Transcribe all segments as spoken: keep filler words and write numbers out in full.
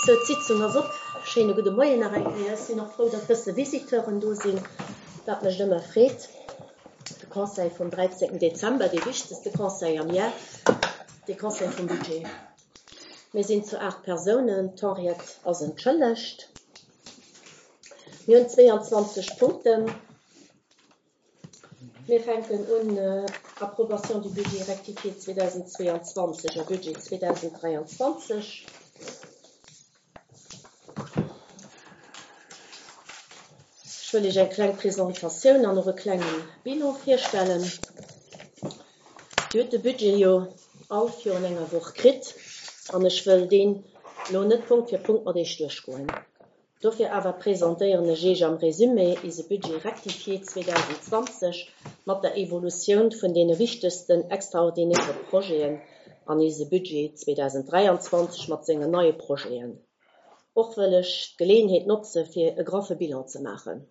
Sou, d'Sitzung ass op. Schéine gudde Moien nach eng Kéier. Ech sinn och frou, datt bësse Visiteuren do sinn. Dat mécht ëmmer Freed. De Conseil vum dräizéngten Dezember, dee wichtegste Conseil am Jar, de Conseil vum Budget. Mir sinn zu aacht Persounen. D'Henriette ass entschëllegt. Mir hunn zweeanzwanzeg Punkten. Mir fänken un, Approbation du budget rectifié zweedausendzweeanzwanzeg a Budget zweedausenddräianzwanzeg. Ech wëll Iech eng kleng Presentatioun an och e klenge Bilan virstellen. Dir hutt de Budget jo all virun enger Woch kritt an ech wëll deen elo net Punkt fir Punkt mat Iech duerchgoen. Dofir awer presentéieren ech Iech am Résumé ise Budget rectifié zweedausendzwanzeg mat der Evolutioun vun deene wichtegsten extraordinäre Projeten an ise Budget zweedausenddräianzwanzeg mat sengen neie Projeten. Och wëll ech d'Geleeënheet notze fir e graffe Bilan ze maachen.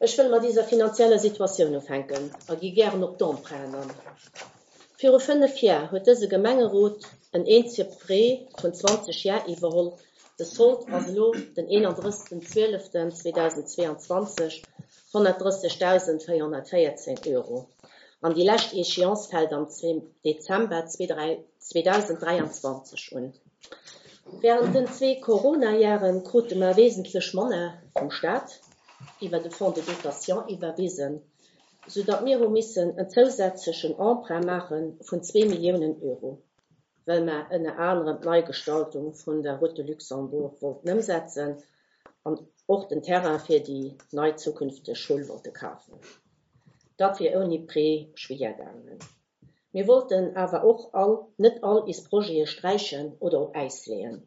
Ech wëll mat iser finanzieller Situatioun ufänken a gi gären op d'Emprunten an. Viru fënnef Jar huet dëse Gemengerot en eenzege Prêt vun zwanzeg Jar iwwerholl. De Sold ass elo den eenandrëssegsten zwieleften zweedausendzweeanzwanzeg honnertdrëssigdausendvéierhonnertvéierzehn Euro. An déi lescht Échéance fält am Dezember zweedausenddräianzwanzeg un. Während den zwee Corona-Jahre krute mer wesentlech manner vum Staat iwwer de Fonds de dotation iwwerwisen, sou datt mir hu missen en zousätzlechen Emprunt maache vun zwee Milliounen Euro, well mer ënner anerem d'Neigestaltung vun der Route de Luxembourg wollten ëmsetzen an och den Terrain fir déi nei zukünfteg Schoul wollte kafen. Dat wier ouni Prêt schwéier gaangen. Mir wollten awer och all, net all is Projete sträichen oder op Äis leeën.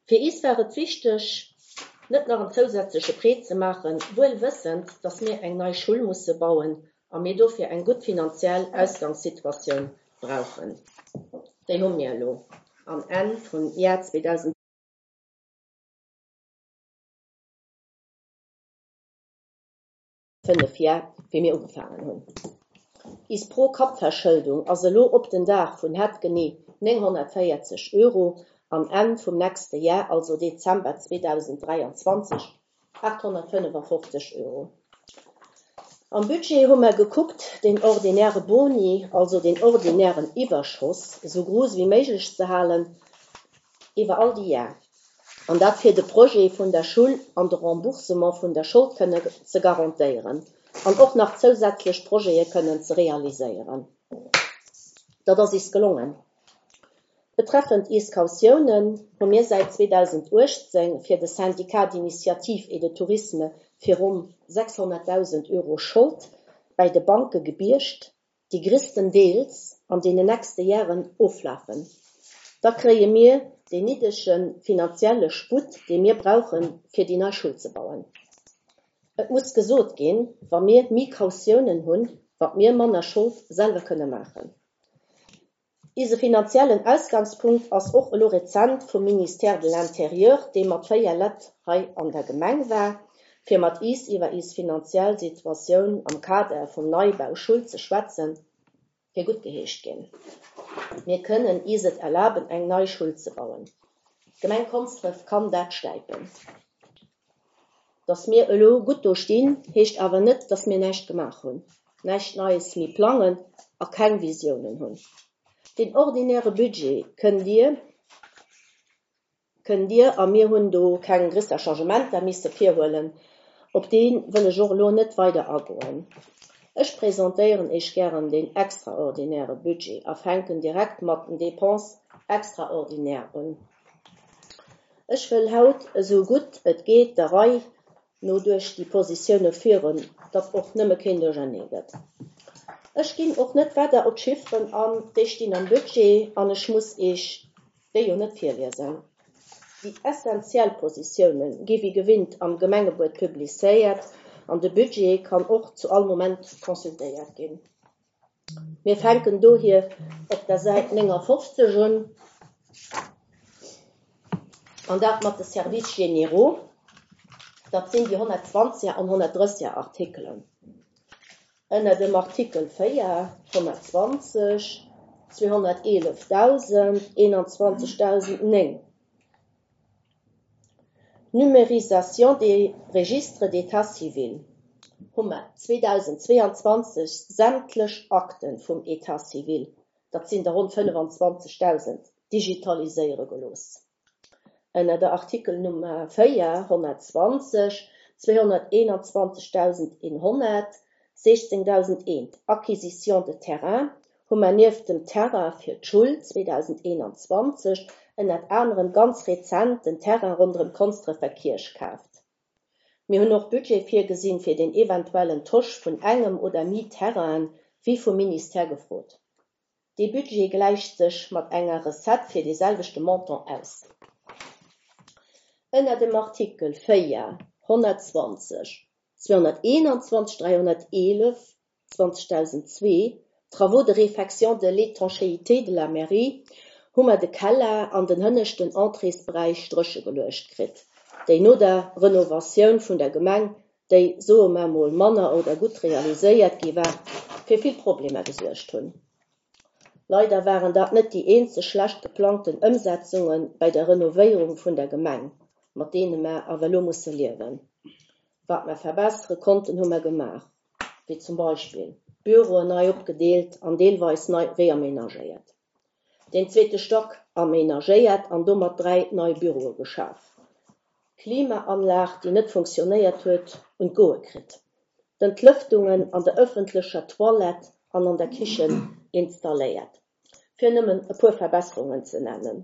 Fir is war et wichteg, net nach en zousätzleche Prêt ze maachen, wuel wëssend, datt mir eng nei Schoul musse bauen a mir dofir eng gutt finanziell Ausgangssituatioun brauchen. Déi hu mir elo am Enn vum Jar zweedausendfënnef Jar, wéi mir ugefaangen hunn. Is Pro-Kapp-Verschëldung ass elo op den Dag vun hatt genee nénghonnertvéierzeg Euro am Enn vum nächste Jar, also Dezember zweedausenddräianzwanzeg, achthonnertfënnefofzeg Euro. Am Budget hu mer gekuckt, den ordinäre Boni, also den ordinären Iwwerschoss, sou grouss wéi méiglech ze halen iwwer all déi Jar. An dat fir de Projet vun der Schoul an de Remboursement vun der Schold kënne ze garantéieren an och nach zousätzlech Projete kënnen ze realiséieren. Dat ass is gelongen. Betreffend is Kautiounen hu mir säit zweedausenduechtzéng fir de Syndicat d'initiative et de tourisme fir ronn sechshonnertdausend Euro Schold bei de Banke gebiergt, déi gréisstendeels an deenen nächste Jaren oflafen. Da kréie mir den niddrege finanzielle Sputt, dee mir brauchen, fir déi nei Schoul ze bauen. Et muss gesot ginn, wa mir méi Kautiounen hunn, wat mir manner Schold selwer kënne maachen. Ise finanziellen Ausgangspunkt ass och elo rezent vum Ministère de l'Intérieur, dee mat véier Leit hei an der Gemeng war, fir mat is iwwer is finanziell Situatioun am Kader vum Neibau Schul ze schwätzen, fir gutt geheescht ginn. Mir kënnen is et erlaben, eng nei Schul ze bauen. D'Gemeng Konsdref kann dat stäipen. Datt mir elo gutt do stinn, heescht awer net, datt mir näischt gemaach hunn, näischt Neies méi plangen a keng Visiounen hunn. Den ordinäre Budget kënnt Dir, kënnt Dir a mir hunn do keng gréisser Changementer misse virhuelen, op dee wëll ech och elo net weider agoen. Ech presentéieren Iech gären den extraordinäre Budget a fänken direkt mat den Dépenses extraordinaires un. Ech wëll haut esou gutt et geet der Rei no duerch déi Positioune führen, datt och nëmme keen Duerchernee gëtt. Ech ginn och net weider op d'Chifferen an, déi stinn am Budget an ech muss Iech déi jo net virliesen. Déi essentiell Positioune gi wéi gewinnt am Gemengebuet publizéiert an de Budget kann och zu all Moment consultéiert ginn. Mir fänken dohier op der Säit néngafofzeg un an dat mat de Services généraux. Dat sinn déi honnertzwanzeger an honnertdrësseger Artikelen. Ënner dem Artikel véier, honnertzwanzeg, zweehonnerteelefdausend, eenanzwanzegdausendnéng. Numérisation des registres d'état civil hu mer zweedausendzweeanzwanzeg sämtlech Akte vum État civil, dat sinn der ronn fënnefanzwanzegdausend, digitaliséiere gelooss. Ënner der Artikelnummer véier, honnertzwanzeg, zweehonnerteenanzwanzegdausendeenhonnert, sechzéngdausendeent, Acquisition de terrain, hu mer nieft dem Terrain fir d'Schull zweedausendeenanzwanzeg ënnert anerem ganz rezent den Terrain ronderëm d'Konsdrefer Kierch kaaft. Mir hunn och Budget virgesinn fir den eventuellen Tosch vun engem oder méi Terrainen, wéi vum Ministère gefrot. Dee Budget gläicht sech mat enger Recette fir dee selwechte Montant aus. Ënner dem Artikel véier, honnertzwanzeg, zweehonnerteenanzwanzeg, dräihonnerteelef, zwanzegdausendzwee, Travaux de réfection de l'étanchéité de la mairie, hu mer de Keller an den hënneschten Entréesberäich dréche geluecht kritt, déi no der Renovatioun vun der Gemeng, déi, soe mer mol, manner oder gutt realiséiert gi war, fir vill Problemer gesuergt hunn. Leider waren dat net déi eenzeg schlecht geplangten Ëmsetzunge bei der Renovéierung vun der Gemeng, mat deene mer awer elo musse liewen. Wat mer verbessere konnten, hu mer gemaach, wéi zum Beispill d'Büroen nei opgedeelt an deelweis nei reamenagéiert, den zweete Stock amenagéiert an domat dräi nei Büroe geschaf, d'Klimaanlag, déi net funktionéiert huet, un d'Goe kritt, d'Entlëftungen an der ëffentlecher Toilette an an der Kichen installéiert, fir nëmmen e puer Verbesserungen ze nennen.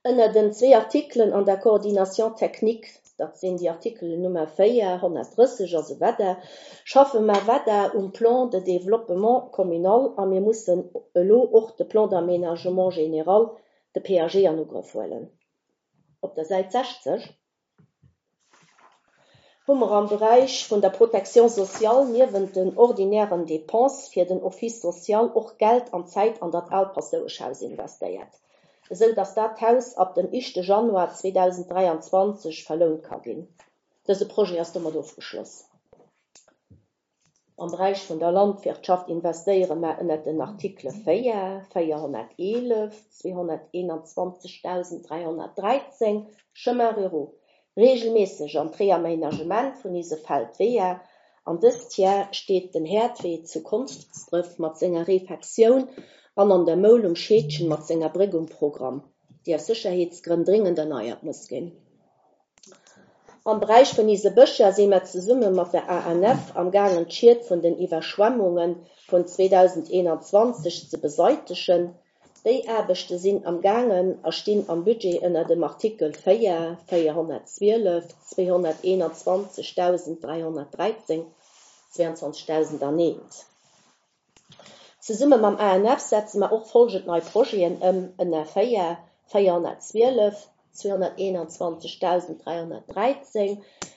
Ënner den zwee Artikelen an der Coordination technique, dat sinn déi Artikelen Nummer véier, honnertdrësseg a sou weider, schaffe mer weider um Plan de développement communal a mir mussen elo och de Plan d'aménagement général, de P A G, an Ugrëff huelen. Op der Säit sechzeg hu mer am Beräich vun der Protection sociale niewent den ordinären Dépenses fir den Office social och Geld an Zäit an dat aalt Paschtoueschhaus investéiert, esou dass dat Haus ab dem éischte Januar zweedausenddräianzwanzeg verlount ka ginn. Dëse Projet ass domat ofgeschloss. Am Beräich vun der Landwirtschaft investéiere mer ënner den Artikele véier, véierhonnerteelef, zweehonnerteenanzwanzegdausenddräihonnertdräizéng, Chemin ruraux, regelméisseg an d'Reaménagement vun ise Feldweeër, an dëst Jahr steet den Häerdwee zu Konsdref mat senger Refektioun an an der Moul um Scheedgen mat senger Bréck um Programm, déi aus Sécherheetsgrënn dringend erneiert muss ginn. Am Beräich vun ise Bëscher si mer zesumme mat der A N F am gaangen d'Schied vun den Iwwerschwemmunge vun zweedausendeenanzwanzeg ze beseitegen. Déi Aarbechte sinn am gaangen a stinn am Budget ënner dem Artikel véier, véierhonnertzwielef, zweehonnerteenanzwanzegdausenddräihonnertdräizéng, zweiundzwanzigdausendeent. Zesumme mam A N F setze mer och folgend nei Projeten ëm ënner véier, véierhonnertzwielef, zweehonnerteenanzwanzigdausenddräihonnertdräizéng,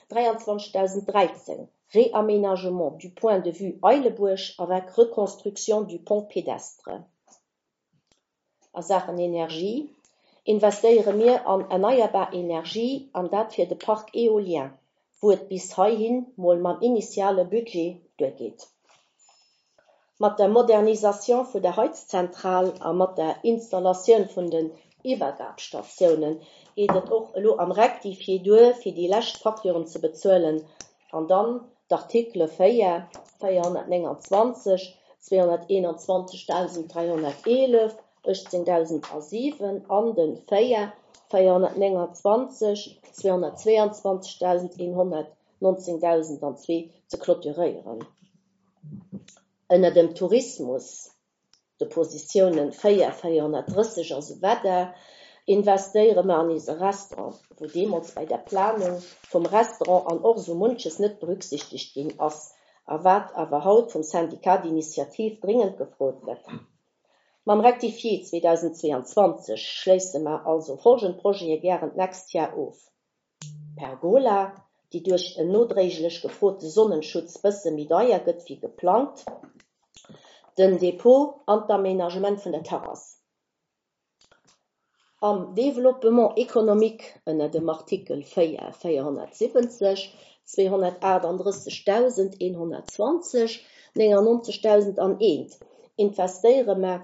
dräiundzwanzigdausenddräizéng, Réaménagement du point de vue Eilebuerg avec reconstruction du pont pédestre. A Sachen Energie investéiere mir an erneierbar Energie an dat fir de Parc éolien, wou et bis heihin mol mam initiale Budget duergeet. Mat der Modernisation vun der Heizzentral a mat der Installatioun vun den Iwwergabstatiounen geet et och elo am Rectifié duer, fir déi lescht Facturen ze bezuelen an dann d'Artikele véier, véierhonnertneunundzwanzig, zweehonnerteenundzwanzigdausenddräihonnerteelef, achtzehntausendsiewen an den véier, véierhonnertneunundzwanzig, zweehonnertzweiundzwanzigtausendeenhundert, neunzehntausendzwee ze clôturéieren. Ënner dem Tourismus, de Positiounen véier, véierhonnertdrësseg a sou weider, investéiere mer an ise Restaurant, wou deemools bei der Planung vum Restaurant an och sou munches net berücksichtigt ginn ass, a wat awer haut vum Syndicat d'initiative dringend gefrot gëtt. Mam Rectifié zweedausendzweiundzwanzig schléisse mer also folgend Projete gären d'nächst Jahr of. Pergola, déi duerch en nodréiglech gefrote Sonnenschutz bësse méi deier gëtt wéi geplangt, den Depot an d'Aménagement vun der Terrasse. Am Développement économique ënner dem Artikel véier, véierhonnertsiwwenzeg, zweehonnertachtundrëssigtausendeenhundertzwanzig, neunundneunzigtausendeent investéiere mer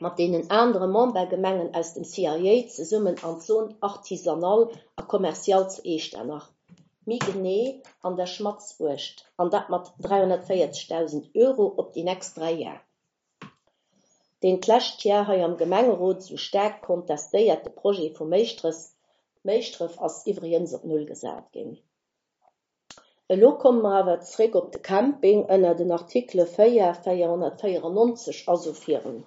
mat deenen anere Membergemengen aus dem C I A zesummen an d'Zone artisanale a commerciale zu Echternach, méi genee an der Schmatzwurscht, an dat mat dräihonnertvéierzegdausend Euro op déi nächst dräi Jar. Deen d'lescht Jar hei am Gemengerot sou staark kontestéierte Projet vu Méischtref, Méischtref ass iwwregens op Null gesat ginn. Elo komme mer awer zeréck op de Camping ënner den Artikele véier, véierhonnertvéierennonzeg a sou virun.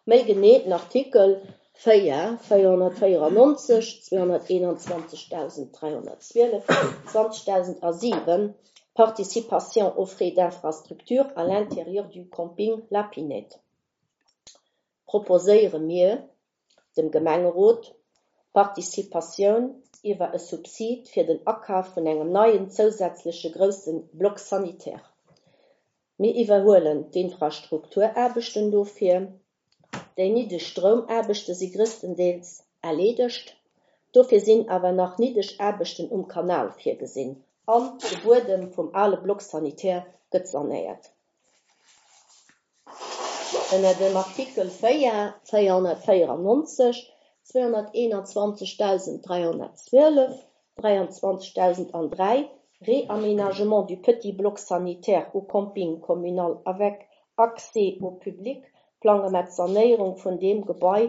Méi genee den Artikel véier, véierhonnertvéierennonzeg, zweehonnerteenundzwanzegdausenddräihonnertzwielef, zwanzegdausendsiwen, Participation aux frais d'infrastructure à l'intérieur du camping La Pinette. Proposéiere mir dem Gemengerot Participatioun iwwer e Subsid fir den Akaf vun engem neien zousätzleche grousse Bloc sanitaire. Mir iwwerhuelen d'Infrastrukturaarbechten dofir. Déi niddeg Stroumaarbechte si gréisstendeels erleedegt. Dofir sinn awer nach niddeg Aarbechten um Kanal virgesinn an de Buedem vum ale Bloc sanitaire gëtt sanéiert. Ënner dem Artikel véier, véierhonnertvéierennonzeg, zweehonnerteenundzwanzegdausenddräihonnertzwielef, dräiandzwanzegdausenddräi, Réaménagement du petit bloc sanitaire au camping communal avec accès au public, plange mer d'Sanéierung vun deem Gebai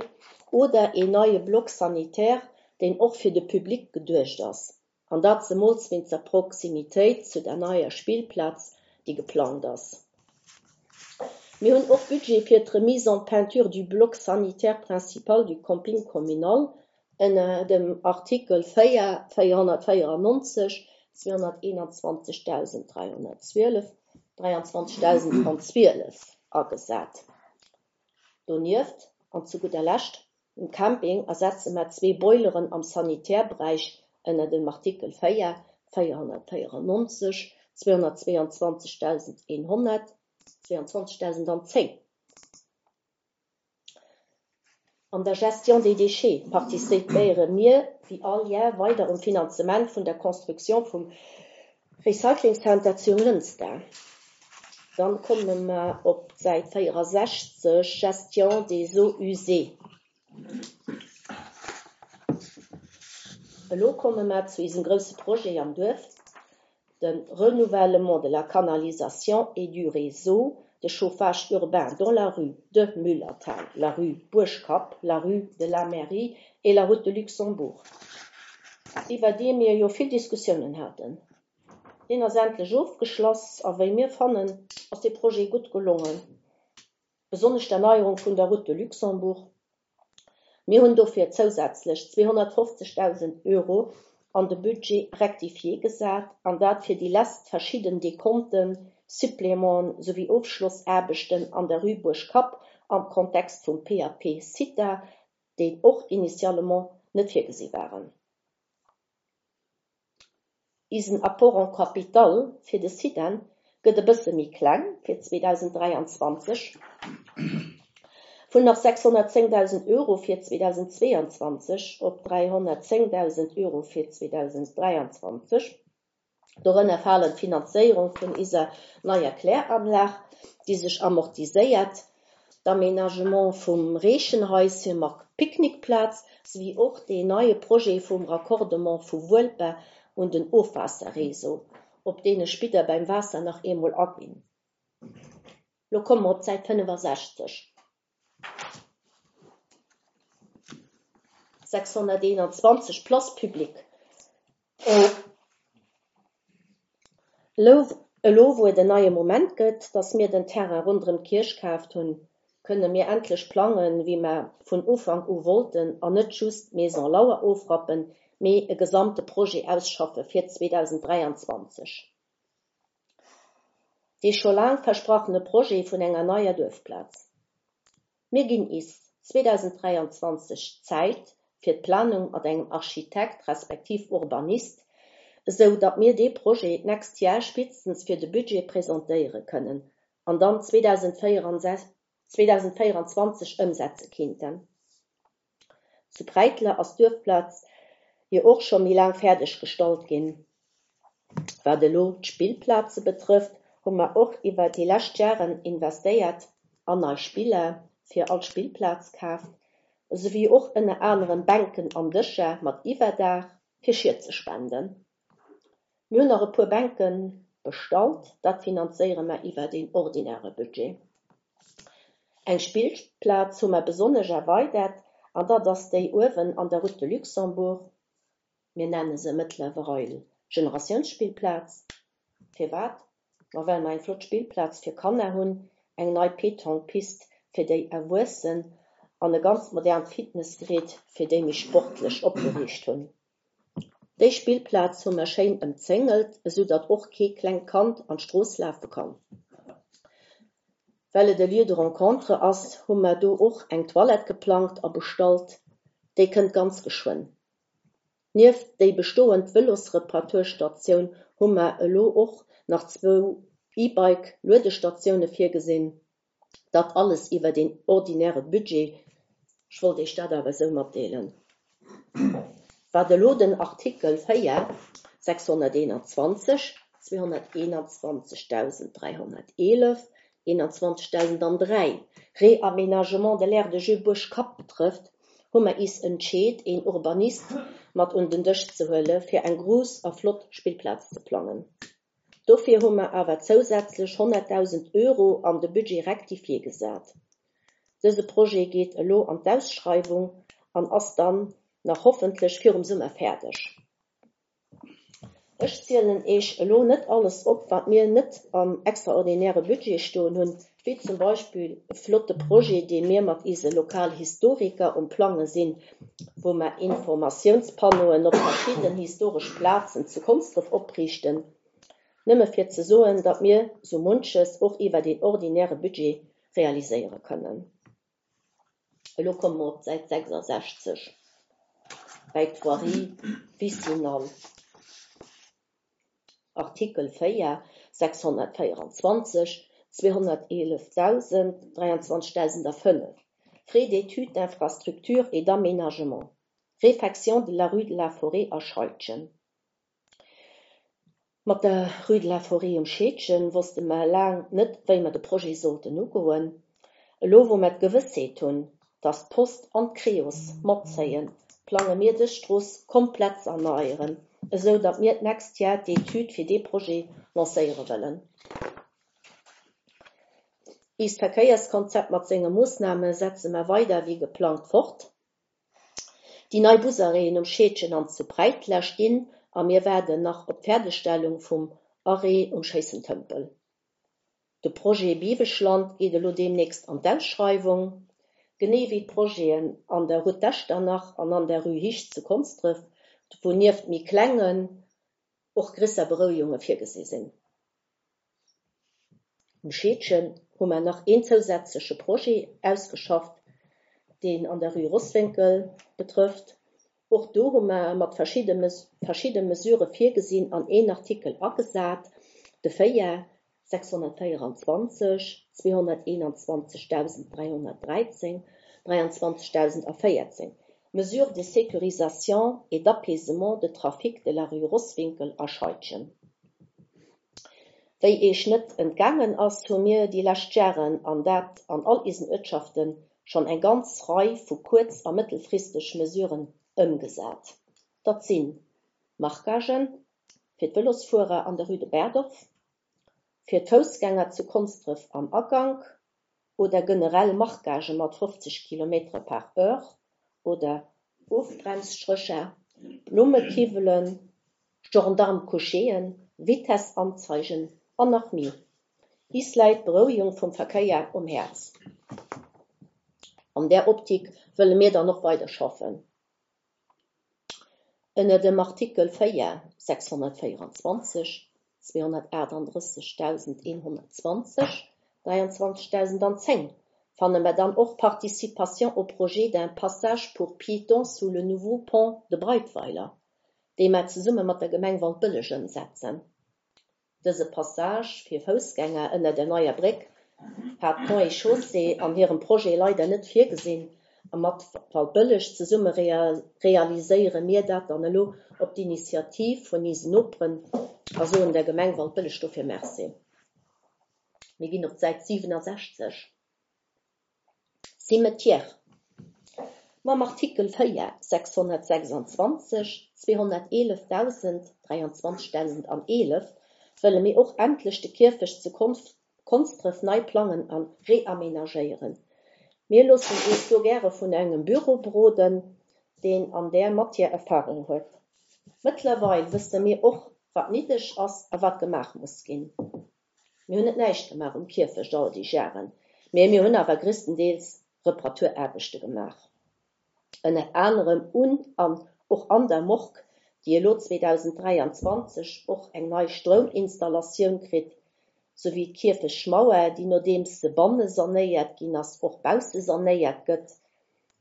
oder een neie Bloc sanitaire, deen och fir de Public geduecht ass. An dat zemools wéinst der Proximitéit zu der neier Spillplaz, déi geplant ass. Mir hunn och Budget fir d'Remise en peinture du bloc sanitaire principal du camping communal ënner dem Artikel véier, véierhonnertvéierennonzeg, zweehonnerteenundzwanzegdausenddräihonnertzwielef, dräiandzwanzegdausendzwielef agesat. Donieft, an zu gudder Lescht, um Camping ersetze mer zwee Boileren am Sanitärberäich ënner dem Artikel véier, véierhonnertvéierennonzeg, zweehonnertzweiandzwanzegdausendeenhonnert, zweiundzwanzegdausendzéng. An der Gestion des déchets participéiere mir wéi all Jar weider um Finanzement vun der Construction vum Recycling Center zu Jonglënster. Dann komme mer op d'Säit véierundsechzeg, Gestion des eaux usées. Elo komme mer zu eisem grousse Projet am Duerf, de renouvellement de la canalisation et du réseau de chauffage urbain dans la rue de Müllerthal, la rue Buergkapp, la rue de la Mairie et la route de Luxembourg. Iwwer dee mir jo vill Diskussiounen haten. Deen ass endlech ofgeschloss a wéi mir fannen, ass de Projet gutt gelongen. Besonnesch d'Erneierung vun der Route de Luxembourg. Mir hunn dofir zousätzlech zweehonnertfofzegdausend Euro an de Budget rectifié gesat an dat fir déi lescht verschidden Dekonten, Supplémenten souwéi Ofschlossaarbechten an der Rue Buergkapp am Kontext vum P A P CITA, déi och initialement net virgesi waren. Isen Apport en Capital fir de CITEN gëtt e bësse méi kleng fir zweetausenddräiandzwanzeg. Vun nach sechshonnertzéngdausend Euro fir zweetausendzweiundzwanzeg op dräihonnertzéngdausend Euro fir zweetausenddräiandzwanzeg. Dorënner falen d'Finanzéierung vun iser neier Kläranlag, déi sech amortiséiert, d'Aménagement vum Reechenhaische mat Picknickplaz souwéi och deen neie Projet vum Raccordement vu Wuelper un den Ofwaasserréseau, op deen ech spéider beim Waasser nach eemol aginn. Lo komme mer op d'Säit fënnefasechzeg. sechshonnerteenundzwanzeg Place publique. Elo, wou et en neie Moment gëtt, datt mir den Terrain ronderëm d'Kierch kaaft hunn, kënne mir endlech plangen, wéi mer vun Ufank u wollten an net just d'Maison Lauer ofrappen, mee e gesamte Projet ausschaffe fir zweetausenddräiandzwanzeg. Dee scho laang versprochene Projet vun enger neier Duerfplaz. Mir ginn is zweetausenddräiandzwanzeg Zäit fir d'Planung mat engem Architekt respektiv Urbanist, sou datt mir dee Projet d'nächst Jar spéitstens fir de Budget presentéiere kënnen an dann zweetausenddräianzwanzeg ëmsetze kinnten. Zu Breitler ass d'Duerfplaz jo och scho méi laang fäerdeg gestallt ginn. Wat elo d'Spillplaze betrëfft, hu mer och iwwer déi lescht Jaren investéiert an nei Spiller, fir all Spillplaz kaaft, esouwéi och ënner anerem Bänken an Dëscher mat Iwwerdaach fir Schied ze spenden. Mir hunn nach e puer Bänke bestallt, dat finanzéiere mer iwwer den ordinäre Budget. Eng Spillplaz hu mer besonnesch erweidert an dat ass déi uewen an der Route de Luxembourg. Mir nenne se mëttlerweil Generatiounsspillplaz. Firwat? Ma well mer eng flott Spillplaz fir Kanner hunn, eng nei Pétanque-Pist fir déi Erwuessen an e ganz modernt Fitnessgerät fir déi méi sportlech opgeriicht hunn. Déi Spillplaz hu mer schéin ëmzéngelt, esou datt och kee klengt Kand an d'Strooss lafe kann. Well et e Lieu de rencontre ass, hu mer do och eng Toilette geplangt a bestallt, déi kënnt ganz geschwënn. Nieft déi bestoend Vëlosreparaturstatioun hu mer elo och nach zwou E-Bike-Luedestatioune virgesinn. Dat alles iwwer den ordinäre Budget. Ech wollt Iech dat awer esou matdeelen. Wat elo den Artikel véier, sechshonnerteenanzwanzeg, zweehonnerteenanzwanzegdausend dräihonnerteelef, eenanzwanzegdausend dräi, Réaménagement de l'aire de jeu Buerg-Kapp betrëfft, hu mer is entscheet, een Urbanist mat un den Dësch ze huele fir eng grouss a flott Spillplaz ze plangen. Dofir hu mer awer zousätzlech honnertdausend Euro an de Budget rectifié gesat. Dëse Projet geet elo an d'Ausschreiwung an ass dann nach hoffentlech virum Summer fäerdeg. Ech zielen Iech elo net alles op, wat mir net am extraordinäre Budget stoen hunn, wéi zum Beispill e flotte Projet, dee mir mat ise Lokalhistoriker um Plange sinn, wou mer Informatiounspanneauen op verschidden historesch Plazen zu Konsdref opriichten, nëmme fir ze soen, datt mir sou munches och iwwer den ordinäre Budget realiséiere kënnen. Elo komme mer op d'Säit sechsasechzeg bäi d'Voirie vicinale. Artikel véier, sechshonnertvéieranzwanzeg, zweehonnerteelefdausend, dräianzwanzegdausendfënnef, Frais d'études d'infrastructure et d'aménagement, Réfection de la rue de la Forêt a Scheidgen. Mat der Rue de la Forêt um Scheedgen wosste mer laang net, wéi mer de Projet sollten ugoen. Elo wou mer d'Gewëssheet hunn, datt d'Post an d'Creos matzéien, plange mir dës Strooss komplett ze erneieren, esou datt mir d'nächst Joer d'Etüd fir dee Projet lancéiere wëllen. Iist Verkéierskonzept mat senge Moossname setze mer weider wéi geplangt fort. Déi nei Busarrêten um Scheedgen an zu Bräitler stinn a mir waarden nach op d'Fäerdegstellung vum Arrêt um Schéissentëmpel. De Projet Biweschland geet elo deemnächst an d'Ausschreiwung, genee wéi d'Projeten an der Route d'Echternach an an der Rue Hicht zu Konsdref, wou nieft méi klengen och gréisser Berouegunge virgesi sinn. Um Scheedgen hu mer nach een zousätzleche Projet ausgeschafft, deen an der Rue Rosswénkel betrëfft. Och do hu mer mat verschidde verschidde Mesurë virgesinn an een Artikel agesat, de véier, sechshonnertvéieranzwanzeg, zweehonnerteenanzwanzegdausend dräihonnertdräizéng, dräianzwanzegdausendvéierzéng, Mesures de sécurisation et d'apaisement de trafic de la rue Rosswinkel a Scheidgen. Wéi Iech net entgaangen ass, hu mir déi lescht Jaren, an dat an all isen Uertschaften, schonn eng ganz Rei vu kuerz a mëttelfristeg Mesuren ëmgesat. Dat sinn Marquagen fir d'Vëlosfuerer an der Rue de Berdorf, fir d'Foussgänger zu Konsdref am Agank oder generell Marquagë mat fofzeg Kilometer par heure oder Ofbremsstrécher, Blummekiwwelen, Gendarme-couchéen, Vitessanzeigen an nach méi. Is läit d'Berouegung vum Verkéier um Häerz. An där Optik wëlle mir dann och weider schaffen. Ënner dem Artikel véier, sechshonnertvéieranzwanzeg, zweehonnertaachtanddrëssegdausendeenhonnertzwanzeg, dräianzwanzegdausendzéng fanne mer dann och Participation au projet d'un passage pour piétons sous le nouveau pont de Breitweiler, dee mer zesumme mat der Gemeng Waldbëlleg ëmsetzen. Dëse Passage fir Foussgänger ënner der neier Bréck hat Ponts et Chaussées an hirem Projet leider net virgesinn a mat Waldbëlleg zesumme realiséiere mir dat dann elo op d'Initiativ vun isen Noperen a soen der Gemeng Waldbëlleg dofir Merci. Mir ginn op d'Säit siwenasechzeg. Cimetière. Mam Artikel véier, sechshonnertsechsanzwanzeg, zweehonnerteelefdausend, dräianzwanzegdausendaneelef wëlle mir och endlech de Kierfecht zu Konsdref nei plangen a reamenagéieren. Mir loossen eis do gäre vun engem Büro beroden, deen an där Matière Erfarung huet. Mëttlerweil wësse mir och, wat néideg ass a wat gemaach muss ginn. Mir hunn net näischt gemaach um Kierfecht all déi Jaren, mee mir hunn awer gréisstendeels Reparaturaarbechte gemaach. Ënner anerem un an och an der Morgue, déi elo zweedausenddräianzwanzeg och eng nei Strouminstallatioun kritt, souwéi d'Kierfechtmauer, déi nodeems se banne sanéiert ginn ass, och bausse sanéiert gëtt.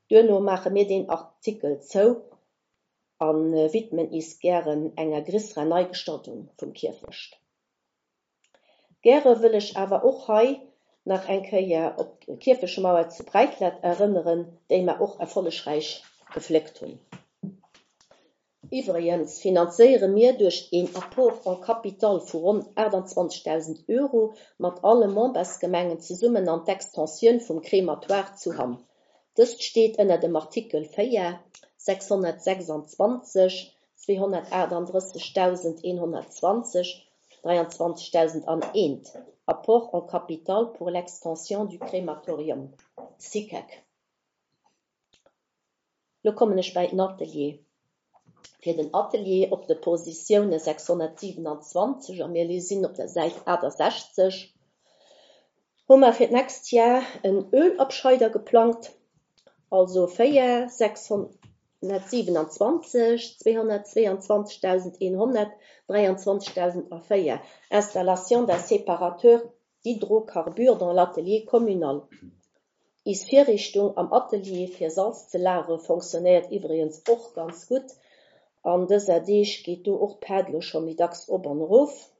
Duerno maache mir deen Artikel zou a widmen is gären enger gréisserer Neigestaltung vum Kierfecht. Gäre wëll ech awer och hei nach eng Kéier op d'Kierfechtmauer zu Breidlett erënneren, déi mer och erfollegräich gefléckt hunn. Iwwregens finanzéiere mir duerch een Apport en capital vu ronn aachtanzwanzegdausend Euro mat alle Membersgemengen zesummen an d'Extensioun vum Crématoire zu Hamm. Dëst steet ënner dem Artikel véier, sechshonnertsechsanzwanzeg, zweehonnertaachtanddrëssegdausendeenhonnertzwanzeg, dräianzwanzegdausendaneent, Apport en capital pour l'extension du crématorium, SICEC. Lo kommen ech bei den Atelier. Fir den Atelier op de Positioune sechshonnertsiwenanzwanzeg, a mir sinn op der Säit aachtasechzeg, hu mer fir d'nächst Jar en Ölabscheider geplangt, also véier, sechshonnertsiwenanzwanzeg, zweehonnertzweeanzwanzegdausendeenhonnert, dräianzwanzegdausendavéier, Installation d'un séparateur d'hydrocarbures dans l'atelier communal. Is Virriichtung am Atelier fir Salz ze lagere fonctionnéiert iwwregens och ganz gutt. An dëser Deeg geet do och d'Paart lo scho méi dacks op an erof.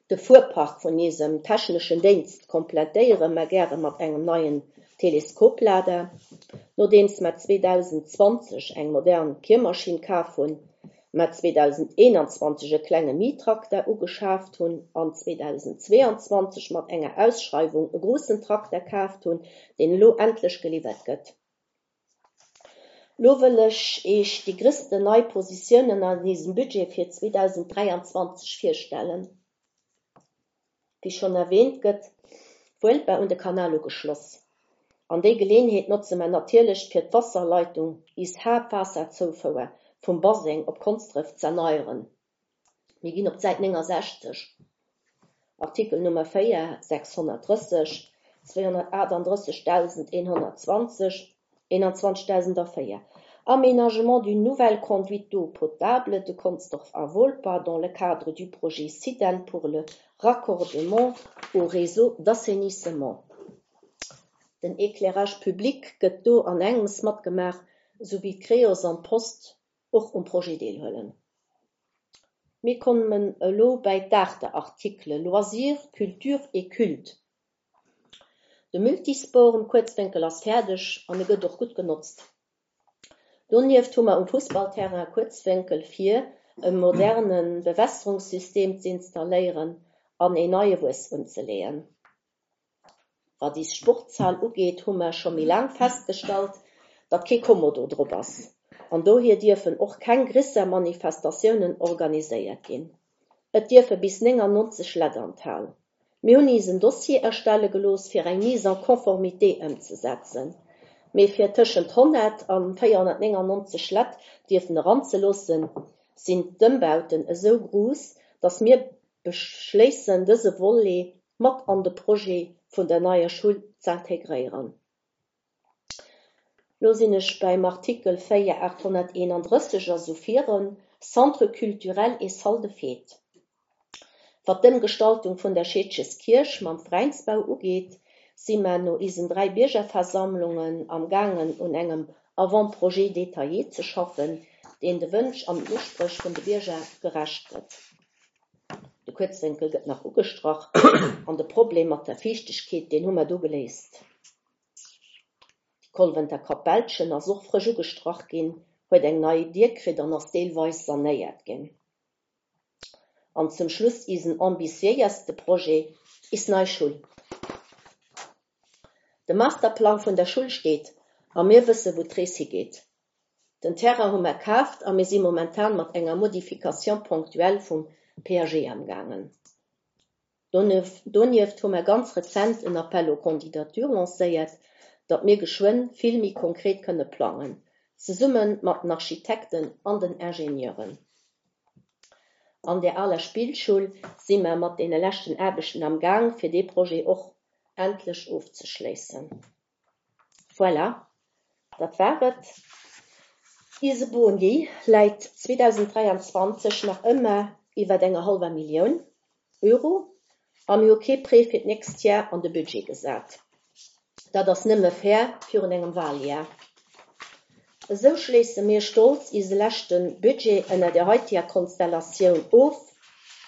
De Fuerpark vun isem techneschen Déngscht komplettéiere mer gäre mat engem neien Teleskoplader. Nodeems mer zweedausendzwanzeg eng modern Kiermaschinn kaf hunn, mer zweedausendeenanzwanzeg e klenge Mini-Trakter ugeschaaft hunn an zweedausendzweeanzwanzeg mat enger Ausschreiwung e groussen Trakter kaaft hunn, deen elo endlech geliwwert gëtt. Lo wëll ech Iech déi gréissten nei Positiounen an isem Budget fir zweedausenddräianzwanzeg virstellen. Wéi schonn erwäänt, gëtt Wuelper un de Kanal ugeschloss. An déi Geleeënheet notze mer natierlech fir d'Waasserleitung, is Haaptwaasserzoufouer vum Baseng op Konsdref z'erneieren. Mir ginn op d'Säit néngasechzeg, Artikel Nummer véier, sechshonnertdrësseg, zweehonnertaachtanddrëssegdausendeenhonnertzwanzeg, eenanzwanzegdausendavéier, Aménagement d'une nouvelle conduite d'eau potable de Consdorf à Wolper dans le cadre du projet SIDEN pour le raccordement au réseau d'assainissement. Den Éclairage public gëtt do an engems matgemaach, sou wéi d'Creos an d'Post och um Projet deelhuelen. Mir kommen elo bei d'Aarteartikele Loisirs, Culture et Culte. De Multisport um Kuerzwénkel ass fäerdeg an e gëtt och gutt genotzt. Donieft hu mer um Fussballterrain Kuerzwénkel vir, e moderne Bewässerungssystem z'installéieren an een neie Wuess unzeleeën. Wat is Sportshal ugeet, hu mer scho méi laang festgestallt, datt kee Kommodo drop ass an dohier dierfen och keng gréisser Manifestatiounen organiséiert ginn. Et dierfe bis néngannonzeg Leit an d'Hal. Mir hunn is en Dossier erstelle gelooss, fir eng Mise en conformité ëmzesetzen. Mee fir tëschent honnert a véierhonnertnéngannonzeg Leit dierfen eranzeloossen, sinn d'Ëmbauten esou grouss, datt mir beschléissen, dëse Volet mat an de Projet vun der neier Schoul z'integréieren. Lo sinn ech beim Artikel véier aathonnerteenandrësseg a sou virun, Centre culturel et salle de fête. Wat d'Ëmgestaltung vun der Scheedges Kierch mam Veräinsbau ugeet, si mer no isen dräi Biergerversammlungen am gaangen un engem Avant-projet détaillé ze schaffen, deen de Wënsch an den Uspréch vun de Bierger gerecht gëtt. De Kuerzwénkel gëtt nach ugestrach an de Problem mat der Fiichtegkeet, deen hu mer do geléist. Déi Kolwenter Kapellchen ass och frësch ugestrach ginn, huet eng nei Dier kritt an ass deelweis sanéiert ginn. An zum Schluss isen ambitiéierste Projet, is nei Schoul. De Masterplang vun der Schull steet a mir wësse wou d'Rees higeet. Den Terrain hu mer kaaft a mir si momentan mat enger Modification ponctuelle vum P A G amgaangen. Donieft hu mer ganz rezent en Appel aux candidatures lancéiert, datt mir geschwënn vill méi konkret kënne plangen, zesumme mat den Architekten an den Ingenieuren. An der aler Spillschoul si mer mat deene leschten Aarbechten am Gaang, fir dee Projet och endlech ofzeschléissen. Voilà, dat war et. Eise Boni läit zweedausenddräianzwanzeg nach ëmmer iwwer enger hallwer Millioun Euro a mir hu kee Prêt fir d'nächst Jar an de Budget gesat. Dat ass nëmme fair virun engem Waljar. Esou schléisse mir stolz eise leschte Budget ënner der heiteger Konstellatioun of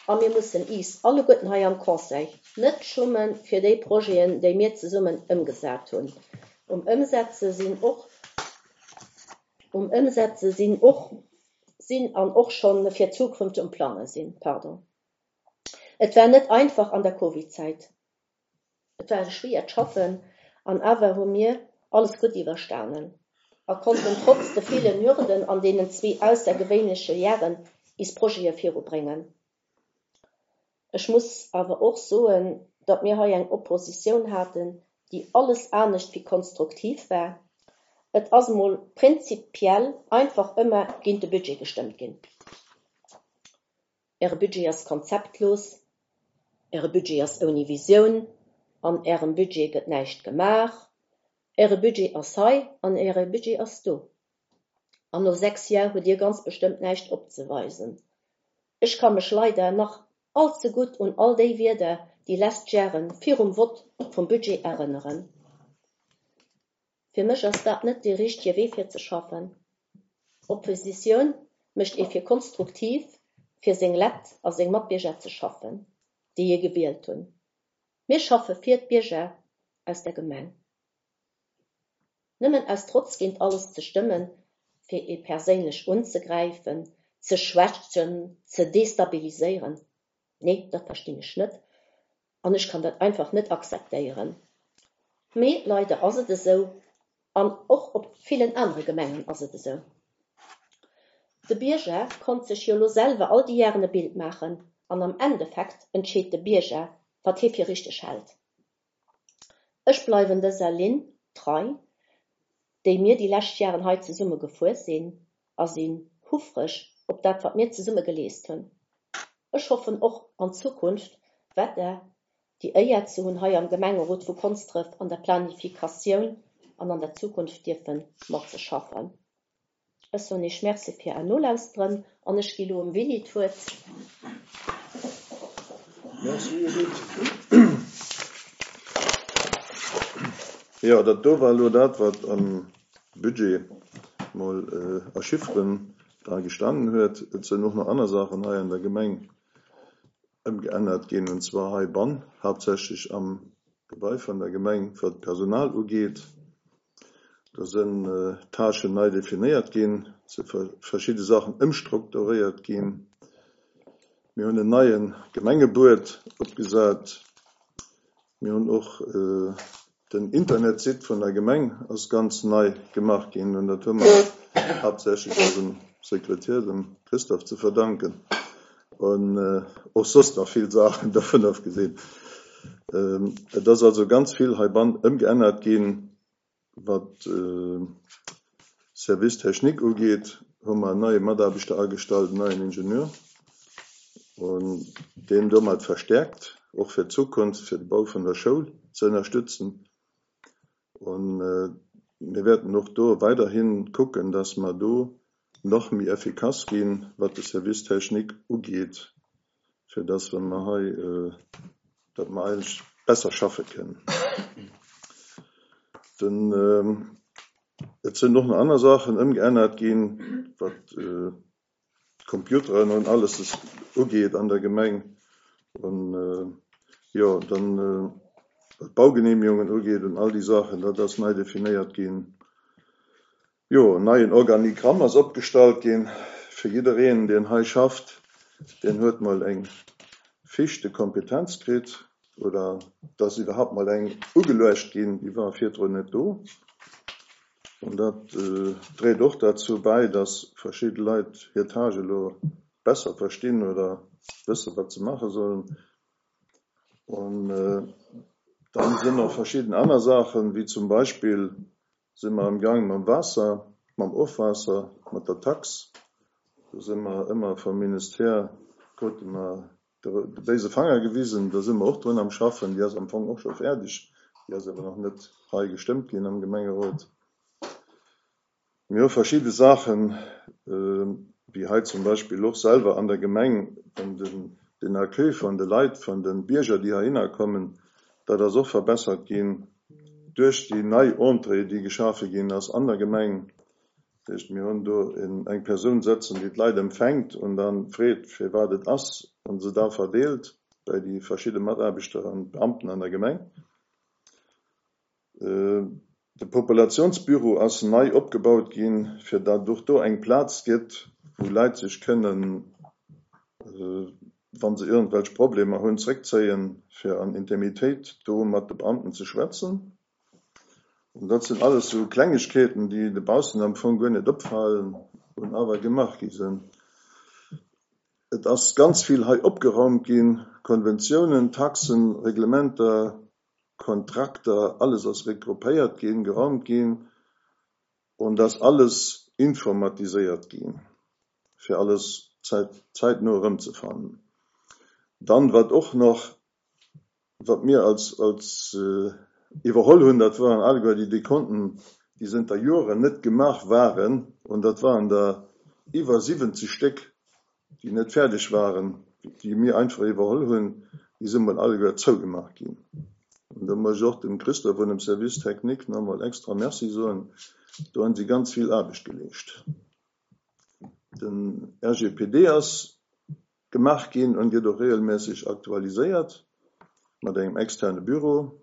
a mir mussen is alleguerten hei am Conseil net schumme fir déi Projeten, déi mir zesummen ëmgesat hunn. Um Ëmsetze sinn och um Ëmsetze sinn och sinn an och schonn fir d'Zukunft um Plange sinn. Pardon. Et war net einfach an der Covid-Zäit. Et war schwéiert schaffen an awer hu mir alles gutt iwwerstanen a konnten trotz de villen Hürden an deenen zwee aussergewéinleche Jaren is Projete virubréngen. Ech muss awer och soen, datt mir hei eng Oppositioun haten, déi alles anescht wéi konstruktiv war. Et ass mol prinzipiell einfach ëmmer géint de Budget gestëmmt ginn. Äre Budget ass konzeptlos, Äre Budget ass ouni Visioun, an Ärem Budget gëtt näischt gemaach, Äre Budget ass hei an Äre Budget ass do. An no sechs Jar hutt Dir ganz bestëmmt näischt opzeweisen. Ech ka mech leider nach allze gutt un all déi Wierder déi lescht Jare virum Vott vum Budget erënneren. Fir mech ass dat net dee richtege Wee fir ze schaffen. Oppositioun mécht ee fir konstruktiv fir seng Leit a seng Matbierger ze schaffen, déi ee gewielt hunn. Mir schaffe fir d'Bierger aus der Gemeng. Nëmmen aus Trotz géint alles ze stëmmen, fir ee perséinlech unzegräifen, ze schwächen, ze destabiliséieren, nee, dat verstinn ech net an ech kann dat einfach net akzeptéieren. Mee leider ass et esou an och op villen anere Gemengen ass et esou. De Bierger konnt sech jo lo selwer all déi Jaren e Bild maachen an am Endeffekt entscheet de Bierger, wat hie fir richteg hält. Ech bleiwen dëser Linn trei, déi mir déi lescht Jaren hei zesumme gefuer sinn a sinn houfreg op dat, wat mir zesumme geleescht hunn. Ech hoffen och an Zukunft weider déi Éier ze hunn, hei am Gemengerot vu Konsdref an der Planifikatioun an an der Zukunft dierfe matzeschaffen. Ech soen Iech Merci fir Är Nolauschteren an ech gi lo dem Willy d'Wuert. Merci Edith. Jo, dat do war elo dat, wat am Budget mol a Chifferen dra gestanen huet. Et sinn och nach aner Saachen hei an der Gemeng ëmgeännert ginn, und zwar heibann, haaptsächlech am Gebai vun der Gemeng, wat d'Personal ugeet. Do sinn Tâchen nei definéiert ginn, si verschidde Saachen ëmstrukturéiert ginn. Mir hunn en neie Gemengebuet opgesat. Mir hunn och den Internetsite vun der Gemeng ass ganz nei gemaach ginn an dat hu mer haaptsächlech eisem Sekretär, dem Christophe, ze verdanken. An och soss nach vill Saachen dovun ofgesinn. Et ass also ganz vill heibann ëmgeännert ginn, wat Service technique ugeet, hu mer en neie Mataarbechter agestallt, en neien Ingenieur, an deen domat verstäerkt, och fir d'Zukunft, fir de Bau vun der Schoul ze ënnerstëtzen. An mir wäerten och do weiderhin kucken, dass mer do nach méi effikass ginn, wat de Service technique ugeet, fir dass wa mer hei, datt mer eigentlech besser schaffe kënnen. Den, et sinn och nach aner Saachen ëmgeännert ginn, wat d'Computeren an alles ugeet an der Gemeng. An jo, dann wat d'Baugenehmigungen ugeet und all déi Saachen, dat ass nei definéiert ginn. Jo, en neien Organigramm ass opgestallt ginn fir jiddereen, deen hei schafft, deen huet mol eng Fiche de compétences kritt. Oder dass iwwerhaapt mol eng ugeluecht ginn, déi war virdrun net do. An dat dréit och derzou bäi, dass verschidde Leit hir Tâche elo besser verstinn oder wësse wat se maache sollen. An dann sinn nach verschidden aner Saachen, wéi zum Beispill si mer am Gaang mam Waasser, mam Ofwaasser, mat der Tax. Do si mer ëmmer vum Ministère, krute mer de béise Fanger gewisen, do si mer och drun am Schaffen. Déi ass am Fong och scho fäerdeg, déi ass awer nach net hei gestëmmt ginn am Gemengerot. Mir hu verschidde Saachen, wéi hei zum Beispill och selwer an der Gemeng, den, den Accueil vun de Leit, vun de Bierger, déi heihinner kommen, dat ass och verbessert ginn duerch déi nei Entrée, déi geschafe ginn ass an der Gemeng. Dat heescht, mir hunn do eng Persoun sëtzen, déi d'Leit empfänkt an da freet, fir wat et ass, an se da verdeelt bei déi verschidde Mataarbechter an Beamten an der Gemeng. De Populationsbüro ass nei opgebaut ginn, fir datt och do eng Plaz gëtt, wou Leit sech kënnen, wa se iergendwelch Problemer hunn, zréckzéien, fir an Intimitéit do mat de Beamten ze schwätzen. An dat sinn alles sou Klengegkeeten, déi dobaussen am Fong guer net opfalen an awer gemaach gi sinn. Et ass ganz vill hei opgeraumt ginn, Konventiounen, Taxen, Reglementer, Kontrakter, alles ass regroupéiert ginn, geraumt ginn an et ass alles informatiséiert ginn, fir alles zäit, zäitno erëmzefannen. Dann, wat och nach, wat mir als, als iwwerholl hunn, dat waren alleguer déi Dekonten, déi zënter Joren net gemaach waren, an dat waren der iwwer siwwenzeg Stéck, déi net fäerdeg waren, déi mir einfach iwwerholl hunn, déi si mol alleguer zougemaach ginn. An do muss ech och dem Christophe vun dem Service technique nach emol extra Merci soen, do hunn si ganz vill Aarbecht geleescht. Den R G P D ass gemaach ginn an gëtt och regelméisseg aktualiséiert mat engem externe Büro.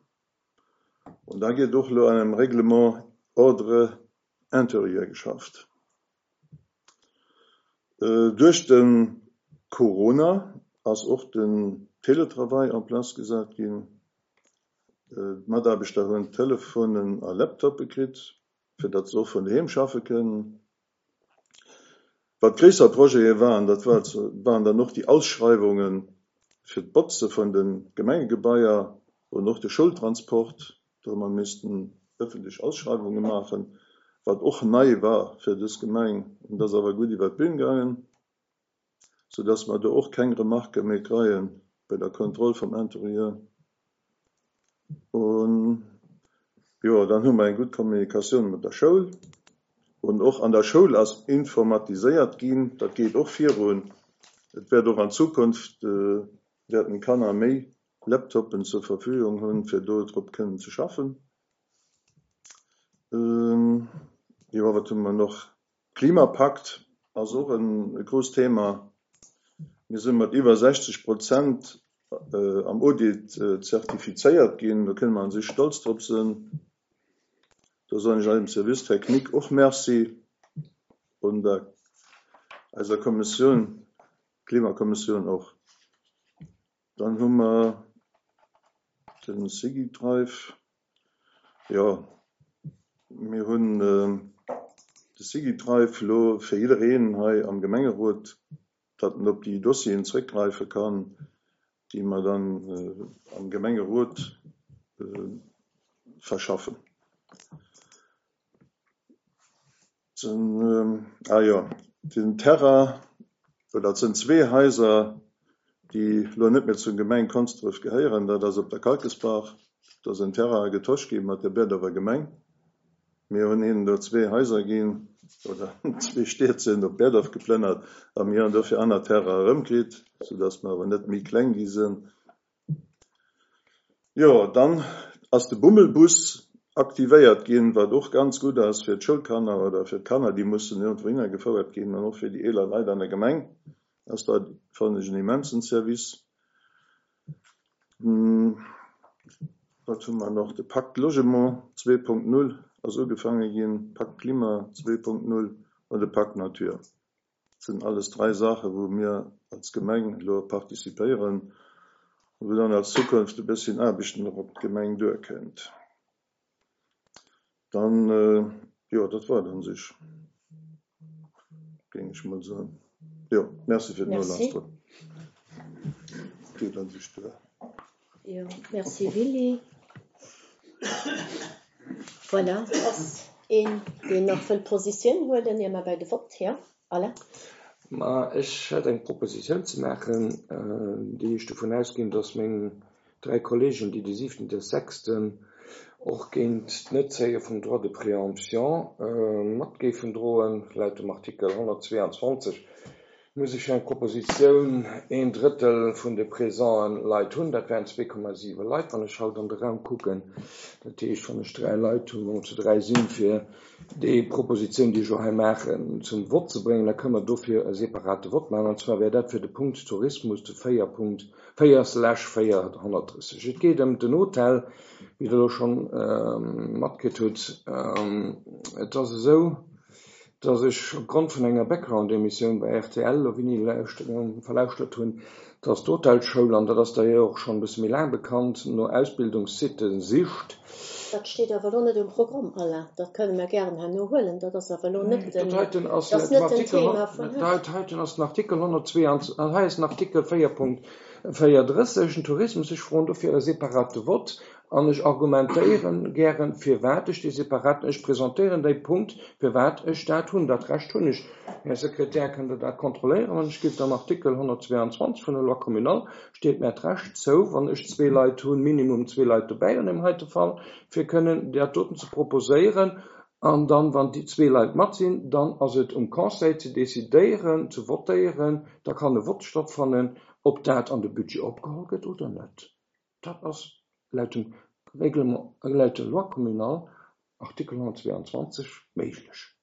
An da gëtt och elo an engem Règlement Ordre intérieur geschafft. Duerch de Corona ass och den Télétravail en place gesat ginn. D'Mataarbechter hunn Telefonen a Laptoppe kritt, fir datt se och vun doheem schaffe kënnen. Wat gréisser Projete waren, dat waren dann och déi Ausschreiwunge fir d'Botze vun de Gemengegebaier an och de Schoultransport. Do hu mer missten ëffentlech Ausschreiwunge maachen, wat och nei war fir dës Gemeng. An dat ass awer gutt iwwer d'Bün gaangen, soudass mer do och keng Remarke méi kreie bei der Kontroll vum Interieur. Un jo, dann hu mer eng gutt Kommunikatioun mat der Schoul. Un och an der Schoul ass informatiséiert ginn, dat geet och virun. Et wäert och an Zukunft wäerten d'Kanner méi Laptoppen zur Verfügung hunn, fir do drop kënnen ze schaffen. Jo, wat hu mer noch? Klimapakt ass och e grousst Thema. Mir si mat iwwer sechzeg Prozent am Audit zertifizéiert ginn. Do kënne mer an sech stolz drop sinn. Do soen ech eisem Service technique och Merci un der eiser Kommissioun, Klimakommissioun och. Dann hu mer den SigiDrive. Jo, mir hunn de SigiDrive elo fir jiddereen hei am Gemengerot, datt en op déi Dossieren zréckgräife kann, déi mer dann am Gemengerot verschaffen. Den, ah jo, den Terrain, oder et sinn zwee Haiser, déi elo net méi zur Gemeng Konsdref gehéieren. Dat ass op der Kalkesbach. Do ass en Terrain getosch gi mat der Berdorfer Gemeng. Mir hunn hinnen do zwee Haiser ginn, oder zwee Stied sinn op Berdorf geplënnert, a mir hunn dofir aner Terrain erëmkritt, soudass mer awer net méi kleng gi sinn. Jo, dann ass de Bummelbus aktivéiert ginn, wat och ganz gutt ass fir d'Schoulkanner oder fir d'Kanner, déi mussen iergendwou hinnergefouert ginn, an och fir déi eeler Leit an der Gemeng ass dat, fannen ech, en immensen Service. Wat hu mer noch? De Pacte Logement zwee Punkt null ass ugefaange ginn, Pacte Klima zwee Punkt null an de Pacte Nature. Dat sinn alles dräi Saachen, wou mir als Gemeng elo participéieren Wou dann als Zukunft e bësschen Aarbechten och op d'Gemeng duerkënnt. Dann, jo, dat war et un sech, géing ech mol soen. Jo, merci fir d'Nolauschteren. Geet an sech duer. Jo, merci Willy. Voilà, ass een, deen nach wëll Positioun huelen, ier mer bei de Vott, jo, Alain? Ma ech hätt eng Propositioun ze maachen, déi ech dovun ausginn, dass meng dräi Kollegen, déi de siwten des sechsten och géint d'Netzéie vum Droit de préemption mat géifen droen. Laut dem Artikel honnertzweeanzwanzeg muss ech eng Propositioun een Drëttel vun de présenten Leit hunn. Dat wären zwee Komma siwe Leit, wann ech haut an de Raum kucken. Dat heescht, wann ech dräi Leit hunn, wa mer zu dräi sinn, fir déi Propositioun, déi ech elo hei maachen, zum Vott ze bréngen, da kënne mer dofir e separate Vott maachen. An zwar wär dat fir de Punkt Tourismus, de véier Punkt véier slash véierhonnertdrësseg. Et geet ëm den Hotel, wéi Der elo schonn matkritt hutt. Et ass esou, dass ech opgrond vun enger Background-Emissioun bei rtl elo wéini verlauschtert hunn, dass d'Hotelschoul, an dat ass der jo och schonn e bësse méi laang bekannt, no Ausbildungssitte sicht. Dat steet awer elo net um Programm, Alain. Dat kënne mer gären herno huelen. Dat ass awer elo net den, Dat heiten ass dat ass net den Thema vun haut. Dat heiten ass den Artikel honnertzweeanzwanzeg, hei ass den Artikel véier Punkt véierdrësseg, den Tourismus. Ech froen dofir e separate Vott an ech argumentéieren gären, firwat ech dee separaten, ech presentéieren déi Punkt, firwat ech dat hunn. Dat Recht hunn ech. Här Sekretär, kënnt Der dat kontrolléieren? Wann ech giff am Artikel honnertzweeanzwanzeg vun der Loi communale steet mär d'Recht zou, wann ech zwee Leit hunn, minimum zwee Leit dobäi an deem heite Fall, fir kënnen dat doten ze proposéieren. An dann, wann déi zwee Leit mat sinn, dann ass et um Conseil ze decidéieren, ze votéieren, da kann e Vott stattfannen, ob dat an de Budget opgeholl gëtt oder net. Dat ass laut dem Règlement, laut der Loi communale, Artikel honnertzweeanzwanzeg, méiglech.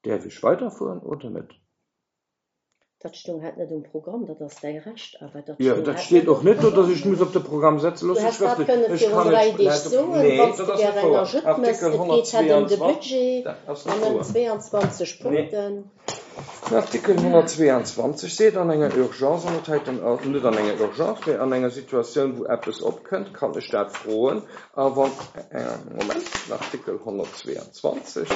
Däerf ech weiderfueren oder net? Dat stoung hat net um Programm, dat ass däi Recht, awer dat Jo, stoung dat hat steet net och um net do, Programm. datt ech muss op de Programm setzen. Du Looss ech häss dat schrëftlech. kënne Ech virun kann dräi et Deeg laut soen, Nee, wann s dat de ass net gär eng wouer. Ajoute méchs. Artikel Et geet hat ëm de honnertzweeanzwanzeg, Budget dat ass net an ëm wouer. zweeanzwanzeg Nee. Punkten. Den Artikel honnertzweeanzwanzeg seet, an enger Urgence, an dat heiten ass net an enger Urgence, mee an enger Situatioun, wou eppes opkënnt, kann ech dat froen. A wann, Moment, den Artikel honnertzweeanzwanzeg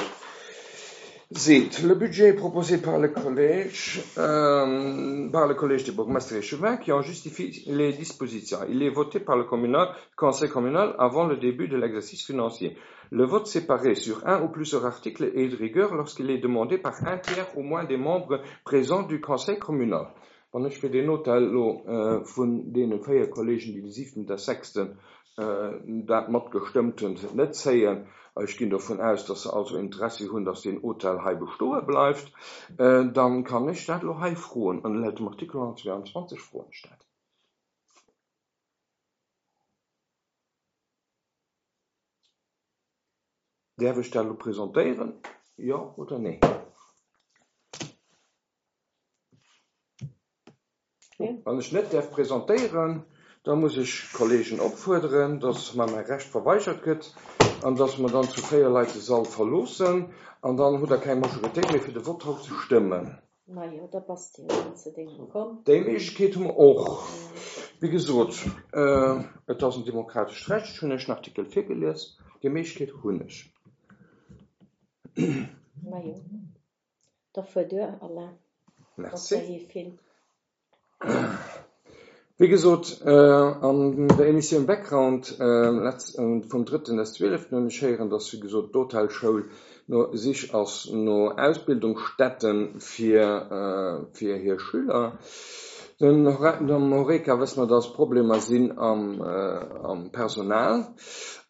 seet, le budget proposé par le collège, euh, par le collège des bourgmestres et échevins qui en justifie les dispositions. Il est voté par le communal, conseil communal avant le début de l'exercice financier. Le vote séparé sur un ou plusieurs articles est de rigueur lorsqu'il est demandé par un tiers au moins des membres présents du conseil communal. Wann ech fir den Hotel elo vun deene véier Kollegen, déi de siwten des sechsten dat matgestëmmt hunn, net zéien, ech ginn dovun aus, dass se also Interessi hunn, dass deen Hotel hei bestoe bleift, dann kann ech dat elo hei froen. An laut dem Artikel honnertzweeanzwanzeg froen ech dat. Däerf ech dat elo presentéieren, jo oder nee? Wann ech net däerf presentéieren, da muss ech d'Kollegen opfuerderen, dass mer mäi Recht verweigert gëtt an dass mer dann zu véier Leit de Sall verloossen an dann hutt Der keng Majoritéit méi fir de Vott haut ze stëmmen. Majo, da bass de jo dann zu dengem komm. Déi Méiglechkeet hu mer och. Wéi gesot, et ass en demokratescht Recht, ech hunn Iech den Artikel virgelies, déi Méiglechkeet hunn ech. Majo, da fuer duer, Alain. Merci. Ass ja vill. Wéi gesot, an der Emissioun Background vum drëtten des zwieleften hunn ech héieren, dass, wéi gesot, d'Hotelschoul no Sich ass no Ausbildungsstätte fir, fir hir Schüler. Den am Horeca wësse mer, dass Problemer sinn am, am Personal.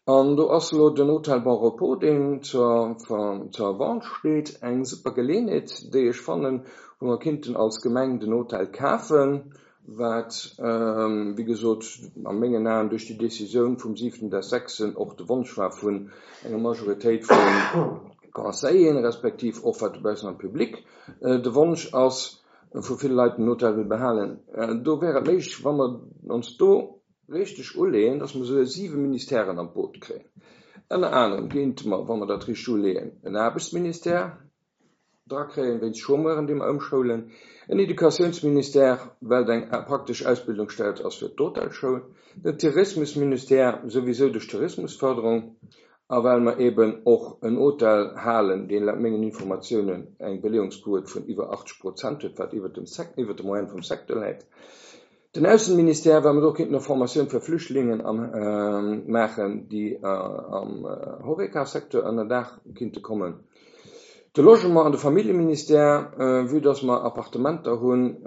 An do ass elo den Hotel Bon Repos, deen zur, zur Vente steet, eng super Geleeënheet, déi ech fannen, wou mer kinnten als Gemeng den Hotel kafen, wat, wéi gesot, a mengen Aen duerch déi Decisioun vum siwten des sechsten och de Wonsch war vun enger Majoritéit vu Conseilleren, respektiv och wat dobaussen am Public de Wonsch ass, vu ville Leit den Hotel wëll behalen. Do wär et méiglech, wa mer ons do richteg uleeën, dass mer esou siwe Ministèren an d'Boot kréien. Ënner anerem géinte mer, wa mer dat richteg uleeën, en Aarbechtsministère, drakréien, wéinst Chômeuren, déi mer ëmschoulen, en Educatiounsministère, well et eng praktesch Ausbildungsstätt ass fir d'Hotelschoul, den Tourismusministère, souwisou duerch d'Tourismusförderung, a well mer eben och en Hotel halen, deen laut mengen Informatiounen eng Beleeungsquot vun iwwer achtzeg Prozent huet, wat iwwer dem Sec-, iwwer der Moyenne vum Secteur läit. Den Aussenministère, well mer do kéinten och Formatioun fir Flüchtlingen am, maachen, déi am Horeca-Secteur ënner Daach kinnte kommen. De Logement an de Familljeministère, vue dass mer Appartementer hunn,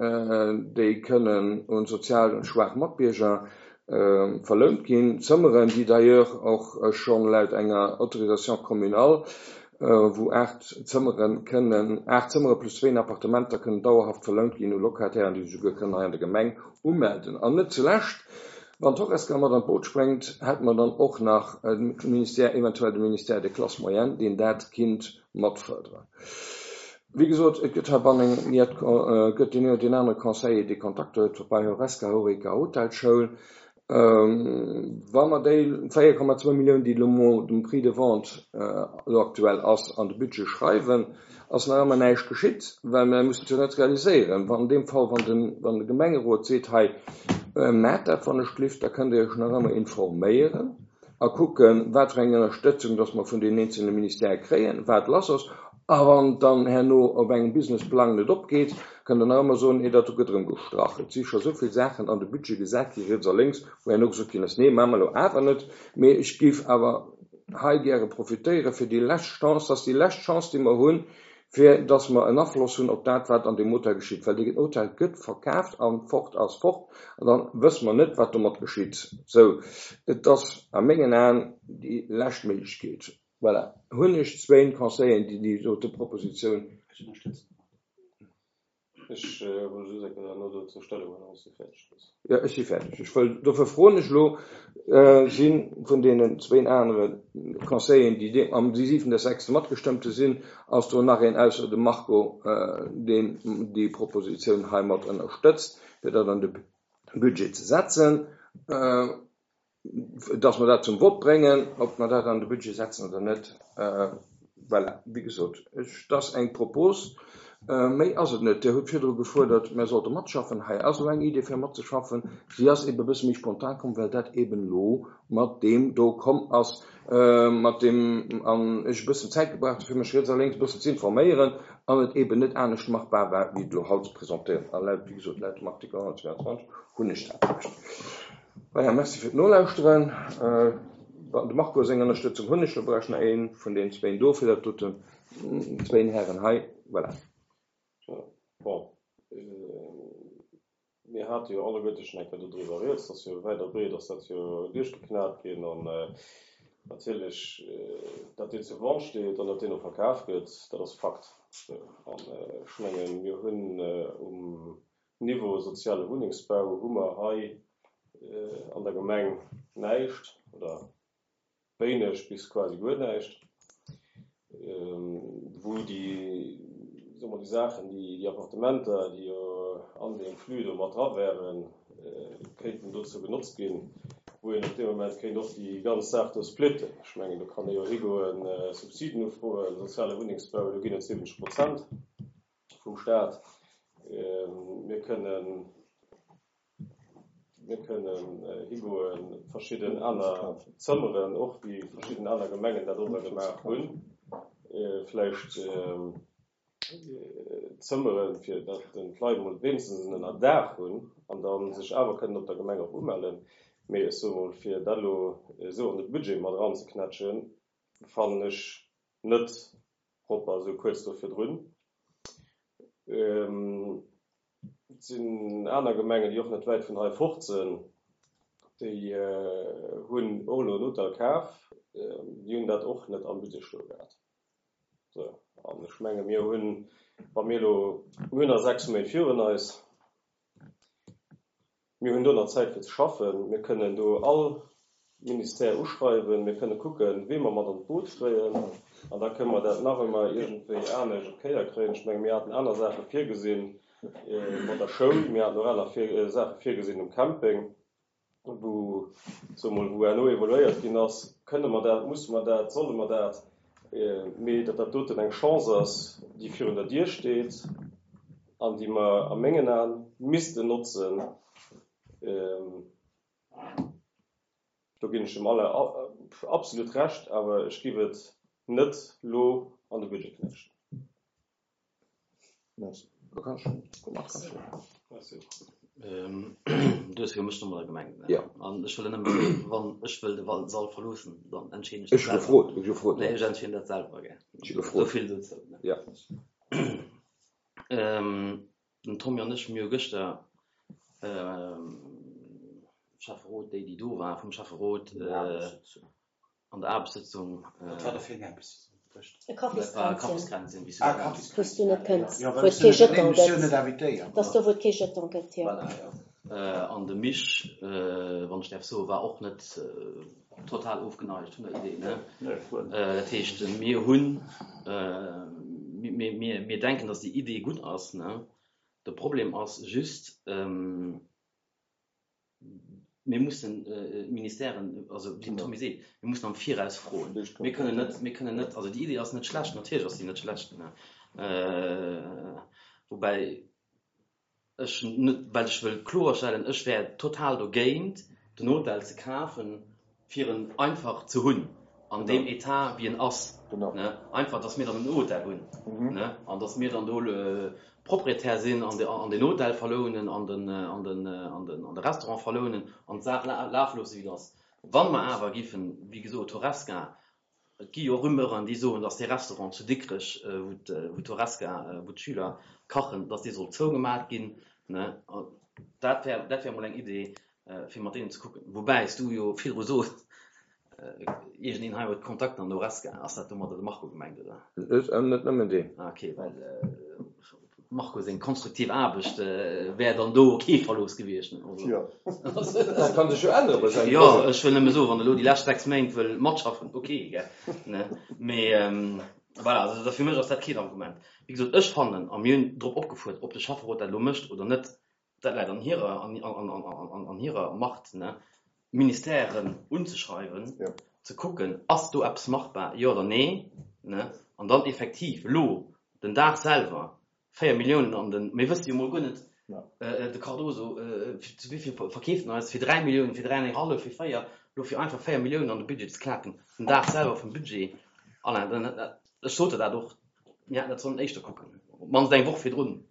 déi kënnen un sozial schwaach Matbierger verlount ginn, Zëmmeren, déi d'ailleurs och schonn laut enger Autorisation communale, wou aacht Zëmmere kënnen, aacht Zëmmere plus zwéin Appartementer kënnen dauerhaft verlount ginn u Locatairen, déi sech souguer kënnen hei an der Gemeng umelden. An net zulescht, wann d'Horesca mat an d'Boot spréngt, hätte mer dann och nach de Ministère, eventuell de Ministère des Classes moyennes, deen dat kinnt matfërderen. Wéi gesot, et gëtt heibannen et gëtt deen een oder deen anere Conseiller, dee Kontakter huet bei Horesca, Horeca, Hotelschoul. Wa mer déi véier Komma zwou Milliounen, déi elo mol dem Prix de vente elo aktuell ass, an de Budget schreiwen, ass nach ëmmer näischt geschitt, well mer mussen et jo net realiséieren. Wann an deem Fall, wann de, wann de Gemengerot seet, hei, maacht dat wann ech gelift, da kënnt Dir Iech nach ëmmer informéieren a kucken, wat fir eng Ënnerstëtzung dass mer vun den eenzelne Ministèrë kréien, wat lass ass. A wann dann herno op engem Businessplang net opgeet, kënnt Der nach ëmmer soen, nee, dat do gëtt erëm gestrach. Et si scho sou vill Saachen an de Budget gesat gi riets a lénks, wou herno gesot ginn ass, nee, maache mer elo awer net. Mee ech géif awer hei gäre profitéiere fir déi lescht Chance, dat ass déi lescht Chance, déi mer hunn, fir dass mer en Afloss hunn op dat, wat an deem Hotel geschitt. Well deen Hotel gëtt verkaaft a fort ass fort, an da wësse mer net, wat domat geschitt. Sou, et ass a mengen Aen déi lescht Méiglechkeet. Voilà, hunn ech zwéin Conseilleren, déi déi dote Propositioun. Ech ënnerstëtzen. Ech wollt just eng Kéier herno dozou Stellung huelen, wann s du fäerdeg bass. Jo, ech si fäerdeg. Ech wëll, dofir froen ech elo, si vun deenen zwéin anere Conseilleren, déi deem am siwenten sechste matgestëmmt hu sinn, ass do nach een ausser dem Marco, deen déi Propositioun heimat ënnerstëtzt, fir dat an de Budget ze setzen, dass mer dat zum Vott bréngen, ob mer dat an de Budget setzen oder net. Voilà, wéi gesot, ech, dat ass eng Propos. Méi ass et net. Dir hutt virdru gefuerdert, mir sollte matschaffen. Hei ass elo eng Idee fir matzeschaffen. Si ass ebe e bësse méi spontan komm, well dat eben elo mat deem do komm ass, mat deem an ech e bëssen Zäit gebraucht hu fir mech riets a lénks e bëssen ze informéieren an et eben net anescht machbar war, wéi et elo haut ze presentéieren. A laut, wéi gesot, laut dem Artikel honnertzweianzwanzeg hunn ech dat Recht. Voilà, merci fir d'Nolauschteren. De Marco seng Ënnerstëtzung hunn ech. Lo brauch ech nach ee vun deenen zwéin do fir dat doten, zwéin Hären hei. Voilà. Bon, mir hate jo alleguerte schonn eng Kéier dodriwwer rieds, dass jo wäit a breet ass dat jo duerchgeknat ginn an natierlech, datt deen zur Vente steet an datt deen och verkaf gëtt, dat ass Fakt. An ech mengen, mir hunn um Niveau soziale Wunnengsbau hu mer hei an der Gemeng näischt oder wéineg bis quasi guer näischt, wou déi, soe mer, déi Saachen, déi, déi Appartementer, déi jo an deem Flux do mat dra wären, kéinten dozou genotzt ginn, wou een op dee Moment kéint och déi ganz Saach do splitten. Ech mengen, do kann ee jo higoen, Subsiden ufroen, soziale Wunnengsbau, do ginn et siwwenzeg Prozent vum Staat. Mir kënnen, mir kënnen higoen, verschidden aner Zëmmeren, och wéi verschidden aner Gemengen dat och da gemaach hunn, vläicht Zëmmeren, fir datt den d'Leit emol wéinstens en Ënnerdaach hunn an da sech awer kënnen op der Gemeng och umellen. Mee ech soe mol, fir dat elo esou an de Budget mat eranzeknätschen, fannen ech net propper esou kuerz do virdrun. Et sinn aner Gemengen, déi och net wäit vun hei fort sinn, déi hunn och elo en Hotel kaf, déi hunn dat och net am Budget stoe gehat. Sou, an ech menge mir hunn, wa mir elo, mir hunn nach sechs Méint virun eis, mir hunn do nach Zäit fir ze schaffen, mir kënnen do all Ministère uschreiwen, mir kënne kucken, wee mer mat an d'Boot kréien, an da kënne mer dat nach ëmmer iergendwéi anescht op d'Kéier kréien. Ech menge mir haten aner Saache virgesinn mat der Schoul, mir haten och aner Saache virgesinn um Camping, wou, soe mol, wou herno evaluéiert ginn ass, kënne mer dat, musse mer dat, solle mer dat. Mee datt dat doten eng Chance ass, déi virun der Dier steet an déi mer a mengen Aen missten notzen, do ginn ech dem Alain absolut Recht, awer ech géif et net elo an de Budget knätschen. Merci. Du kanns schon. Merci. Merci. Du hues jo mech nochmol gemengt, ne? Ja. An ech wëll nëmme soen, wann ech wëll de Sall verloossen, dann entscheeden ech Ech dat hu selwer. gefrot, ech hu gefrot, Nee, ja. ech entscheeden dat selwer, gell. Ech hu gefrot. Esou vill dozou, ne? Ja. Ähm, den Tommy an ech, mir hu gëschter, ähm, Schäfferot, déi, déi do war vum Schäfferot, äh, an der Aarbechtssëtzung, äh, Wat war dat fir eng Aarbechtssëtzung? E dat war Kaffiskränzchen. Kaffiskränzchen, wéi s du Ah, dat nenns. Wou s du net kënns, Ja, wou well et ech kee sinn net, Jeton ech sinn gëtt. net invitéiert. Dat ass do, wou et kee Jeton gëtt, jo. Voilà, jo. Äh, an de Mich, äh, wann ech däerf soen, war och net äh, total ofgeneigt vun der Idee, ne? Nee, guer net. Äh, dat heescht, mir hunn, äh, mir, mir, mir denken, dass déi Idee gutt ass, ne? De Problem ass just, ähm, mir mussen äh, Ministèren, also wéi den Tommy seet, mir mussen am Viraus froen. Mir kënnen net, mir kënnen net, also déi Idee ass net schlecht, natierlech ass déi net schlecht, ne? Äh, woubäi ech net, well ech wëll kloerstellen, ech wär total dogéint, den Hotel ze kafen, fir en einfach ze hunn, an Genau. deem Etat, wéi en ass. Genau. Ne? Einfach, dass mir dann en Hotel hunn. Mhm. Ne? An dass mir dann do äh, Proprietär sinn an de, an den Hotel verlounen, an den, äh, an den, äh, an den, an de Restaurant verlounen, an d'Saach la lafe loosse, wéi dat ass. Wann mer awer giffen, wéi gesot, Horesca, et gi jo Rumeuren, déi soen, dass de Restaurant zu Dikrech, äh, wou d', wou d'Horesca, äh, wou d'Schüler kachen, dass dee soll zougemat ginn. Ne? An dat wär, dat wär mol eng Idee, äh, fir mat deenen ze kucken. Woubäi s du jo virdru sos, äh, iergendeen hei huet Kontakt an Horesca, ass dat domadder de Marco gemengt, oder? Net, äh, net nëmmen deen. Ah, okay, well äh, Marco seng konstruktiv Aarbecht äh, wär dann do kee Verlooss gewiescht. Ne? Also, Ja. Dat kann sech jo ännere bei sengem Ja, Projet. ech wëll nëmme soen, wann elo déi lescht sechs Méint wëll matschaffen, okay, gell? Ne? Mee ähm, voilà, also dat fir mech ass dat keen Argument. Wéi gesot, ech fannen, a mir hunn drop opgefuerdert, ob de Schäfferot dat elo mécht oder net, dat läit an hirer, an, an, an, an, an hirer Macht, ne? Ministèren unzeschreiwen, Ja. ze kucken, ass do eppes machbar, jo oder nee, ne? An dann effektiv elo den Dag selwer véier Milliounen an den, mir wësse jo mol guer net, Ja. äh, de Cardoso, äh, fir, zu wéi vill verkeeft en eis, fir dräi Milliounen, fir dräi an eng hallef, fir véier, elo fir einfach véier Milliounen an de Budget ze klaken, den Dag selwer vum Budget, Alain, dann, äh, ech sot der dat och, mir hätten dat sollen éischter kucken, op d'mannst eng Woch virdrun.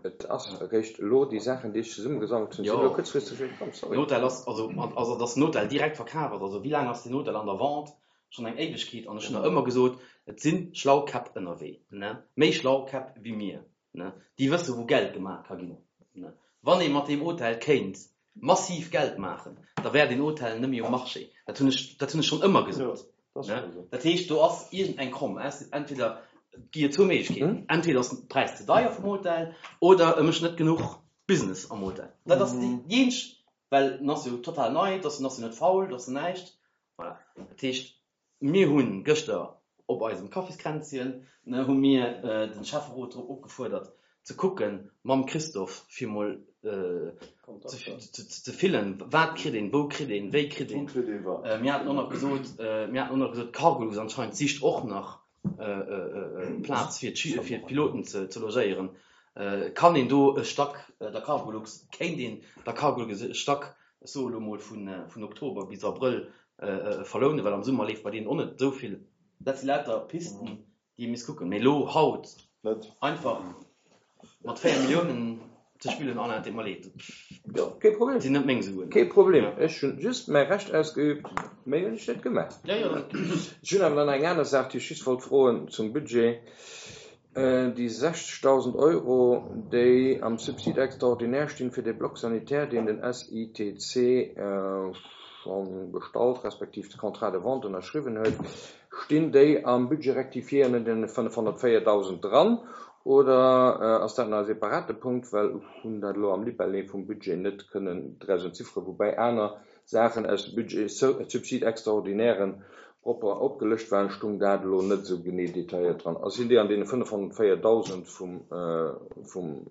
Et ass eréischt elo déi Saachen, déi ech zesummegesammelt hunn, sinn Jo. elo kuerzfristeg komm, sorry. Den Hotel ass, also, also dass den Hotel direkt verkaf ass, also wéi laang ass den Hotel an der Vente? Schonn eng Éiwegkeet, an ech hunn nach ëmmer gesot, et sinn schlau Käpp ënnerwee, ne? Méi schlau Käpp wéi mir, ne? Déi wësse wou Geld gemaach ka ginn, ne? Wann ee mat deem Hotel kéint massiv Geld maachen, da wär den Hotel net méi um Marché. Dat hunn ech, dat hunn ech schonn ëmmer gesot. Ja, dat ass Ne? schon esou. Dat heescht, do ass iergendeng Kromm. Entweder et gi jo zwou Méiglechkeeten. Mhm. Entweder ass den Präis ze deier vum Hotel oder e mécht net genuch Business am Hotel. Dat ass déi Mhm. déi eenzeg, well en ass jo total nei, dat ass jo net faul, dat ass näischt. Voilà. Dat heescht, mir hunn gëschter op eisem Kaffiskränzchen, ne, hu mir äh, den Schäfferot drop opgefuerdert, ze kucken mam Christophe fir mol äh, ze, ze, ze fillen, wat kritt een, wou kritt een, wéi kritt Wou een. kritt een wat? Äh, mir haten och nach gesot, äh, mir haten och nach gesot, Cargolux anscheinend sicht och nach äh, äh, äh, Plaz fir d'Schü- fir d'Piloten ze, ze logéieren. Äh, kann een do e Stack äh, der Cargolux, kéint een der Cargolux e Stack, ech soe lo mol vun, äh, vun Oktober bis Abrëll äh, äh, verlounen, well am Summer leeft bei deenen och net esou vill. Dat si lauter Pisten, déi ee misst kucken. Mee lo haut Net. einfach mat véier Milliounen ze spillen, Alain, et deet mer leed. Jo, kee Problem. Dat sinn net meng Suen. Kee Problem. Ech hunn just mäi Recht ausgeübt, méi hunn ech net gemaach. Ja, ja. Ech hunn awer dann eng aner Saach, déi ech just wollt froen zum Budget. Äh, déi sechzegdausend Euro, déi am Subside extraordinaire stinn fir de Bloc sanitaire, deen den S I T C, äh, schonn bestallt, respektiv de Contrat de vente ënnerschriwwen huet, stinn déi am Budget rectifié ënner den fënnefhonnertvéierdausend dran? Oder, äh, ass dat nach e separate Punkt, well ech hunn dat elo am Libellé vum Budget net kënnen draus entzifferen, woubäi aner Saachen aus dem Budget, Subside extraordinairen propper opgelëscht waren, stung dat elo net esou genee detailléiert dran. Also sinn déi an deene fënnefhonnertvéierdausend vum, äh, vum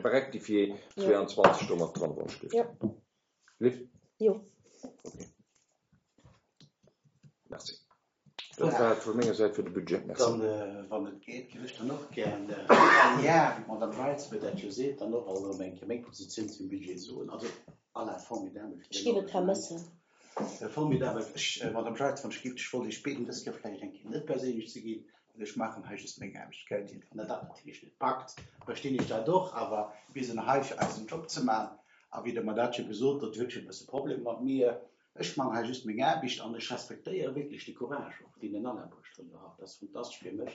Rectifié Ja. zweiundzwanzeg do mat dran, wann ech Ja. Lift? Jo. Okay. Merci. Dat war et vu menger Säit fir de Budget. Merci. Dann, wann et geet, géif ech dann och gär all Jar, wéi d'Madame Weitz mir dat jo seet, dann och alt erëm eng Kéier meng Positioun zum Budget soen. Also, Alain, formidabel fir Ech däin géif et Engagement. vermëssen. Formidabel. Ech, Madame Jeitz, wann ech géif, ech wollt Iech bieden, dës Kéier vläicht eng Kéier net perséinlech ze ginn, well ech maachen hei just meng Aarbecht, gell Dir? Wann Der dat natierlech net packt, verstinn ech dat och, awer mir sinn hei fir eisen Job ze maachen. A wéi Der mer dat jo gesot hutt, Dir hutt jo e bësse Problem mat mir, ech maachen hei just meng Aarbecht an ech respektéiere wierklech de Courage och, deen den Alain bruecht huet elo haut. Dat ass fantastesch fir mech,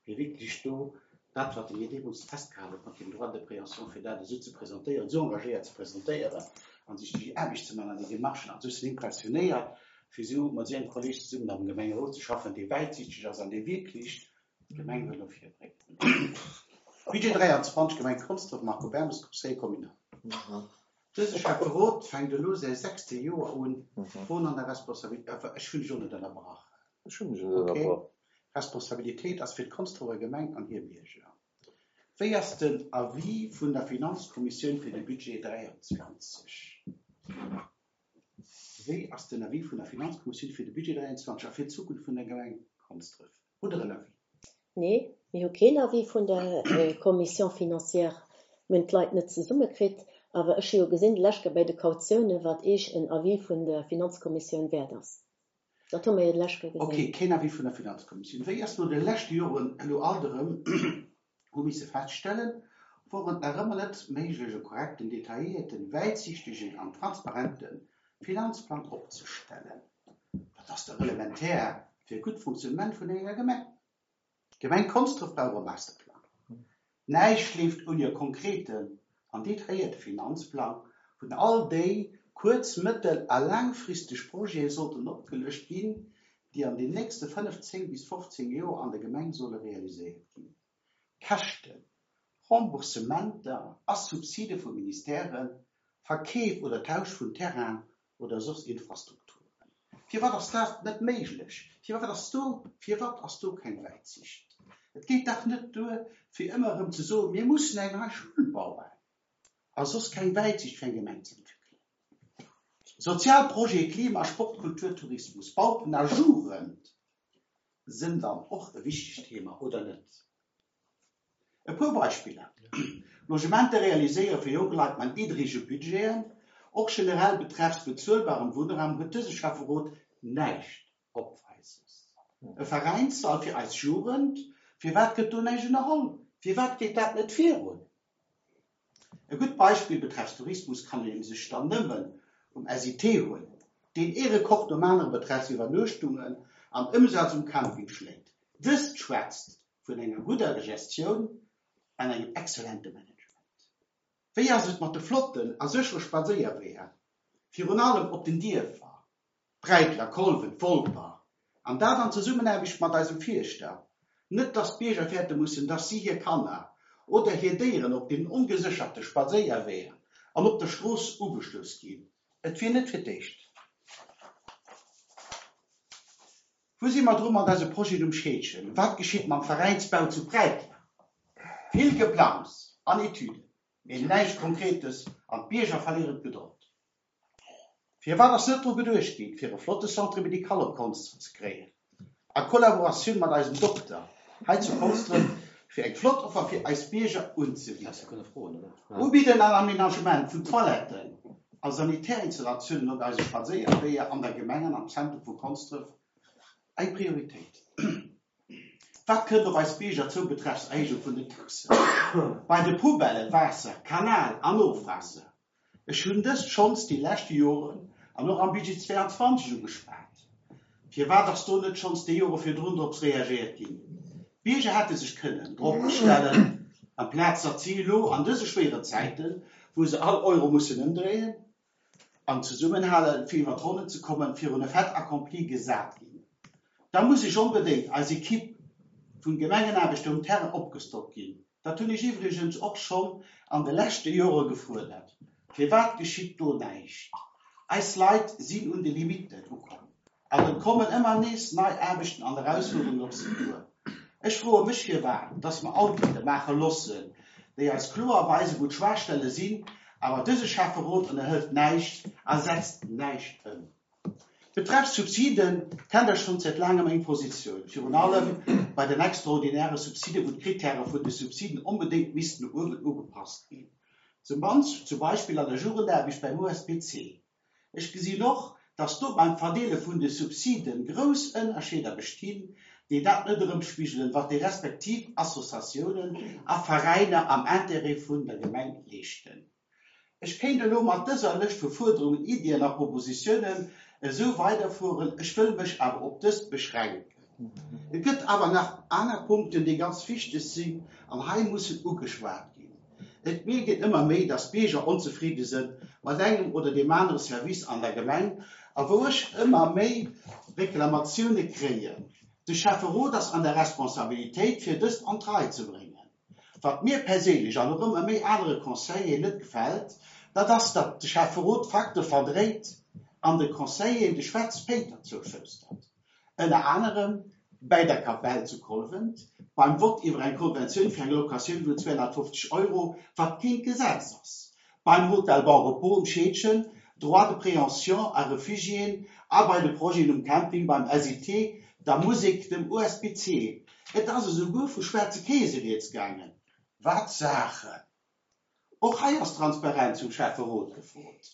fir wierklech do dat, wat en hir deemools festgehalen huet mat deem Droit de préemption, fir dat esou ze presentéieren, esou engagéiert ze presentéieren a sech déi Aarbecht ze maachen an déi Demarchen. Also ech sinn impressionéiert, fir esou mat esou engem Kolleeg zesummen am Gemengerot ze schaffen, dee wäitsiichteg ass an dee wierklech d'Gemeng wëll no vir bréngen. Budget dräianzwanzeg, Gemeng Konsdref, Marco Bermes, Conseiller communal. Dëse Schäfferot fänkt elo säi sechste Joer un, Froen an der Responsabilitéit, ech hunn dech och net ënnerbrach. Ech hunn dech net ënnerbrach. Responsabilitéit ass fir d'Konsdrefer Gemeng an hir Bierger. Wéi ass den Avis vun der Finanzkommissioun fir de Budget dräianzwanzeg? Wéi ass den Avis vun der Finanzkommissioun fir de Budget dräianzwanzeg a fir d'Zukunft vun der Gemeng Konsdref? Hutt Der en Avis? Nee, mir hu keen Avis vun der Commission financière. Mir hunn d'Leit net zesummekritt, awer ech hu jo gesinn, d'lescht Kéier bei de Kautiounen, wat Iech en Avis vun der Finanzkommissioun wäert ass. Dat hu mir jo d'lescht Kéier gesinn. Okay, keen Avis vun der Finanzkommissioun. Wéi ass no de leschte Joren elo alt erëm hu misse feststellen, wor et nach ëmmer net méiglech e korrekten, detailléierten, wäitsiichtegen an transparente Finanzplang opzestellen. Dat ass dach elementär fir e gutt Fonctionnement vun enger Gemeng. D'Gemeng Konsdref brauch e Masterplang. Näischt leeft ouni e konkreten an detailléierte Finanzplang, wou all déi kuerz-, mëttel a laangfristeg Projete sollten opgelëscht ginn, déi an den nächste fënnef, zéng bis fofzéng Joer an der Gemeng solle realiséiert ginn. Käschten, Remboursementer a Subside vu Ministèren, Verkeef oder Tausch vun Terrainen oder soss Infrastrukturen. Firwat ass dat net méiglech? Firwat ass do, firwat ass do keng Wäitsiicht? Et geet dach net duer, fir ëmmer erëm ze soen, mir mussen eng nei Schoul bauen, a soss keng Wäitsiicht fir eng Gemeng ze entwéckelen. Sozial Projete, Klima, Sport, Kultur, Tourismus, Bauten a Jugend sinn dann och e wichtegt Thema, oder net? E puer Beispiller, Logementer realiséiere fir jonk Leit mat niddrege Budgeten, och generell betreffs bezuelbarem Wunnraum huet dëse Schäfferot näischt Opweises. E Veräinssall fir eis Jugend, firwat gëtt do näischt ënnerholl? Firwat geet dat net virun? E gutt Beispill betreffs Tourismus kann ee sech dann nëmmen um S I T huelen, deen ee Rekord nom anere betreffs Iwwernuechtungen an Ëmsaz um Camping schléit. Dëst schwätzt vun enger gudder Gestioun an engem exzellente Management. Wéi ass et mat de flotten a séchere Spadséierweeër, virun allem op den Dierfer, Bräitler, Kolwen, Wolper, an dat an Zesummenaarbecht mat eisem Fierschter? Net, datt d'Bierger fäerte mussen, datt si hir Kanner oder hir Déieren op den ongesécherte Spadséierweeër an op der Strooss ugestouss ginn. Et wier net fir d'éischt. Wou si mer dru mat eise Projet um Scheedgen? Wat geschitt mam Veräinsbau zu Bräitler? Vill Geplangs an Etüden, mee näischt Konkretes an d'Bierger verléieren d'Gedold. Firwat ass net dru geduecht ginn, fir e flotte Centre médical op Konsdref ze kréien? A Kollaboratioun mat eisem Dokter hei zu Konsdref, fir eng flott Offer fir eis Bierger unzebidden. Ubidden an Aménagement vun Toiletten a Sanitärinstallatiounen op eise Spadséierweeër an der Gemeng an am Zentrum vu Konsdref eng Prioritéit. Wat kënnt op eis Bierger zou betreffs Erhéijung vun den Taxen? Bei de Poubellen, Waasser, Kanal an Ofwaasser. Ech hunn dëst schonns déi leschte Joren an och am Budget zweeanzwanzeg ugeschwat. Firwat ass do net schonns déi Jore virdrun drop reagéiert ginn? D'Bierger hätte sech kënnen drop astellen, amplaz datt si elo an dëse schwéieren Zäiten, wou se all Euro mussen ëmdréien an zesummenhalen, fir iwwer d'Ronnen ze kommen, virun e Fait accompli gesat ginn. Da muss ech onbedéngt eis Ekipp vun Gemengenaarbechter um Terrain opgestockt ginn. Dat hunn ech iwwregens och schonn an de leschte Jore gefuerdert. Firwat geschitt do näischt? Eis Leit sinn un de Limitten ukomm an et kommen ëmmer nees nei Aarbechten an Erausfuerderungen op si duer. Ech froe mech firwat, datt mer Audite maache loossen, déi eis kloer weisen, wou d'Schwaachstelle sinn, awer dëse Schäfferot ënnerhëlt näischt a setzt näischt ëm. Betreffs Subsiden kennt Der schonn säit laangem meng Positioun, virun allem bei den extraordinäre Subsiden, wou d'Kritäre vun de Subsiden onbedéngt missten no uewen ugepasst ginn, zum zum Beispill an der Jugendaarbecht beim U S P C. Ech gesinn och, dass do beim Verdeele vun de Subsiden grouss Ënnerscheeder bestinn, déi dat net erëmspigelen, wat déi respektiv Associatiounen a Veräiner am Intérêt vun der Gemeng leeschten. Ech kéint elo mat dëser Lëscht vu Fuerderungen, Iddien a Propositiounen esou weiderfueren, ech wëll mech awer op dëst beschränken. Et gëtt awer nach aner Punkten, déi ganz wichteg sinn an hei mussen ugeschwat ginn. Et mierkt een ëmmer méi, dass Bierger onzefridde sinn mat engem oder deem anere Service an der Gemeng a wou ech ëmmer méi Reklamatioune kréien. De Schäfferot ass an der Responsabilitéit, fir dëst an d'Rei ze bréngen. Wat mir perséinlech an och ëmmer méi anere Conseilleren net gefält, dat ass, datt de Schäfferot Fakte verdréit an de Conseilleren de Schwätz-Péiter zouschustert. Ënner anerem bei der Kapell zu Kolwent, beim Vott iwwer eng Konventioun fir eng Locatioun vun zweihundertfünfzig Euro, wat keen Gesetz ass. Beim Hotel Bon Repos um Scheedgen, Droit de préemption a Réfugiéen a bei de Projeten um Camping beim S I T, der Musek, dem U S P C. Et ass esouguer vu schwärze Käse rieds gaangen. Wat Sache! Och hei ass Transparenz vum Schäfferot gefrot.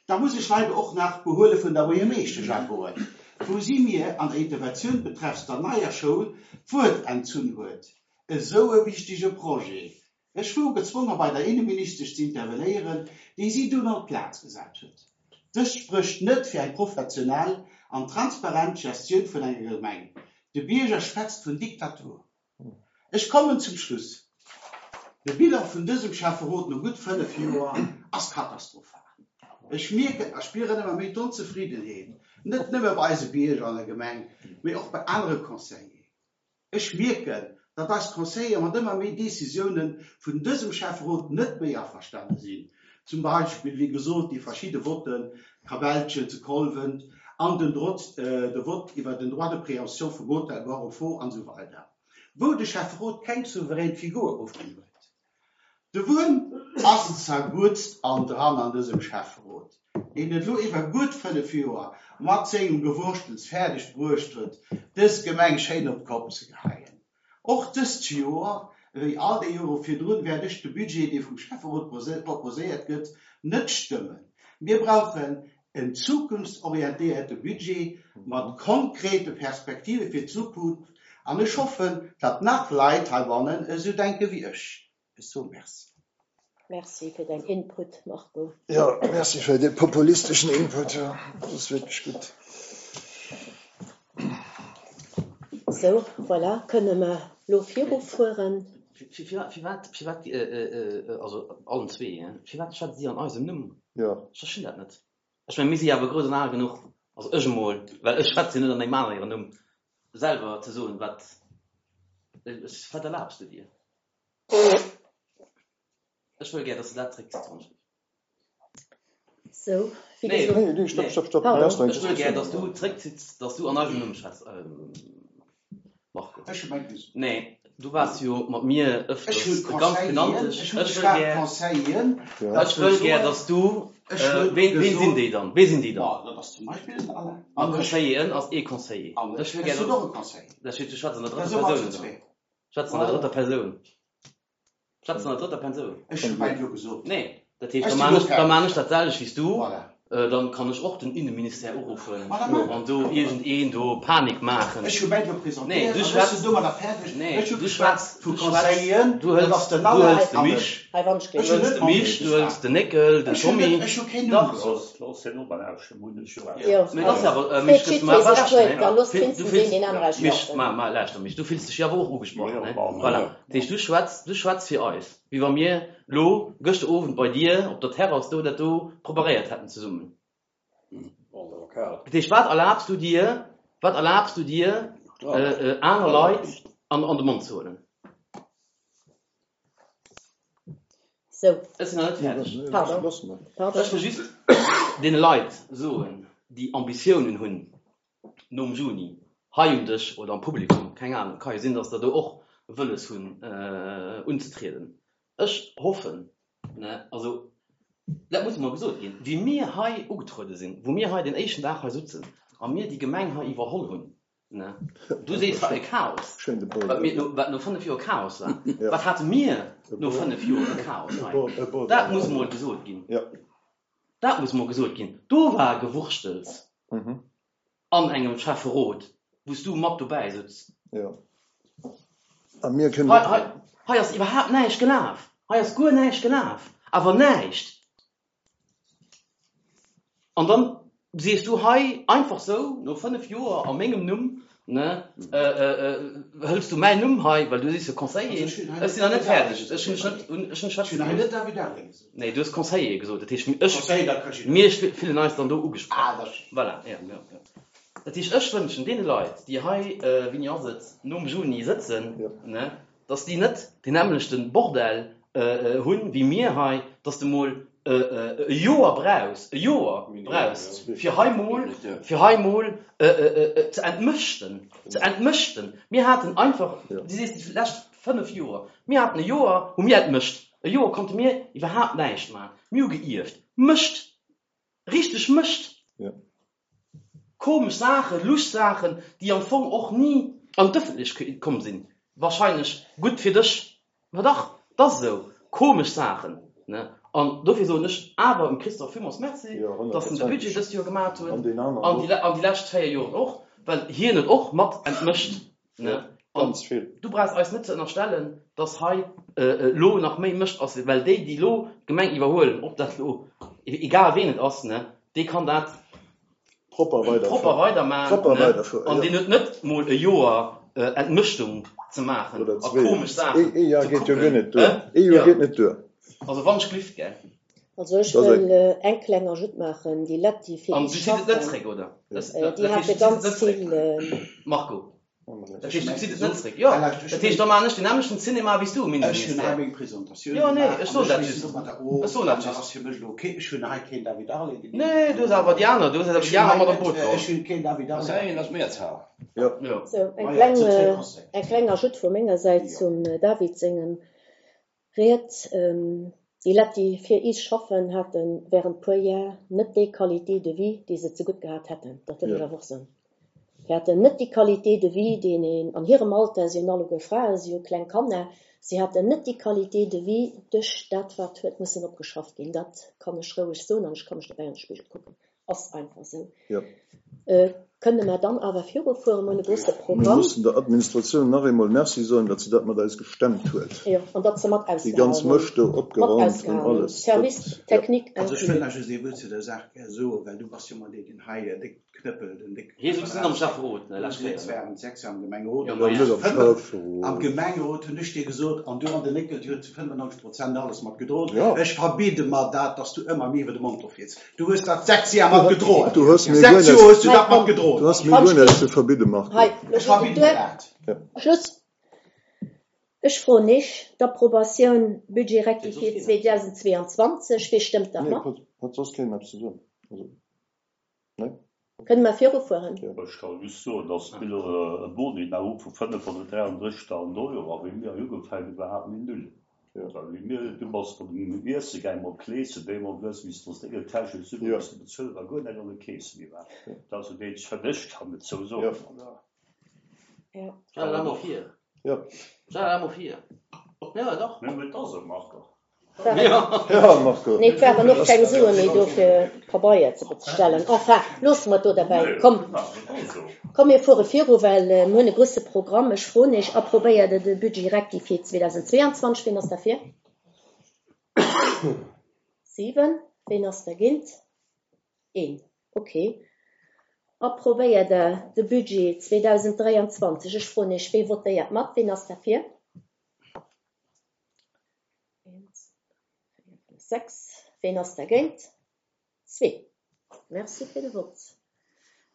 Da muss ech leider och nach d'Behuele vun der Buergermeeschtesch agoen, wou si mir an der Interventioun betreffs der neier Schoul d'Wuert entzunn huet. Esou e wichtege Projet. Ech wor gezwongen, bei der Innenministesch ze intervenéieren, déi si dunn op d'Plaz gesat huet. Dëst sprécht net fir eng professionell an transparent Gestioun vun enger Gemeng. De Bierger schwätzt vun Diktatur. Ech kommen zum Schluss. De Bilan vun dësem Schäfferot no gutt fënnef Joer ass katastrophal. Ech mierken a spieren ëmmer méi d'Onzefriedenheet, net nëmme bei eise Bierger an der Gemeng, mee och bei anere Conseilleren. Ech mierken, datt eis Conseiller mat ëmmer méi Decisiounen vun dësem Schäfferot net méi averstane sinn. Zum Beispill, wéi gesot, déi verschidde Votten, Kabellchen zu Kolwent an den Droit, äh, de Vott iwwer den Droit de préemption vum Hotel Bon Repos an so weider. Wou de Schäfferot keng souverän Figur ofginn huet. De Wuerm ass zerguttst an dran an dësem Schäfferot, deen et elo iwwer gutt fënnef Joer mat sengem Gewurschtels fäerdeg bruecht huet, dës Gemeng schéin op d'Kopp ze geheien. Och dëst Joer, wéi all déi Jore virdrun, wäert ech de Budget, dee vum Schäfferot proposéiert gëtt, net stëmmen. Mir brauchen en zukunftsorientéierte Budget mat konkrete Perspektive fir d'Zukunft an ech hoffen, datt nach Leit heibannen esou denke wéi ech. Ech soe merci. Merci fir dein Input, Marco. Ja, merci fir den populistischen Input. Ja. Das ist wirklich gut. So, voilà, kënne mer lo virufueren. Firwat, firwat, also allen zwee, firwat schwätzt si an eisem Numm? Ja. Ech verstinn dat net. Ech mein, mir si awer grouss an al genuch, also ech emol, well ech schwätze net an engem aneren Numm, selwer ze soen, wat, wat erlaubst du dir? Ech wëll gär, dass du dat zréckziss, Ange. So, wéi Nee, gesot. Nee, nee, stopp, stopp, stopp. Pardon. Lass Ech wëll gär, dass du zréckzitts, dass du an eisem Numm schwätzt, ähm, Marco. Ech hu mein gesot. Nee, du warst jo mat mir öfters Ech hu ganz Conseilleren, genanntes. ech hu Ech wëll geschwat gär, Conseilleren, Ja. dat ech wëll gär, soen, dass du, ech äh, hu wen, wen sinn gesot, déi dann? Wen sinn déi dann? Ma, dat ass zum Beispill den Alain. An An ech, Conseilleren ass ee Conseiller. an Ech ech, wëll ech gär, sinn dass och e Conseiller. dat steet, du schwätzt an der Da drëtter si mer zu Persoun. zwee. Schwätzt an der Voilà. drëtter Persoun. Schwätzt an der drëtter Persoun. Ech hu mein jo gesot. Nee, dat heescht, Ech da sinn man lo ech, da fertig. man ech dat selwecht wéi du. Voilà. Äh, dann kann ech och den Innenministère uruffen Ma, da mach. an do irgendeen do Panik maachen. Ech hu mein jo Nee, presentéiert, du an ech schwätzt sinn domadder fäerdeg. Nee, Ech hu du geschwätzt schwätzt, vu du schwätzt, Conseilleren, du dat hëls, ass den du Alain hëls de an Mich, ech. Hei, wann ech Ech du hu hëls net de Mich, du hëls geschwat. de Néckel, den Ech hu net, Tommy. ech hu keen Numm Dach. gesot. Looss den Numm ausstimmen, hunn ech jo Jo, auch. Mee das also, awer, äh, Fred Mich, gëss du Schitt mal sech recht, d'Wuert, ne? da looss Fil- Du d'Vincent fills, deen den anere Mich, schwätzen. ma, ma, lauschter mich, du fills dech jo awer och ugesprochen, Ja, ne? ma, Voilà. ja. Dat heescht, du schwätzt, du schwätzt fir eis, wéi wa mir lo gëschter Owend bei dir op der Terrasse do dat do preparéiert hätten zesummen. Lokal. Dat heescht, wat erlaubst du dir, wat erlaubst du dir, äh, äh, aner Leit an, an de Mond ze huelen? So, Ech sinn nach net fäerdeg. Pardon. Lass mal. pardon. Ech wëll just den Leit soen, déi Ambitiounen hunn nom Juni, hei um Dësch oder am Publikum, keng Ahnung, ka jo sinn, dass der do och Wëlles hunn, äh, unzetrieden. Ech hoffen, ne, also, dat muss mol gesot ginn, wéi mir hei ugetruede sinn, wou mir hei den éischten Dag hei sitzen, a mir déi Gemeng hei iwwerholl hunn, ne, du sees, wat e Chaos, wat mir no, wat no fënnef Joer Chaos war, wat hate mir no fënnef Joer e Chaos hei? Dat muss emol gesot ginn. Dat muss emol gesot ginn. Do war Gewurschtels an engem Schäfferot, wou s du mat dobäi sutz. A mir kënnen. Hei, hei, hei ass iwwerhaapt näischt gelaf. Hei ass guer näischt gelaf. Awer näischt! An dann sees du hei einfach sou, no fënnef Joer a mengem Numm, ne, hëls du mäin Numm hei, well du sees jo Conseiller, ech sinn nach net fäerdeg, ech hunn dech net, ech hunn dech schwätze gelooss. Nee, du hues Conseiller gesot, dat heescht, ech, mir fillen eis dann do ugesprach. Voilà, jo, jo, jo. Dat heescht, ech wënschen deene Leit, déi hei, wéini ass et, nom Juni sëtzen, ne, dass déi net deen nämmlechte Bordell hunn wéi mir hei, dass de mol e Joer brauchs, e Joer brauchs, fir hei mol, fir hei mol ze entmëschten, ze entmëschten. Mir haten einfach, du sees déi lescht fënnef Joer, mir haten e Joer, hu mir entmëscht, e Joer konnte mir iwwerhaapt näischt maachen, mir hu geierft, Mëscht, richteg Mëscht, komesch Saachen, lusch Saachen, déi am Fong och ni an d'Ëffentlechkeet komm sinn, wahrscheinlech gutt fir dech, ma dach, 't ass esou, komesch Saachen, ne? An dofir soen ech awer dem Christophe villmools Merci, dass en de Budget dëst Joer gemat huet an déi lescht véier Joren och, well hien huet och mat entmëscht, ne? An du brauchs eis net ze ënnerstellen, dass hei elo nach méi Mëscht ass, well déi, déi elo d'Gemeng iwwerhuelen, ob dat elo, egal ween et ass, ne, dee kann dat propper weidermaachen, ne? An deen huet net mol e Joer Entmëschtung ze maachen a komesch Saachen ze kucken. Ee Joer geet net duer. Also wann ech glift, gell? Also ech wëll eng kleng Ajoute maachen, déi Lett déi fir An is du zitt et net schaffen, zréck, oder? déi hate ganz vill. Marco, dat heescht du zitt et net zréck? Jo, dat heescht da maachen ech deen nämmlechten Cinema wéi s du, Ech hunn hei Innenministère. meng Presentatioun Jo, nee, gemaach ech an soen ech dat weess just. domadder of Ech soen an dat dat just. ass fir mech elo ok. Ech hunn hei keen David Arlé genannt. Nee, du hues awer déi aner, du hues awer Ech déi hunn aner hei mat an net, d'Boot geholl. ech hunn keen David Ass Arlé. een ass Mehrzahl. Jo. Jo. Sou, eng Maja, kleng, et sinn zwee Conseiller. eng kleng Ajoute vu menger Säit Jo. zum David sengem Ried. Déi Lett, déi fir is schaffen, hate während puer Jar net déi Qualité de vie, déi se zegutt gehat hätten. Dat wëll ech awer och soen. Si haten net déi Qualité de vie, déi een an hirem Alter, si hunn alleguer Fraen, si hu kleng Kanner, si haten net déi Qualité de vie duerch dat, wat huet mussen opgeschafft ginn. Dat kann ech roueg soen an ech ka mech dobäi an de Spigel kucken. Ass einfach esou. Kënne mer dann awer virufueren? Mir hunn e grouse Mir Programm. mussen der Administratioun nach eemol Merci soen, datt se dat mat eis gestemmt huet. Jo, an datt se mat Déi ausgehalen ganz hunn. Mëscht do Mat opgeraumt an ausgehalen hunn. alles. Service Dat, jo. technique Also ech wëll inclus. nach just ee Wuert zu der Saach gär soen, well du bass jo ëmmer deen, deen hei déck knëppelt en déck Hie Knëppel sutz net am rausdréckt. Schäfferot, ne, Du lescht Kéier, sitz ne? während sechs Joer am Gemengerot Jo, an ma du ja. hues Net am fënnef, Schäfferot. am Gemengerot hunn ech dir gesot, an du an den Néckel, dir hutt zu fënnefennonzeg Prozent alles mat gedroen, Ja. ech verbidde mer dat, dass du ëmmer mir iwwer de Mond ofrieds. Du hues dat sechs Joer mat gedroen. Du hues mir guer Sechs Joer näischt, hues du Hei, dat mat komm, gedroen. du hues mir wann guer ech näischt ze verbidde, Marco. Hei, lo Ech geet et verbidde mer duer. dat. Ja. Schluss. Ech froen iech, d'Approbatioun Budget Geet soss rectifié keen eppes? zweedausendzweeanzwanzeg, wee stëmmt dat Nee, mat? hat, hat soss keen eppes ze soen. Also, nee? Kënne mer virufueren? Ja. Ech ka just soen, dass mir e Boni nach hu vu fënnefhonnertdräianddrëssigtausend Euro, a wéi mir ugefaangen hunn, war mir null. Ja. Well wéi mir, du bass bei dem Iesse gaangen mat Kleeschen, bémol hues missten aus denger Täsche Sue Ja. missen bezuelen, war guer net an de Keese méi war. Ja. Dat ass jo deen, fir ech kann et sou soen, Ja. oder? Ja. Stell dat emol vir. Ja. Stell dat emol vir. Ja, dach. Mee et ass esou, Marco. Ja. Ja, Marco. Nee, et waren och keng Sue méi do fir Pabeier ze bestellen. Enfin, loosse mer et do derbäi. Nee, Komm, genau, et ass esou. komm, mir fuere viru, well mir hunn e grouse Programm. Ech froen iech, approbéiert Der de Budget rectifié zweedausendzweeanzwanzeg? Wien ass derfir? Siwen. Wien ass dergéint? Een. Okay. Approbéiert Der de Budget zweedausenddräianzwanzeg? Ech froen iech, wee votéiert mat? Wien ass derfir? Eent, véier, fënnef, sechs. Wien ass dergéint? Zwee. Merci fir de Vott.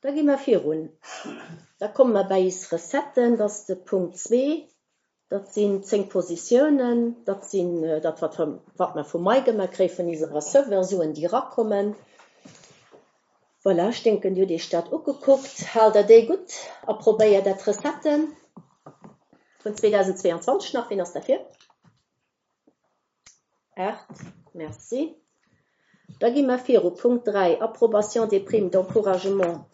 Da gi mer virun. Da komme mer bei eis Recetten, dat ass de Punkt zwee. Dat sinn zéng Positiounen, dat sinn dat, wat wat mer vum Maigemmer kréie vun eise Receveur, Suen, déi erakommen. Voilà, ech denken, Dir hutt Iech dat ugekuckt. Haalt Der déi gutt? Approbéiert Der d'Recetten vun zweedausendzweeanzwanzeg nach? Wien ass derfir? Aacht. Merci. Da gi mer viru. Punkt dräi, Approbation des primes d'encouragement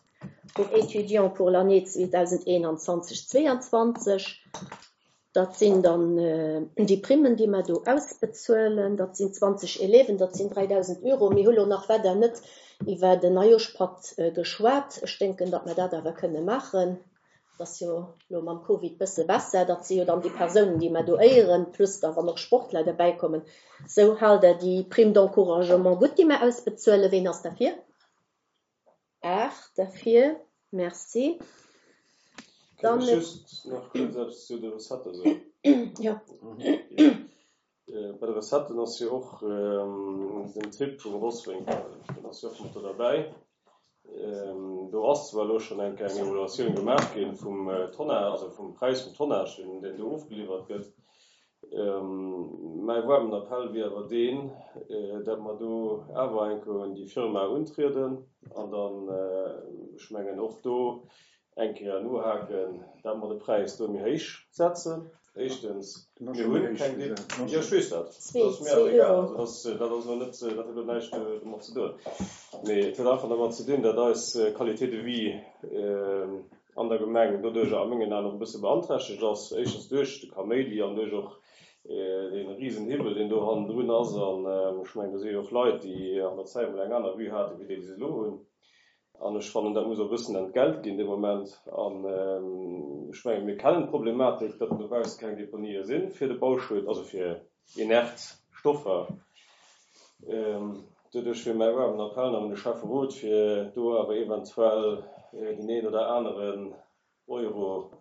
pour étudiants pour l'année zweedausendeenanzwanzeg zweeanzwanzeg. Dat sinn dann déi Primmen, déi mer do ausbezuelen. Dat sinn zwanzeg Élèven, dat sinn dräidausend Euro. Mir hu lo nach weider net iwwer den Neijooschpatt geschwat. Ech denken, datt mer dat awer kënne maachen. Dat ass jo lo mam Covid bësse besser. Dat si jo dann déi Persounen, déi mer do éieren, plus da wann och Sportler derbäi kommen. Sou haalt Der déi Prime d'encouragement gutt, déi mer ausbezuelen? Ween ass derfir? Aacht derfir. Merci. Kann ech just nach kuerz eppes zu de Recettë soen? Jo. Bei de Recetten ass jo och den Typ vum Rosswénkel, deen ass jo och mat do derbäi. Do ass zwar elo schonn eng Kéier eng Evaluatioun gemaach gi vum Tonnage, also vum Präis vum Tonnage, deen deen do ofgeliwwert gëtt. Mäi waarmen Appell wier awer deen, datt mer do awer eng Kéier un déi Firma untrieden an dann, ech mengen, och do eng Kéier nohaken, datt mer de Präis do méi héich setzen. Éischtens, mir hunn keng Dep-, jo, ech weess dat, dat ass mir awer egal, also dat ass elo net, dat huet elo näischt domat ze doen, mee et huet einfach domat ze dinn, datt eis Qualité de vie an der Gemeng doduerjer a mengen Aen och e bësse beanträchtegt ass, éischtens duerch de Kaméidi an duerch och dee Risenhiwwel, deen do hannendrun ass. An ech mengen, do si jo och Leit, déi an der Zäit emol eng aner Vue haten, wéi déi, déi se elo hunn. An ech fannen, dat muss och e bëssen entgelt ginn dee Moment. An ech mengen, mir kennen d'Problematik, datt dobausse keng Deponië si fir de Bauschutt, also fir inert Stoffer. Doduerch wier mäi waarmen Appell nach un de Schäfferot, fir do awer eventuell deen een oder aneren Euro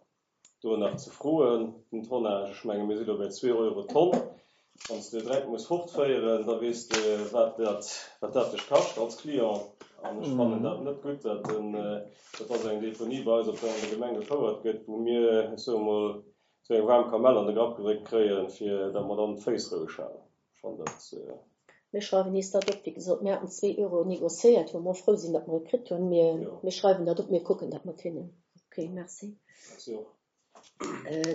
do nach ze froen, den Tonnage. Ech menge mir si lo bei zwee Euro d'Tonn. Wann s de Dreck muss fortféieren, da weess de, wat dat, wat dat dech kascht als Client. An ech fannen dat net gutt, dat den, dat ass eng Deponie bei eis op der an der Gemeng gefouert gëtt, wou mir, ech soe mol, esou eng waarm Kamell an de Grapp gedréckt kréien, fir datt mer dann d'Féiss roueg halen. Ech fannen dat. Mir schreiwen is dat op. Wéi gesot, mir haten zwee Euro négociéiert, wou mer frou sinn, datt mer et kritt hunn. Mir, mir schreiwen dat op, mir kucken dat mat hinnen. Okay, merci. Merci och.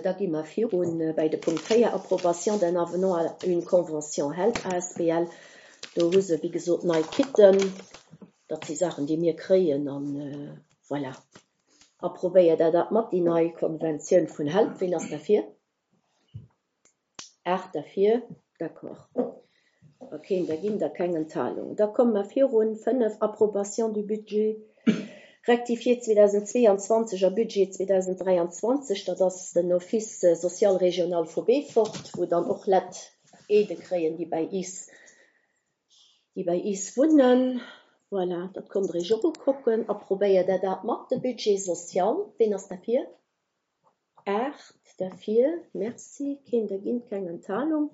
Da gi mer virun bei de Punkt véier, Approbation d'un avenant à une convention HELP asbl. Do hu se, wéi gesot, nei Kitten. Dat si Saachen, déi mir kréien an voilà. Approbéiert Der dat mat, déi nei Konventioun vun HELP? Ween ass derfir? Aacht derfir. D'accord. A keen dergéint a keng Enthalung. Da komme mer virun. Fënnef, Approbation du budget rectifié zweedausendzweeanzwanzeg a Budget zweedausenddräianzwanzeg. Dat ass den Office social régional vu Beefort, wou dann och Leit Aidë kréien, déi bei is, déi bei is wunnen. Voilà, dat konnt Der Iech och ukucken. Approbéiert Der dat mat, de Budget social? Ween ass derfir? Aacht derfir. Merci. Keen dergéint, keng Enthalung.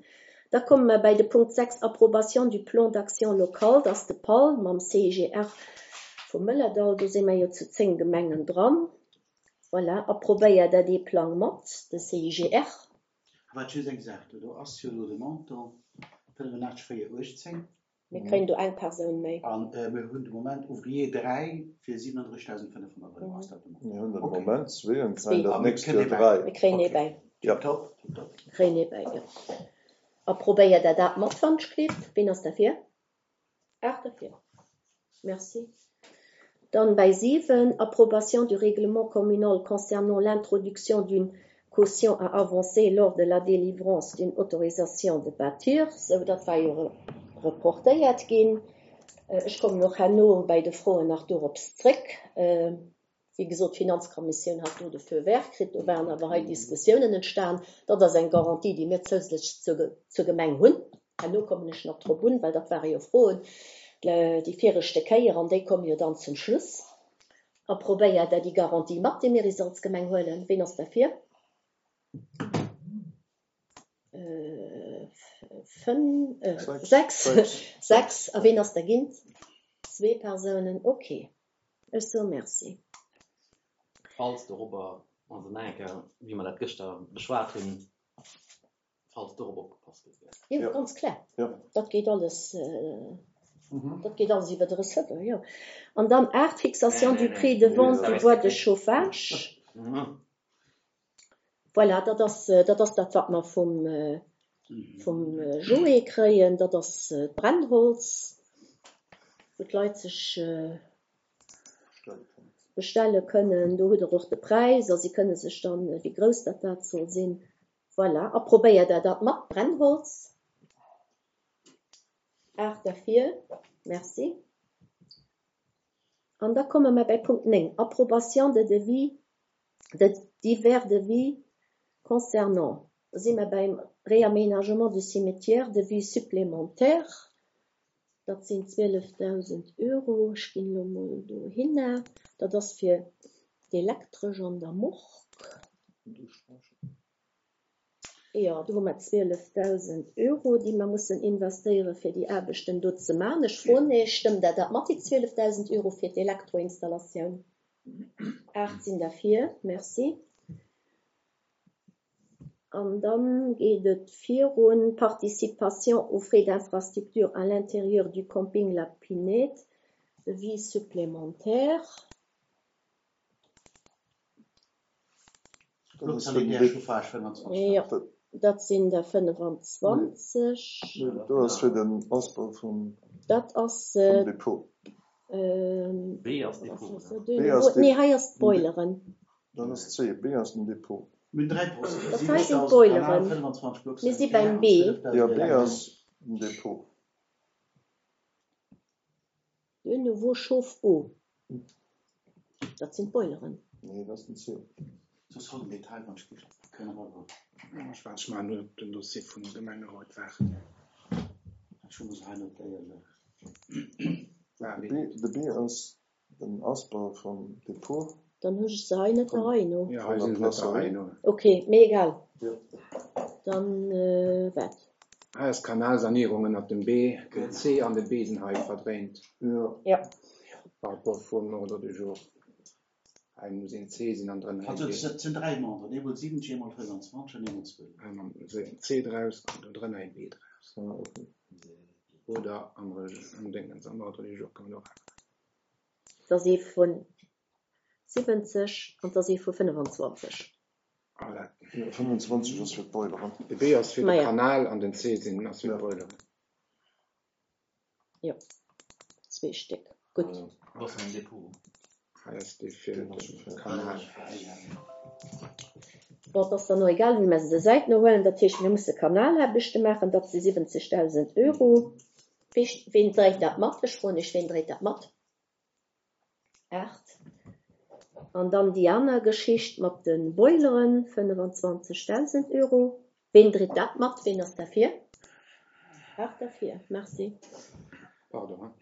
Da komme mer bei de Punkt sechs, Approbation du plan d'action local. Dat ass de PAL mam C I G R vum Mëllerdall. Do si mer jo zu zéng Gemengen dran. Voilà, approbéiert Der dee Plang mat, de C I G R? Wat just eng Saach, do ass jo elo de Montant fënnefenachtzeg véier uechtzéng. Mir kréien do eng Persoun méi. An mir hunn de Moment Ouvrier dräi fir siwenendrëssigdausendfënnefhonnert Euro ass dat de Moment. Mir hunn de Moment zwee an kréien Zwee. dat nächst Joer dräi. Mir kréien ee bäi. Ja. Tiptop, tiptop. Kréien ee bäi, jo. Approbéiert Der dat mat, wann ech gleeft? Ween ass derfir? Aacht derfir. Merci. Dann bei siwen, Approbation du règlement communal concernant l'introduction d'une caution à avancer lors de la délivrance d'une autorisation de bâtir. Sou, dat war jo reportéiert ginn. Ech kommen och herno bei de Froen nach dorops zréck. Wéi gesot, d'Finanzkommissioun hat do de Feu vert kritt, do waren awer hei Diskussiounen entstan. Dat ass eng Garantie, déi mir zousätzlech zur, zur Gemeng hunn. Herno kommen ech nach drop un, well dat ware jo Froen déi viregte Kéier an déi komme jo dann zum Schluss. Approbéiert Der déi Garantie mat, déi mir is als Gemeng huelen? Ween ass derfir? Fënn, sechs, sechs. A ween ass dergéint? Zwee Persounen. Okay. Ech soe Merci. Falls dorobber, also nach eng Kéier, wéi mer dat gëschter beschwat hunn, falls dorop opgepasst gëtt. Jo, Ja. ganz klar. Ja. Dat geet alles, dat geet alles iwwer de Receveur, jo. An dann aacht, Fixation Nee, du nee, prix de nee. vente Nee, du dat bois de ass chauffage. Mhm. Voilà, dat ass, dat ass dat, wat mer vum, vum Joé kréien. Dat ass d'Brennholz, wou d'Leit sech Stelle kënnen. bestelle kënnen. Do hutt Der och de Präis a si kënne sech dann, wéi grouss dat dat soll sinn. Voilà, a probéiert Der dat mat Brennholz. Aacht derfir. Merci. An da komme mer bei Punkt néng, Approbation de devis, de divers devis concernant, do si mer beim Réaménagement du cimetière, devis supplémentaire, dat sinn zwielefdausend Euro. Ech ginn elo mol dohinner. Dat ass fir d'Elektresch an der Morgue. Jo, do hu mer zwielefdausend Euro, déi mer mussen investéieren, fir déi Aarbechten do ze maachen. Ech froen Iech, Stëmmt Der dat mat, déi zwielefdausend Euro fir d'Elektroinstallatioun? Aacht sinn derfir. Merci. An dann geet et virun, Participation aux frais d'infrastructure à l'intérieur du camping La Pinède, devis supplémentaire. Dat ass fir den Sanitär Dé- Chauffage fënnwanzwanzeg. Jo, dat sinn der fënnwanzwanzeg. Nee, do ass fir den Ausbau vum, Dat ass, vum Depot. ähm, B ass was Depot, ass oder? dat? De B ass nouveau, Dep- nee, hei ass d'Boileren. Dann ass C. B ass den Depot. Mir hunn dräi Posten, Dat hei sinn siwwentausend Kanal, d'Boileren. fënnwanzwanzeg Block Mir si Sanitär beim an B. zwielefdausend Jo, B Elektro. ass den Depot. De nouveau chauffe-eau. Dat sinn d'Boileren. Nee, dat ass den C. Soss hol den Detail, wann ech giff kënnen eriwwer. Ech waart, ech maachen op den Dossier vum Gemengerot waarden. Ech hu mer se hei notéiert. War De wéi? B, de B ass den Ausbau vum Depot. Dann hu ech se hei net der Vum, Rei no. Jo, hei vun der sinn se net der Rei Placerie. no. Okay, mee egal. Jo. Dann äh, wat? Hei ass Kanalsanierung ënnert dem B, den C an den B sinn hei verdréint. Jo. Ja. Par rapport vum Ordre du jour. Hei muss een C sinn an drënner een Also B. et sinn dräi Memberen, eemol siwwenzeg, eemol fënnwanzwanzeg an eemol zwielef. Hei mam een C draus an do drënner een B draus. Ah, okay. Oder am, am Dingens, am Ordre du jour kann man och änneren. Dat ass ee vun siwwenzeg an dat ass ee vu fënnwanzwanzeg. Ah, dat. Jo, fënnwanzwanzeg ass fir d'Boileren. De B ass fir de Maja. Kanal an den C sinn ass fir Ja. d'Boileren. Jo, zwee Stéck. Gutt. Ja. Was ass den Depot? Hei ass dee fir Deen ass de fir. Kanal. Bon, dat ass dann och egal, wéi mer se der Säit no huelen. Dat heescht, mir musse Kanalaarbechte maachen, dat si siwwenzegdausend Euro. Wee, ween dréit dat mat? Ech froen iech, ween dréit dat mat? Aacht. An dann déi aner Geschicht mat de Boileren, fënnwanzwanzegdausend Euro. Ween dréit dat mat? Ween ass derfir? Aacht derfir. Merci. Pardon. Hein?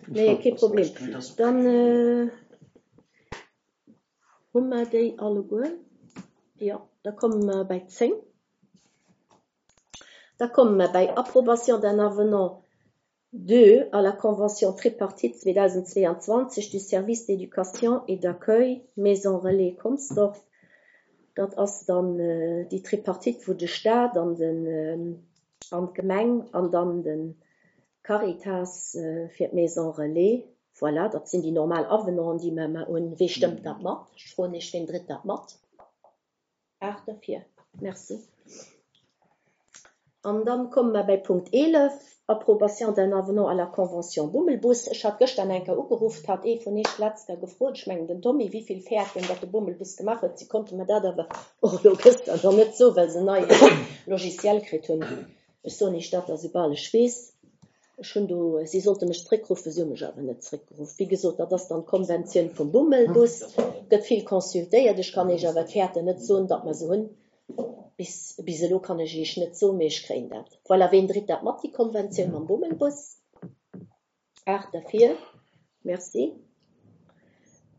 Nee, kee Problem. Nee, dat ass Dann okay. äh, hu mer déi alleguer. Jo, da komme mer bei zéng. Da komme mer bei Approbation d'un avenant deux à la Convention tripartite zweedausendzweeanzwanzeg du Service d'éducation et d'accueil Maison Relais Consdorf. Dat ass dann äh, déi Tripartite, wou de Staat an den äh, an d'Gemeng an dann den Caritas äh, fir d'Maison Relais. Voilà, dat sinn déi normal Avenanten, déi mer ëmmer hunn. Wee stëmmt dat mat? Ech froen iech, ween dréit dat mat? Aacht derfir. Merci. An dann komme mer bei Punkt eelef, Approbation d'un avenant à la Convention Bummelbus. Ech hat gëschter eng Kéier ugeruff, hat ee vun iech letzter gefrot, ech mengen den Tommy, wéi vill Fäerten dat de Bummelbus gemaach huet. Si konnte mer dat awer och elo gëschter nach net soen, well se neie Logiciel kritt hunn. Ech soen iech dat da soubal ech weess. Ech hunn do, si sollte mech zréckruffen, si hu mech awer net zréckgeruff. Wéi gesot, dat ass dann d'Konventioun vum Bummelbus. Gëtt vill consultéiert. Ech kann iech awer d'Fäerten net soen, datt mer se hunn. Bis, bis elo kann ech iech net soen, mee ech kréien dat. Voilà, ween dréit dat mat, déi Konventioun mam Bummelbus? Aacht derfir. Merci.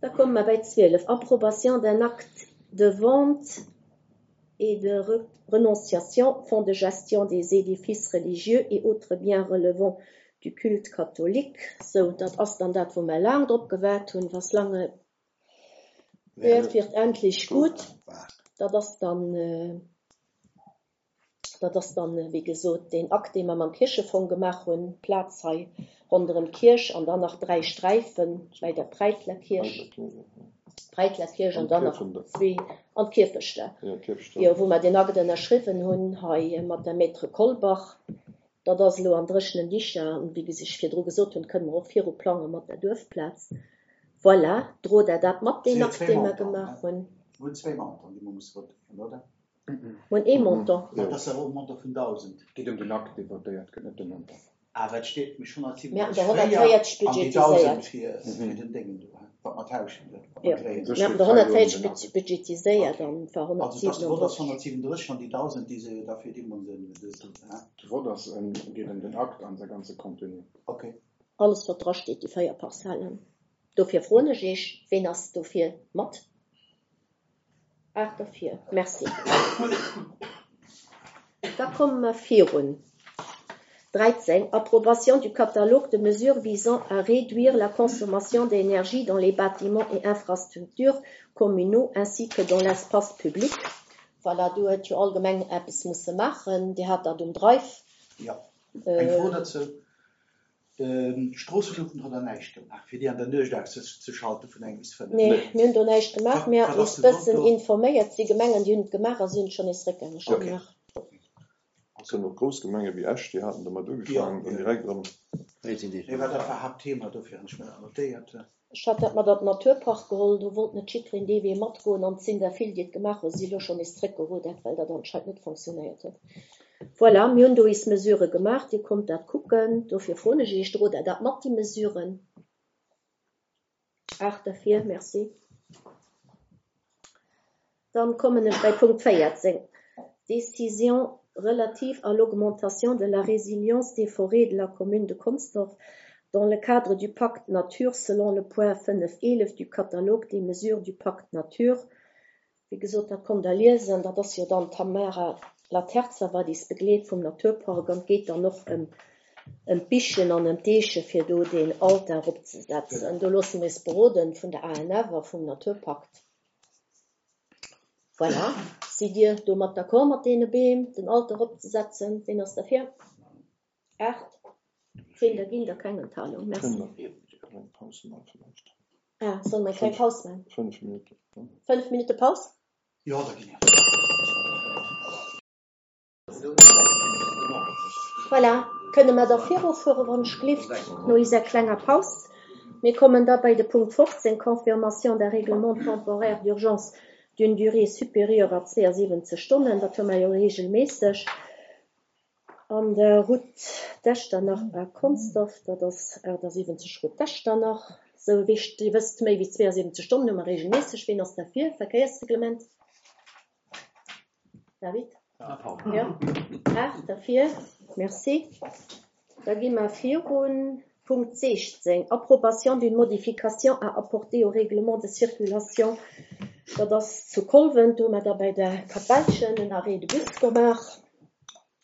Da komme mer bei zwielef. Approbation d'un acte de vente et de re renonciation, fonds de gestion des édifices religieux et autres biens relevant du culte catholique. Sou, dat ass dann dat, wou mer laang drop gewaart hunn, was lange währt, wird endlich gut. Dat ass dann, äh, dat ass dann, äh, wéi gesot, den Akt, dee mer mam Kierchefong gemaach hunn, Plaz hei ronderëm d'Kierch an dann nach dräi Sträifen bei der Breitler Kierch. Breitler Kierch an dann nach zwee an d'Kierfechter. Jo, wou mer den Akt ënnerschriwwen hunn hei mat der Maître Kolbach. Dat ass elo an dréchenen Dicher an wéi ech virdru gesot hunn, kënne mer och viru plange mat der Duerfplaz. Voilà, drot Der dat mat, deen Sinn jo Akt, zwee dee mer Montanten, gemaach ne? hunn? Mir hunn zwee Montanten, déi mer musse votéieren, oder? Mir hunn ee Montant. Dat ass awer och e Montant vun dausend. Et geet ëm den Akt, dee votéiert gëtt, net de Montant. Awer et steet nämlech Mir haten der hundertsiewenunddreißeg véier an déi hundertvéierzeg dausend budgetiséiert. fir fir den Déngen do, he, wat mer tauschen, wat Jo, mer dréien. U sech mir haten steet der hei elo ëm hundertvéierzeg den Akt. budgetiséiert Okay. an et war Also et ass de Vott ass hundertsiewenunddreißeg. hundertsiewenunddreißeg an déi dausend, déi se jo da fir deemol den, den, he? De Vott ass ëm, geet ëm den Akt an säi ganze Contenu. Okay. Alles, wat drasteet, déi véier Parzellen. Dofir froen ech Iech, Ween ass dofir mat? Aacht derfir. Merci. Da komme mer virun. dräizéng, Approbation du catalogue de mesures visant à réduire la consommation d'énergie dans les bâtiments et infrastructures communaux ainsi que dans l'espace public. Voilà, do huet jo all Gemeng eppes musse maachen. Dir hat dat um Drive. Jo. Eng Fro dozou, D'Stroosseluuchten hutt Der näischt gemaach, fir déi an der Nuecht auszeschalte vun eng bis fënnef? Nee, mir hunn do näischt gemaach. Mir Wat haten ass eis de Grond bëssen do? informéiert. Et si Gemengen, déi hunn et gemaach a si hunn et schonn nees réckgängeg Jo. gemaach. Et sinn och grouss Gemenge wéi Esch, déi haten domat Jo, ugefaangen an jo. direkt erëm. Nee, well dat war Haaptthema, dofir hunn ech mir dat notéiert. Ech hat dat mat an den Naturpark geholl, do wollt net jiddwereen dee Wee matgoen an et sinn der vill, déi et gemaach hunn, si elo schonn nees zréckgeruddert, well dat anscheinend net fonctionnéiert huet. Voilà, mir hunn do is Mesurë gemaach, Dir konnt dat kucken, dofir froen ech Iech, drot Der dat mat, déi Mesuren? Aacht derfir, merci. Dann kommen ech bei Punkt véierzéng, Décision relative à l'augmentation de la résilience des forêts de la commune de Consdorf dans le cadre du Pacte Nature selon le point fënnef eelef du catalogue des mesures du Pacte Nature. Wéi gesot, dat konnt Der liesen, dat ass jo dann d'Tamara Laterza, wat is begleet vum Naturpark an et geet dann och ëm ëm d'Bichen an ëm d'Eeche fir do deen Altar opzesetzen. Do loosse mir is beroden vun der A N F a vum Naturpakt. Voilà, sidd Dir domat d'accord mat deene Beem, den Altar opzesetzen? Ween ass derfir? Aacht. Zéng, da ginn der keng Enthalung. Merci. Kënnen mer eng Paus maachen vläicht? Ah, solle mer eng kleng Fënnf, Paus maachen? fënnf Minutten. Fënnf Minutte Paus? Jo, da ginn. Voilà, kënne mer da virufuere wann ech gelift, no iser klenger Paus. Mir kommen da bei de Punkt fofzéng, Confirmation d'un règlement temporaire d'urgence d'une durée supérieure à zwouasiwwenzeg Stonnen. Dat hu mer jo regelméisseg an der Route d'Echternach à Consdorf, dat ass achtasiwwenzeg Route d'Echternach. Sou wéi Dir wësst, méi wéi zwouasiwwenzeg Stonnen hu mer regelméisseg. Ween ass derfir? Verkéiersreglement? David? Jo, aacht derfir. Merci. Da gi mer virun. Punkt sechzéng, Approbation d'une modification à apporter au règlement de circulation. Dat ass zu Kolwent, do hu mer da bei der Kapellchen en Arrêt de bus gemaach.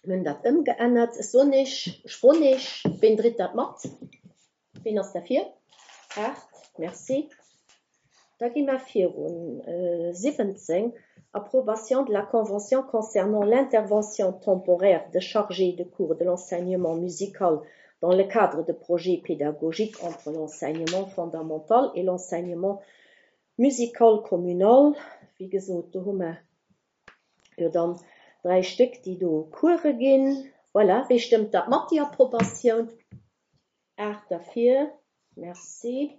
Mir hunn dat ëmgeännert. Ech soen Iech, ech froen Iech, ween dréit dat mat? Ween ass derfir? Aacht. Merci. Da gi mer virun. Siwwenzéng, Approbation de la convention concernant l'intervention temporaire de chargés de cours de l'enseignement musical dans le cadre de projets pédagogiques entre l'enseignement fondamental et l'enseignement musical communal. Wéi gesot, do hu mer jo dann dräi Stéck, déi do Course ginn. Voilà, wee stëmmt dat mat, déi Approbatioun? Aacht derfir. Merci.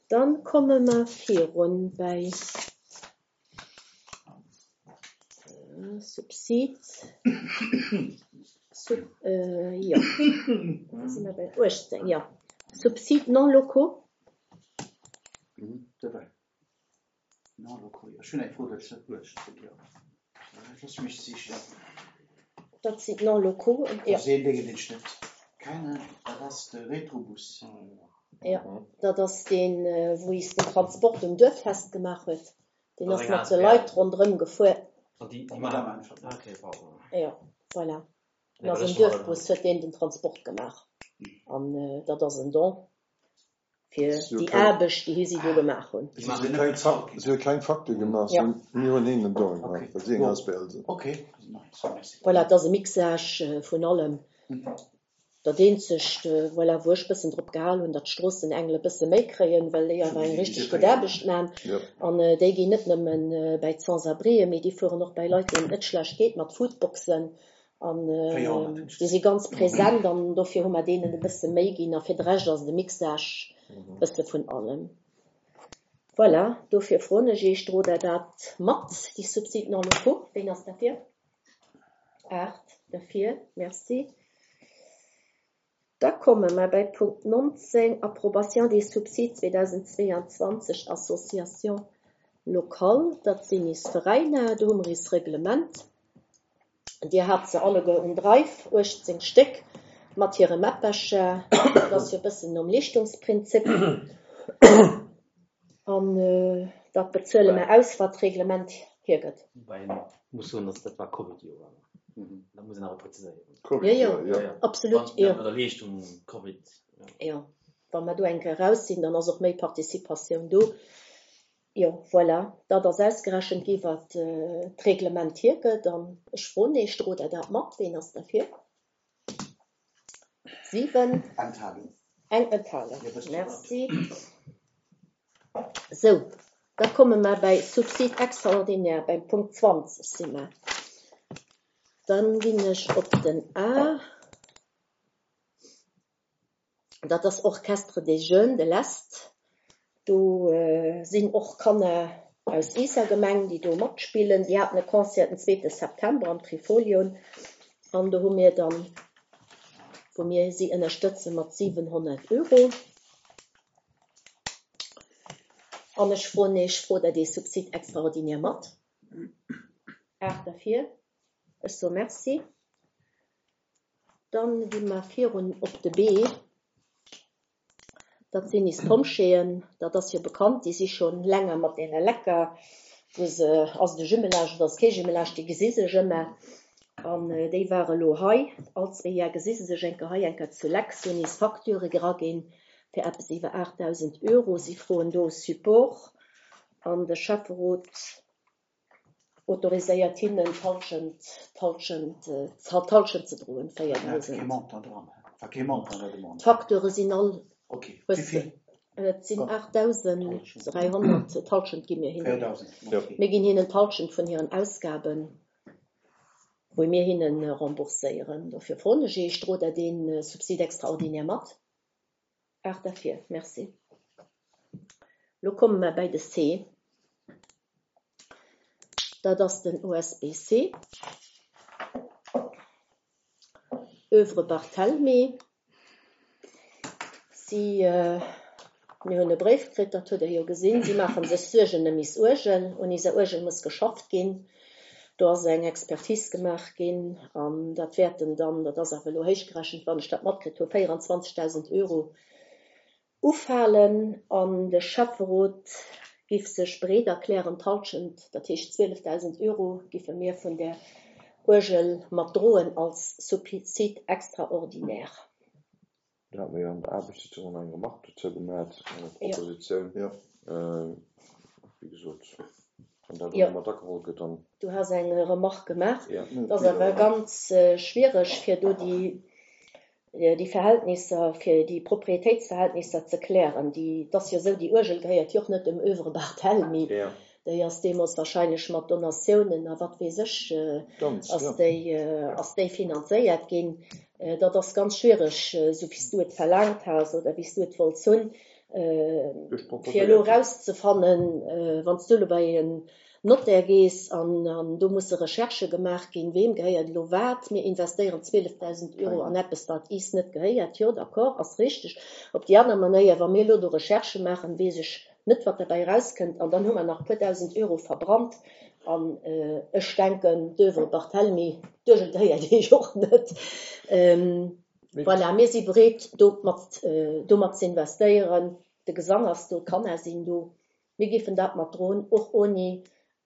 Dann komme mer virun bei Subsid. Sub, äh, jo. Da si mer bei uechtzéng, jo. Subsides non locaux. Dobäi. Non locaux, jo. Ech hunn eng Fro dozou. uechtzéng, jo. Looss mech sichen. Dat sinn non locaux, jo. Dat ass een Ding, deen ech net kennen. Dat ass de Retrobus. Jo, dat ass deen, wou is den Transport um Duerffest gemaach huet. Deen ass mat de Leit ronderëm gefuer. Jo, voilà. En ass um Duerfbus, huet deen den Transport gemaach. An dat ass en Don fir déi Aarbecht, déi si do gemaach hunn. Si hu kleng Facture gemaach, si hunn, mir hunn hinnen en Don gemaach, well si eng asbl sinn. Voilà, et ass e Mixage vun allem. Dat eenzegt, voilà, wou ech bëssen drop gehal hunn, datt d'Stroossenengele bësse méi kréien, well déi awer eng richteg gutt Aarbecht man. An déi ginn net nëmmen bäi d'Sans-abrien, mee déi fueren och bäi Leit, deenen et net schlecht geet, mat Foodboxen. An déi si ganz present an dofir hu mer deenen e bësse méi ginn. A fir de Rescht ass et e Mixage e bësse vun allem. Voilà, dofir froen ech Iech, drot Der dat mat, déi Subside non locaux? Ween ass derfir? Aacht derfir, merci. Da komme mer bei Punkt nonzéng, Approbation des subsides zweedausendzweeanzwanzeg Associations locales. Dat sinn is Veräiner, do hu mer is Reglement. Dir hat se alleguer um Drive, uechtzéng Stéck mat hire Mappercher. Dat ass jo e bëssen nom Leeschtungsprinzip. An dat bezuele mer aus, wat d'Reglement hiergëtt. Woubäi een muss soen, dass dat war Covid-Joer. Dat muss een awer preziséieren. Covid-Joer, jo. Absolut, jo. Wann der Leeschtung Covid, jo. Jo, wa mer do eng Kéier eraus sinn, dann ass och méi Participatioun do. Jo, voilà, dat ass ausgerechent gi wat d'Reglement hiergëtt. An ech froen Iech, drot Der dat mat? Ween ass derfir? Siwen. Enthalung. Eng Enthalung. Merci. Sou, da komme mer bäi Subside extraordinaire, beim Punkt zwanzeg si mer. Dann ginn ech op den A. Dat ass Orchestre des Jeunes de l'Est. Do sinn och Kanner aus iiser Gemeng, déi do matspillen. Si haten e Concert den zweete September am Trifolion an do hu mir dann, wou mir si ënnerstëtze mat siwenhonnert Euro. An ech froen Iech, frot Der dee Subside extraordinaire mat? Aacht derfir. Ech soe Merci. Dann gi mer virun op de B. Dat sinn is Pompjeeën, dat ass jo bekannt, déi si schonn länger mat deene Lecker, wou se, ass et e Jumelage oder ass et kee Jumelage, déi gesi sech ëmmer. An déi ware lo hei, all zwee Jar gesi se sech eng Kéier hei, eng Kéier zu Leck. Si hunn is Facture eraginn fir eppes iwwer aachtdausend Euro. Si froen do Support an de Schäfferot autoriséiert hinnen d'Halschent, d'Halschent, d'Halschent ze droen, véierdausend. D'Facturë sinn all, hues de, et sinn aachtdausend dräihonnert, d'Halschent gi mir hinnen. Mir ginn hinnen d'Halschent vun hiren Ausgaben, wou mir hinne rembourséieren. Dofir froen ech Iech, drot Der dee Subside extraordinaire mat? Aacht derfir, merci. Lo komme mer bäi de C. Dat ass den O S B C. Oeuvre Barthelmy. Si, mir hunn e Bréif kritt, dat hutt Der jo gesinn. Si maache sech Suergen ëm is Uergel. Un iser Uergel muss geschafft ginn. Do ass eng Expertise gemaach ginn an dat wäerten dann, dat ass awer elo héichgerechent, wann ech dat matkritt hu, véierundzwanzegdausend Euro ufalen. An de Schäfferot giff sech bereet erklären, d'Halschent, dat heescht zwielefdausend Euro, giffe mir vun der Uergel mat droen als Subside extraordinaire. Do hate mir jo an der Aarbechtssitzung eng Remarque dozou gemaach, eng Propositioun. Jo. Wéi gesot, wann dat Jo. elo mat ageholl gëtt, dann. Du has eng Remarque gemaach. Jo. Et ass awer ganz schwiereg, fir do déi, déi Verhältnisser, fir déi Proprietéitsverhältnisser ze klären. Déi, et ass jo esou, déi Uergel gehéiert jo och net dem Oeuvre Barthelmy. Jo. Déi ass deemools wahrscheinlech mat Donatiounen a wat weess ech, Ganz, ass ja. déi, ass déi finanzéiert ginn. Dat ass ganz schwiereg, esou wéi s du et verlaangt has oder wéi s du et wollts hunn, Duerch fir elo proposéiert. erauszefannen, wann s du elo bei en Notaire gees an, an do musse Recherchë gemaach ginn, weem gehéiert elo wat. Mir investéieren zwielefdausend Euro an eppes, wat is net gehéiert. Jo, d'accord, ass richteg. Op déi aner Manéier, wa mir elo do Recherchë maachen, weess ech net, wat derbäi erauskënnt. An dann hu mer nach e puer dausend Euro verbrannt. An ech denken, d'Oeuvre Barthelmy, d'Uergel gehéiert Iech och net. Voilà, mir si bereet, do mat, domat ze investéieren. De Gesang ass do, d'Kanner sinn do. Mir géifen dat mat droen, och ouni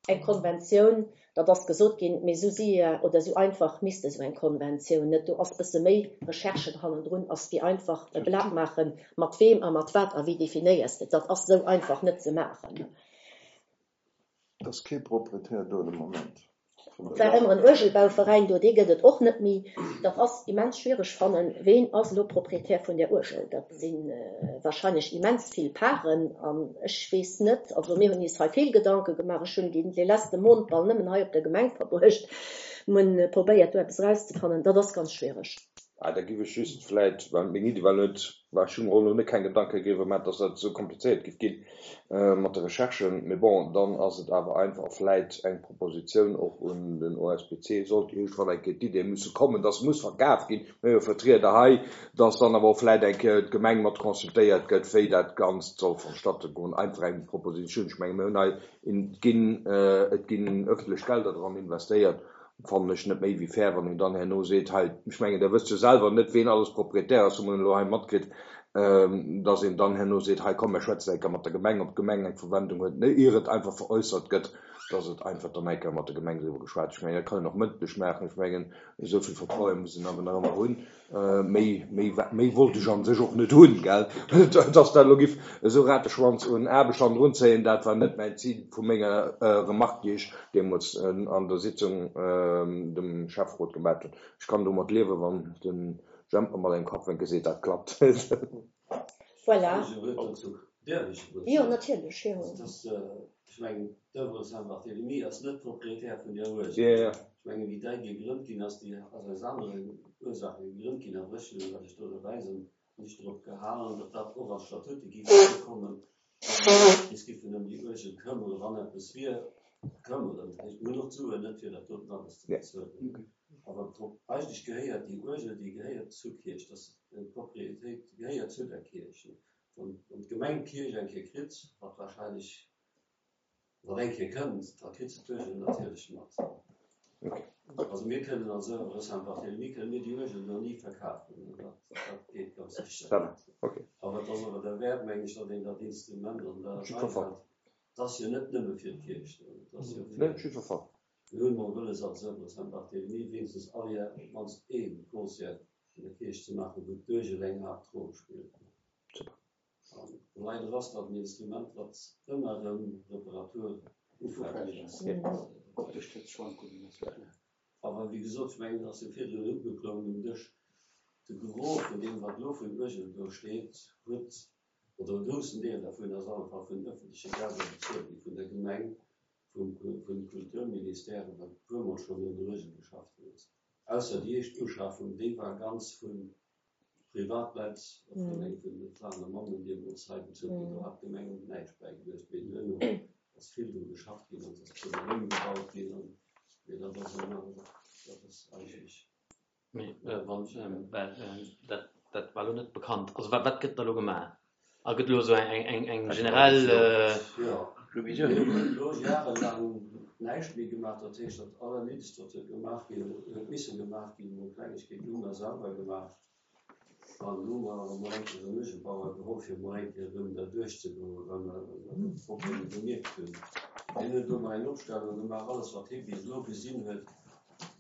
eng Konventioun. Dat ass gesot ginn, mee esou séier oder esou einfach misst esou eng Konventioun net. Do ass e bësse méi Recherche hannendrun, ass wéi einfach e Blat maachen, mat weem a mat wat a wéi definéiers de et. Dat ass esou einfach net ze maachen. Et ass kee Proprietär do de Moment. Et war ëmmer en Uergelbauveräin do, dee gëtt et och net méi. Dat ass immens schwiereg fannen, ween ass elo Proprietär vun där Uergel. Dat si wahrscheinlech immens vill Paren an ech weess net, also mir hunn is hei vill Gedanke gemaach. Ech hunn dee leschte Mount bal nëmmen hei op der Gemeng verbruecht Mir hunn probéiert, do eppes erauszefannen. Dat ass ganz schwiereg. Ah, da giff ech just vläit, well meng Iddi war net, war ech hu mer och elo net keng Gedanke driwwer gemaach, dass dat esou komplizéiert giff ginn mat de Recherchen, mee bon, dann ass et awer einfach vläit eng Propositioun och un den O S B C, sollt iergendwann eng Kéier d'Idee musse kommen, dass muss verkaf ginn, mir hu jo Vertrieder hei, dass dann awer och vläit eng Kéier d'Gemeng mat consultéiert gëtt, wéi dat Ganzt soll vonstatte goen. Einfach eng Propositioun. Ech menge mir hunn hei, et ginn, et ginn ëffentlech Gelder dran investéiert, fannen ech net méi wéi fair, wann een dann herno seet, hei, ech mengen, Der wësst jo selwer net, ween alles Proprietär ass, hu mer elo hei matkritt, dass een dann herno seet, hei komm, mir schwätzen eng Kéier mat der Gemeng, ob d'Gemeng eng Verwendung huet, ier et einfach veräussert gëtt, dass et einfach dann eng Kéier mat der Gemeng driwwer geschwat. Ech mengen, dat kann een och mëndlech maachen. Ech mengen, esou vill Vertraue muss een awer nach ëmmer hunn. Méi, méi, méi wollt ech a sech och net hunn, gell. Dass dat elo giff esou Rateschwanz un Aarbecht hannendrun zéien, dat war net mäin Zil vu menger Remarque, déi ech deemools an der Sitzung dem Schäfferot gemat hunn. Ech kann domat liewen, wann de Jemp mer mat engem Kappwénke seet, dat klappt. Voilà. Däerf ech e wuert Jo, soen? natierlech, jo. Ech mengen, d'Oeuvre Saint-Barthélemy ass net Proprietär vun där Uergel. Jo, jo. Ech mengen, wéi dei gegrënnt ginn ass, déi ass aus aneren Ursaache gegrënnt ginn, awer ech hunn, well ech do dobäi sinn, mech drop gehalen, datt dat och an d'Statute géif erakommen, datt mir eis géifen ëm déi Uergel këmmere wann eppes wier. Këmmeren, dat heescht, mir hunn och d'Suen net, fir dat doten alles ze bezuelen. Awer eigentlech gehéiert déi Uergel, déi gehéiert zur Kierch, dat ass eng Propriétéit, déi gehéiert zu der Kierch. Wann d'Gemeng d'Kierch eng Kéier kritt, wat wahrscheinlech nach eng Kéier kënnt, da kritt se d'Uergel natierlech mat. Also mir kënnen als Oeuvre Saint-Barthélemy kënnen mir déi Uergel do ni verkafen, dat dat geet ganz sécher net. Awer et ass awer derwäert, meng ech, datt een dat Instrument an der Rei hält. Et ass jo net nëmme fir d'Kierch do, et ass jo fir, mir hunn emol wëlles als Oeuvre Saint-Barthélemy wéinstens all Jar op d'mannst ee Concert an der Kierch ze maachen, wou d'Uergel eng Haaptroll spillt. An leider ass dat en Instrument, wat ëmmer erëm Reparatur ufälleg ass. Optesch huet Schwankungen, ass jo kloer. Awer wéi gesot, ech mengen, et ass jo virdrun ugeklongen um Dësch, de Gros vun deem, wat elo vun Uergel do steet, huet, oder e groussen Deel dervun ass alle Fall vun öffentleche Gelder bezuelt gi vun der Gemeng, vum Kulturministère, well e puermol schonn un der Uergel geschafft ginn ass. Ausser déi éischt Uschafung, déi war ganz vu Privatleit, vun engem vun de Fraen a Mammen deemools hei bezuelt ginn. Do hat d'Gemeng näischt bäigeluecht. Mee duerno ass vill dru geschafft ginn an et ass puermol ëmgebaut ginn. An, mee dat ass eng aner, dat ass eigentlech. Mee wann, well dat, dat war elo net bekannt. Also wat, wat gëtt da elo gemaach? A gëtt elo esou eng, eng, eng generell. Jo, mir hunn elo jarelaang näischt méi gemaach. Dat heescht, dat Allerniddegst, wat huet gemaach ginn, huet misse gemaach ginn, emol Klengegkeeten hu mer selwer gemaach. An elo hu mer awer emol eng Kéier en Uergelbauer geholl, fir emol eng Kéier erëm derduerch ze goen, well mer de Problem gemierkt hunn. Hien huet elo mol eng Opstellung gemaach, alles wat hie bis elo gesinn huet,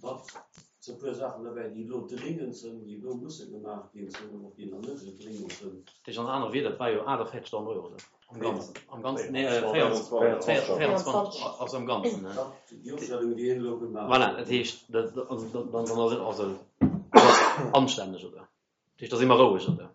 wat se e puer Saachen derbäi, déi elo dringend sinn, déi elo musse gemaach ginn, sinn och déi nach net esou dringend sinn. Dat heescht an aner Wieder, et war jo aachtavéierzegdausend Euro, oder? Am Ganzen, am Ganzen, nee, véierundzwanzeg, also am Ganzen, ne? Dat, déi Opstellung, déi hien elo gemaach huet. Voilà, dat heescht, dat, also, dann, dann ass et, also, dat ass anstänneg, oder? Dat heescht, da si mer roueg, oder?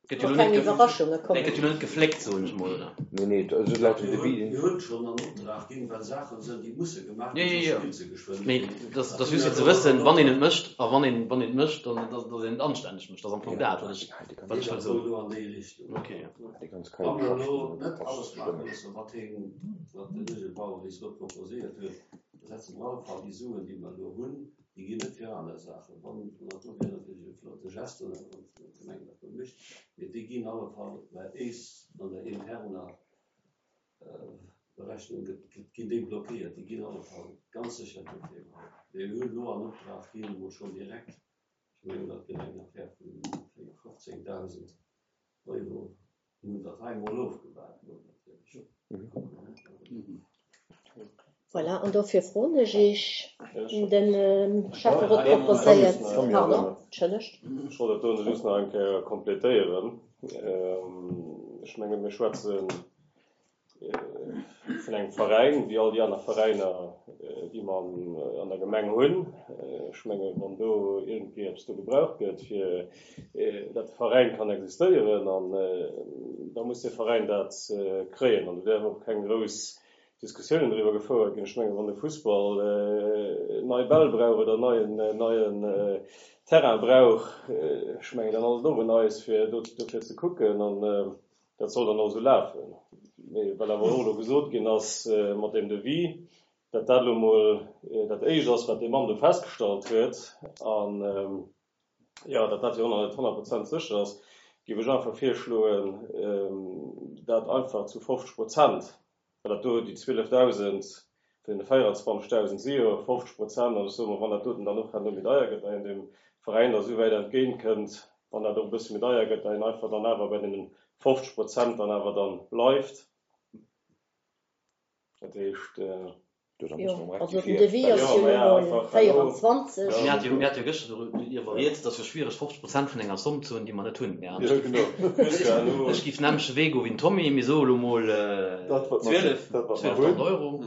Gëtt jo Och elo keng net, Iwwerraschunge nee, kommen. gëtt jo elo net gefléckt, soen ech mol, oder? Nee, nee, also laut dem Mir Devis. hunn, mir hunn schonn an Optrag ginn, well Saachen sinn, déi musse gemaach Jo, ginn, jo, soss jo. spillt se geschwënn net Mee méi. dat Dat ass hu just mir fir ze elo wëssen, an wann een Optrag et mécht, a wann een, wann een et mécht, dann, dass, dass een et anstänneg mécht. Dat ass am Fong dat, wat ech, wat ech Dat wëll soll soen. elo an déi Richtung. Okay, jo. Déi ganz Kei Wa mer elo Geschäfte, net dat alles ass maache stëmmeg. mussen, wat hien, wat den Uergelbauer bis elo proposéiert huet, da setze mer alle Fall déi Suen, déi mer elo hunn, déi ginn net fir aner Saachen. Wann, dat do wier natierlech e flotte Geste, wann d'Gemeng dat do mécht, mee déi ginn alle Fall bei éis an der interner Berechnung gëtt, ginn déi blockéiert. Déi ginn alle Fall ganz sécher dofir geholl. Mee mir hunn elo an Optrag ginn, emol schonn direkt, ech mengen, dat gëtt eng Affär vu fofzéngdausend Euro, mir hunn dat hei emol ofgewaart, mol natierlech. Voilà, an dofir froen ech Iech, den Schäfferot proposéiert, pardon, entschëllegt. Ech wollt dat do just nach eng Kéier complétéieren. Ech menge mir schwätze vun engem Veräin, wéi all déi aner Veräiner, déi mer an der Gemeng hunn. Ech menge wann do iergendwéi eppes do gebraucht gëtt, fir datt de Veräin kann existéieren, an da muss de Veräin dat kréien. An do däerf och keng grouss Diskussiounen driwwer gefouert ginn. Ech mengen, wann de Fussball nei Bäll brauch oder neien, neien Terrain brauch, ech mengen, dann ass et och un eis, fir do, dofir ze kucken. An dat soll dann och esou lafen. Mee well awer och elo gesot ginn ass mat deem Devis, datt dat elo mol dat Éischt ass, wat dee Mann do festgestallt huet, an, jo, datt dat jo och nach net honnert Prozent sécher ass, géif ech einfach virschloen, dat einfach zu fofzeg Prozent, well dat do déi zwielefdausend vun deene véierundzwanzegdausend si jo fofzeg Prozent, an ech soe mol, wann dat doten dann och herno méi deier gëtt, da een dem Veräin da souwäit entgéint kënnt, wann dat och e bësse méi deier gëtt, da een einfach dann awer bei deene fofzeg Prozent dann awer dann bleift. Dat heescht. Jo, also den Devis ass jo elo mol véierundzwanzeg. Mir hate jo, mir hate jo gëschter doriwwer rieds, et ass jo schwiereg fofzeg Prozent vun enger Somm ze hunn, déi mer net hunn. Mir Ech géif den nämmlechte Wee goe wéi den Tommy, mir soe elo mol zwielef, zwielefdausend Euro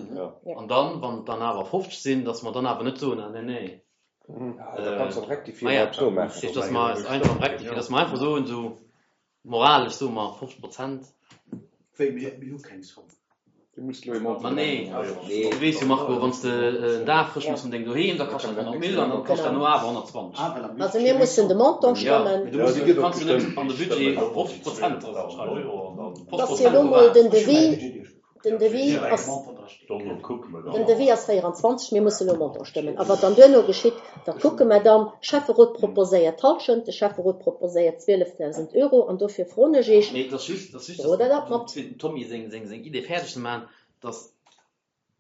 an dann, wann et dann awer fofzeg sinn, datt mer dann awer net soen, ah nee, nee. Da kanns du och rectifier op esou maachen. Dat heescht, datt mer es einfach rectifier, datt mer einfach soen, esou moralesch soe mer fofzeg Prozent. Wéi, mir hu keng Somm. Du muss elo e Montant Ma nee, nennen. du weess jo Marco, wann s de en Dag frësch mëss vun dengem Doheem, da kascht dat honnert Mille an dann kascht dat no awer honnertzwanzeg. Also mir mussen de Montant Ja, stëmmen. mee du muss, du kanns jo net an de Budget fofzeg Prozent dra schreiwen. Et ass jo elo mol den Devis, den Devis ass, den Devis ass véierundzwanzeg, mir musse elo e Montant stëmmen. A wat dann duerno geschitt, dat kucke mer dann. Schäfferot proposéiert d'Hallschent, de Schäfferot proposéiert zwielefdausend Euro an dofir froen ech Iech, Mee et ass just, et ass just, Drot Der dat dass, mat? fir dem Tommy seng, seng, seng Idee fäerdeg ze maachen, dass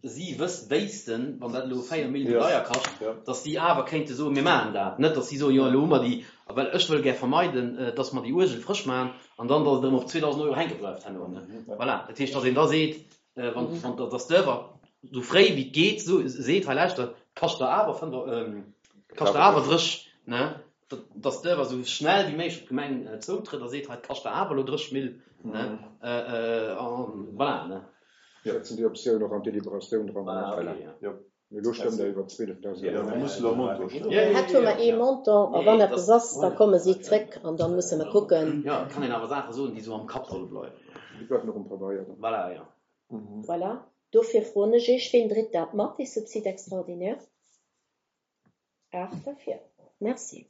si wëss, wéissten, wann dat elo véier Mille méi deier kascht, dass si awer kéinte soen, mir maachen dat. Net, dass si soen, jo elo hu mer déi, well ech wëll gär vermeiden, dass mer déi Uergel frësch maachen an dann, dass et erëm op zweedausend Euro hänke bleift herno. Voilà. Dat heescht, dass een da seet, wann, wann, dass d'Oeuvre esou fréi wéi et geet so, seet, hei lauschtert, kascht der awer fënnf, kascht der awer drëch, ne, dass d'Oeuvre esou schnell wéi méiglech op d'Gemeng zoutrëtt a seet, hei, et kascht der awer elo drëch Mille, ne, an voilà, ne. Setzen déi Optioun och an d'Deliberatioun dran. Voilà, okay, ja. Mee elo stëmmt Der iwwer zwielefdausend Euro. Mir mussen elo e Montant stëmmen. Hätt hu mer ee Montant, a wann eppes ass, da komme si zréck an da musse mer kucken. Jo, et kann een awer Saache soen, déi esou am Kapp solle bleiwen. Déi bleiwen och um Pabeier dann. Voilà, jo. Voilà. Dofir froen ech Iech, ween dréit dat mat, dee Subside extraordinaire? Aacht derfir. Merci.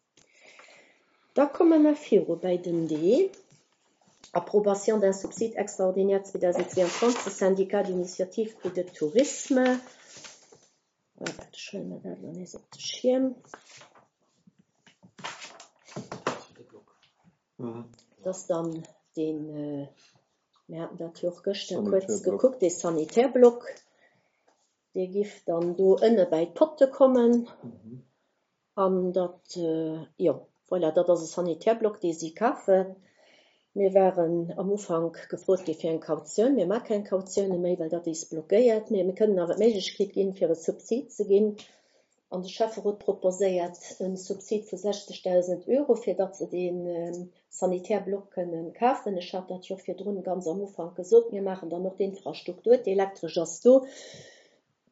Da komme mer viru bei den D. Approbation d'un subside extraordinaire zweedausendzweeanzwanzeg Syndicat d'initiative et de tourisme. Waart, ech huele mer dat elo nees op de Schierm. Dat ass dann deen, mir haten dat jo och gëschter kuerz gekuckt, dee Sanitärblock, dee giff dann do ënne bäi d'Potte kommen. An dat, jo, voilà, dat ass e Sanitärblock, dee si kafen. Mir waren am Ufank gefrot gi fir eng Kautioun. Mir maache keng Kautioune méi, well dat is blockéiert. Mee mir kënnen awer d'Méiglechkeet ginn, fir e Subsid ze ginn. An de Schäfferot proposéiert e Subsid vu sechzegdausend Euro, fir datt se dee Sanitärblock kënnen kafen. Ech hat dat jo virdrun ganz am Ufank gesot. Mir maachen dann och d'Infrastruktur, d'Elektresch ass do.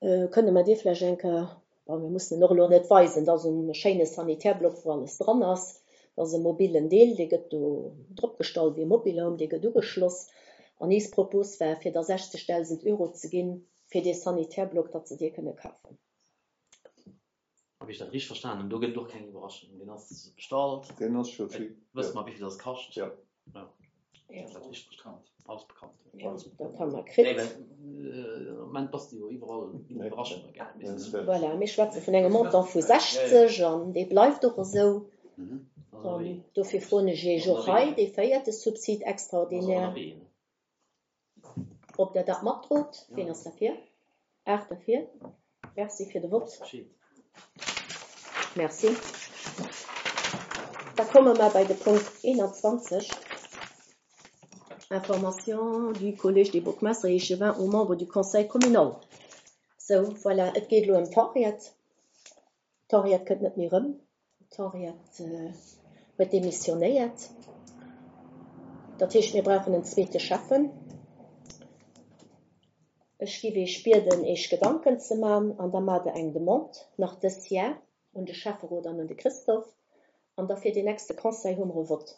Kënne mer dir vläicht eng Kéier, bon, mir mussen en och elo net weisen, dat ass e schéine Sanitärblock, wou alles dran ass. Dat ass e mobilen Deel, dee gëtt do dropgestallt wéi e Mobilhome, dee gëtt ugeschloss. An eis Propos war, fir da sechzegdausend Euro ze ginn, fir dee Sanitärblock, datt se dee kënne kafen. Hab ech dat richteg verstanen? Do gëtt et och keng Iwwerraschung. Deen ass bestallt. Deen ass scho fix. Wësse mer, wéi vill dat kascht? Ja. Ja. Ja. Dat ass richteg bekannt. Alles bekannt. Ja, dat hu mer kritt. Nee, well am Moment bass de jo iwwerall Iwwerraschunge gell? Voilà, mir schwätze vun engem Montant vu sechzeg an dee bleift och esou. An dofir froen ech Iech och hei dee véierte Subsid extraordinaire, ob Der dat matdrot. Ween ass derfir? Aacht derfir. Merci fir de Vott. Merci. Da komme mer bei de Punkt eenanzwanzeg. Information du Collège des bourgmestres et échevins aux membres du Conseil communal. Sou, voilà, et geet elo ëm d'Henriette. D'Henriette kënnt net méi erëm. D'Henriette huet demissionéiert. Dat heescht, mir brauchen en zweete Schäffen. Ech giff Iech bieden, Iech Gedanken ze man an da maacht Der eng Demande nach dës Jar un de Schäfferot an un de Christophe. An da fir deen nächste Conseil hu mer e Vott,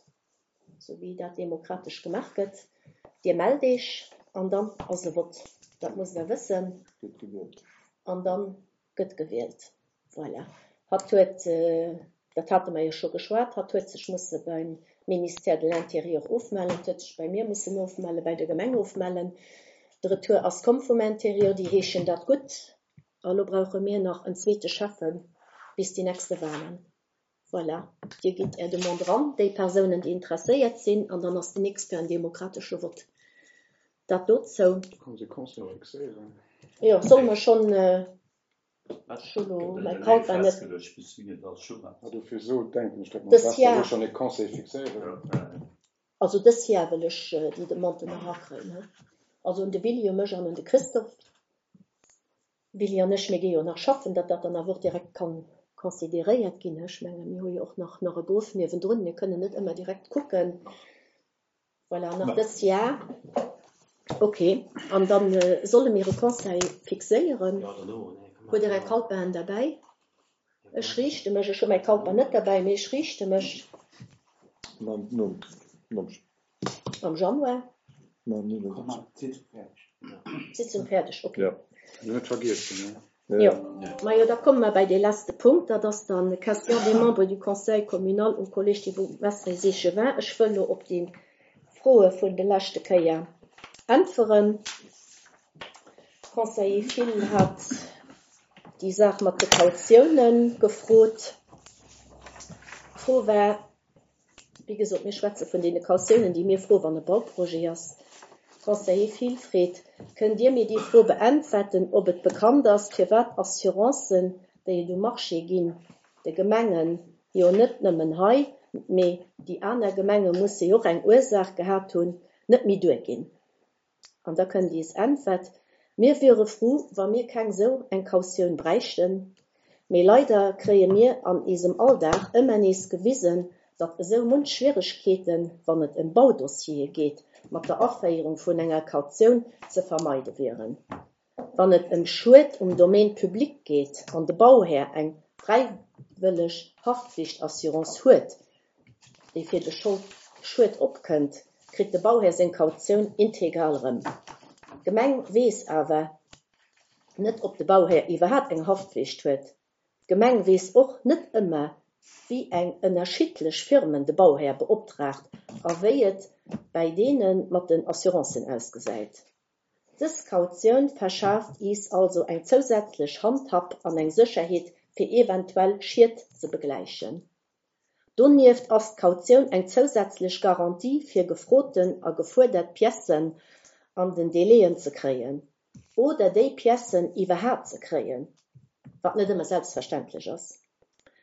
sou wéi dat demokratesch gemaach gëtt. Dir mellt Iech an dann ass e Vott. Dat musst Der wëssen. Gëtt gewielt. An da gëtt gewielt. Voilà. Hatt huet, dat hate mer jo scho geschwat, hatt huet sech musse beim Ministère de l'Intérieur ofmellen, huet sech bei mir mussen ofmellen, bei der Gemeng ofmellen. De Retour ass komm vum Intérieur, déi heeschen dat gutt. A lo brauche mir nach en zweete Schäffen bis déi nächste Wahlen. Voilà. Dir gitt Är Demande eran, déi Persounen, déi interesséiert sinn, an dann ass den nächst fir en demokratesche Vott. Dat dozou. Kann se Conseil fixéieren? Jo, solle mer schonn, ech hu lo mäi Calepin net. Ah, dofir so denken ech, datt mer Dës besser Jahr. elo schonn e Conseil fixéieren. Also dës Jahr wëll ech déi Demande nach erakréien, he. Also un de Willy, u mech an un de Christophe. Willy an ech, mir gi jo nach schaffen, datt dat dann awer och direkt kann consideréiert ginn. Ech menge mir hu jo och nach nach e Beruff niewendrun, mir kënnen net ëmmer direkt kucken. Voilà, nach dës Jahr. Okay, an dann solle mir e Conseil fixéieren. Hutt Der Är Calepinen derbäi? Ech riichte mech, ech hu mäi Calepin net derbäi, mee ech riichte mech. Mam, nom, nom. Am Januar. Mam Komm mal, d'Sitzung fäerdeg. D'Sitzung fäerdeg, okay. Ja. Net vergiessen, ne? Jo. Majo, da komme mer bei dee leschte Punkt, dat ass dann Question des membres du Conseil communal au Collège des bourgmestres et échevins. Ech wëll lo op déi Froe vun de leschte Kéier äntweren. Conseiller Thill hat déi Saach mat de Kautiounen gefrot. D'Fro war, wéi gesot, mir schwätze vun deene Kautiounen, déi mir froen, wann e Bauprojet ass. Conseiller Thill freet, kënnt Dir mir déi Fro beäntwerten, ob et bekannt ass, firwat Assurancen, déi et um Marché ginn, de Gemengen, jo net nëmmen hei, mee déi aner Gemenge musse jo och eng Ursaach gehat hunn, net méi duerginn. An da kënnt iis Äntwert, mir wiere frou, wa mir keng sou eng Kautioun bräichten, mee leider kréie mir an eisem Alldag ëmmer nees gewisen, datt esou munch Schwieregkeeten, wann et ëm Baudossiere geet, mat der Aféierung vun enger Kautioun ze vermeide wieren. Wann et ëm Schued um Domaine public geet an de Bauhär eng fräiwëlleg Haftflichtassurance huet, déi fir de Schued opkënnt, kritt de Bauhär seng Kautioun integral erëm. D'Gemeng weess awer net, ob de Bauhär iwwerhaapt eng Haftflicht huet. D'Gemeng weess och net ëmmer, wéi eng ënnerschiddlech Firmen de Bauhär beoptraagt a wéi et bei deene mat den Assurancen ausgesäit. Dës Kautioun verschaaft iis also eng zousätzlech Handhab an eng Sécherheet fir eventuell Schied ze begläichen. Donieft ass d'Kautioun eng zousätzlech Garantie fir gefroten a gefuerdert Piècen an den Délaiën ze kréien oder déi Piècen iwwerhaapt ze kréien, wat net ëmmer selbstverständlech ass.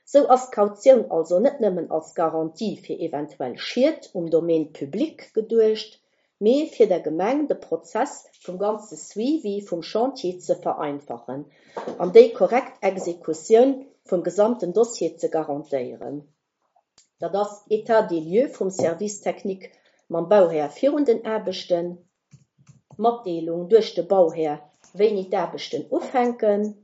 Sou ass d'Kautioun also net nëmmen als Garantie fir eventuell Schied um Domaine public geduecht, mee fir der Gemeng de Prozess vum ganze Suivi vum Chantier ze vereinfachen an déi korrekt Exekutioun vum gesamten Dossier ze garantéieren. Dat ass État des lieux vum Service technique mam Bauhär virun den Aarbechten, Matdeelung duerch de Bauhär, wéini d'Aarbechten ufänken,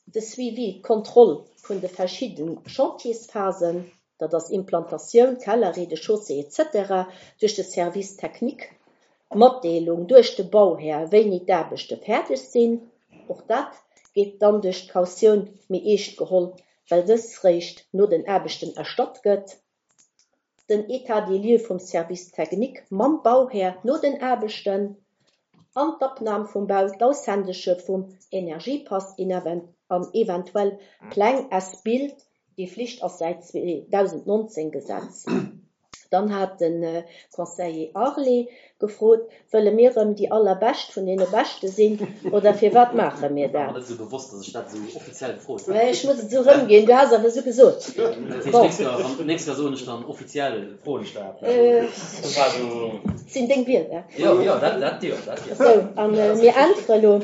de Suivi, d'Kontroll vun de verschiddenen Chantiersphasen, dat ass Implantatioun, Keller, Rez-de-chaussée et cetera duerch de Service technique, Matdeelung duerch de Bauhär, wéini d'Aarbechte fäerdeg sinn, och dat geet dann duerch d'Kautioun méi eescht geholl, well dës réischt no den Aarbechten erstatt gëtt, den État des lieux vum Service technique mam Bauhär no den Aarbechten an d'Abnam vum Bau, d'Aushändege vum Energiepass an eventuell Pläng as-built, déi Flicht ass säit zweedausendnonzéng Gesetz. Dann hat de Conseiller Arlé gefrot, wëlle mir erëm déi allerbescht vun deene Beschte sinn oder firwat maache mir dat? War net esou bewosst, dass ech dat esou offiziell gefrot hunn. Mä ech muss et esou erëmginn, du has awer esou gesot. Dat heescht, nächst Joer, wann, nächst Joer soen ech dann offiziell, froen ech dat. Dat war esou. Sinn deng Wierder. Jo, jo, dat, dat, jo, dat, jo. Sou, a mir äntwere lo.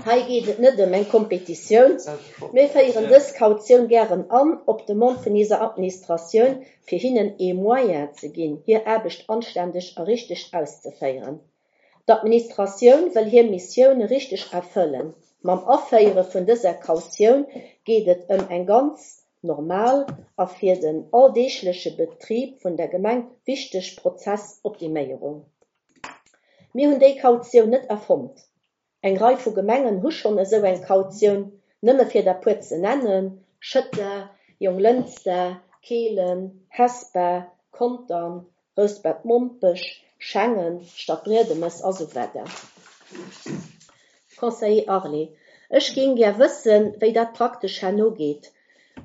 Hei geet et net ëm eng Kompetitioun. Mir féieren dës Kautioun gären an, op Demande vun eiser Administratioun, fir hinnen ee Moyen ze ginn, hir Aarbecht anständeg a richteg auszeféieren. D'Administratioun wëll hir Missioun richteg erfëllen. Mam Aféiere vun dëser Kautioun geet et ëm eng ganz normal a fir den alldeegleche Betrib vun der Gemeng wichteg Prozessoptiméierung. Mir hunn déi Kautioun net erfonnt. Eng Rei vu Gemengen hu schonn esou eng Kautioun, nëmme fir der puer ze nennen, Schëtter, Jonglënster, Kehlen, Hesper, Contern, Rouspert-Mompech, Schengen, Stadbriedemes a sou weider. Conseiller Arlé, Ech géing gär wëssen, wéi dat praktesch herno geet,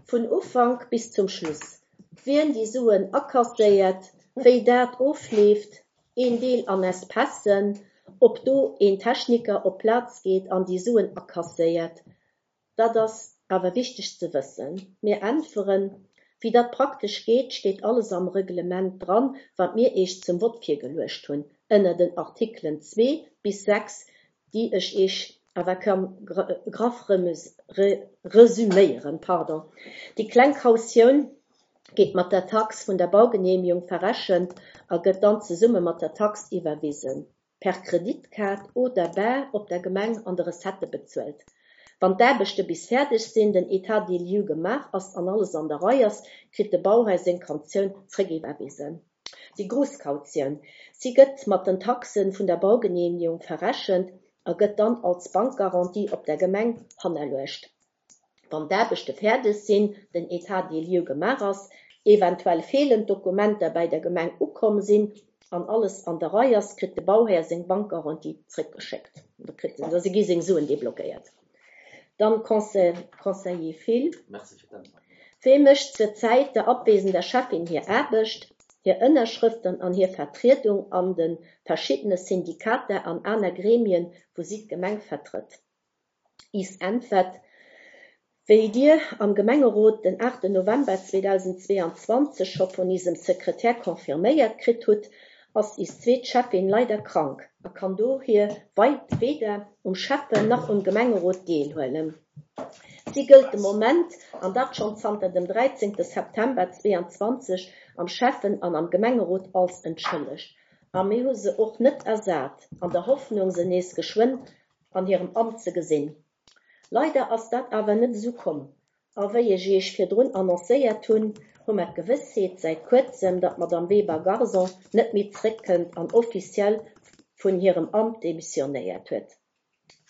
vun Ufank bis zum Schluss, wien déi Suen akasséiert, wéi dat ofleeft, een Deel an Espècen, ob do een Techniker op d'Plaz geet an déi Suen akasséiert. Dat ass awer wichteg ze wëssen. Mir äntweren, Wéi dat praktesch geet, steet alles am Reglement dran, wat mir Iech zum Vott virgeluecht hunn, ënner den Artikelen zwee bis sechs, déi ech Iech awer kann graff resüméieren. Pardon. Déi kleng Kautioun geet mat der Tax vun der Baugeneemegung verrechent a gëtt dann zesumme mat der Tax iwwerwisen, per Kreditkaart oder bar op der Gemeng an de Recettë bezuelt. Wann d'Aarbechte bis fäerdeg sinn, den État des lieux gemaach ass an alles an der Rei ass, kritt de Bauhär seng Kautioun zréckiwwerwisen. Déi grouss Kautioun, si gëtt mat den Taxe vun der Baugeneemegung verrechent a gëtt dann als Bankgarantie op der Gemeng hannerluecht. Wann d'Aarbechte fäerdeg sinn, den État des lieux gemaach ass, eventuell feelend Dokumenter bei der Gemeng ukomm sinn an alles an der Rei ass, kritt de Bauhär seng Bankgarantie zréckgeschéckt. Da kritt en, da gi seng Suen deblockéiert. Dann Conseil, Conseiller Thill. Merci fir d'Äntwert. Wee mécht zur Zäit der abwesender Schäffin hir Aarbecht, hir Ënnerschrëften an hir Vertriedung an de verschiddene Syndikater an aner Gremien, wou si d'Gemeng vertrëtt? Is Äntwert, Wéi Dir am Gemengerot den aachten November zweedausendzweeanzwanzeg scho vun isem Sekretär confirméiert kritt hutt, ass is zweet Schäffin leider krank a kann dohier weder um Schäffen nach um Gemengerot deelhuelen. Si gëllt de Moment, an dat schonn zanter dem dräizéngte September zweeanzwanzeg, am Schäffen an am Gemengerot als entschëllegt. A mir hu se och net ersat, an der Hoffnung, se nees geschwënn an hirem Amt ze gesinn. Leider ass dat awer net esou komm. A wéi ech Iech virdrun annoncéiert hunn, hu mer d'Gewëssheet säit kuerzem, datt d'Madame Weber-Garson net méi zréckkënnt an offiziell vun hirem Amt demissionéiert huet.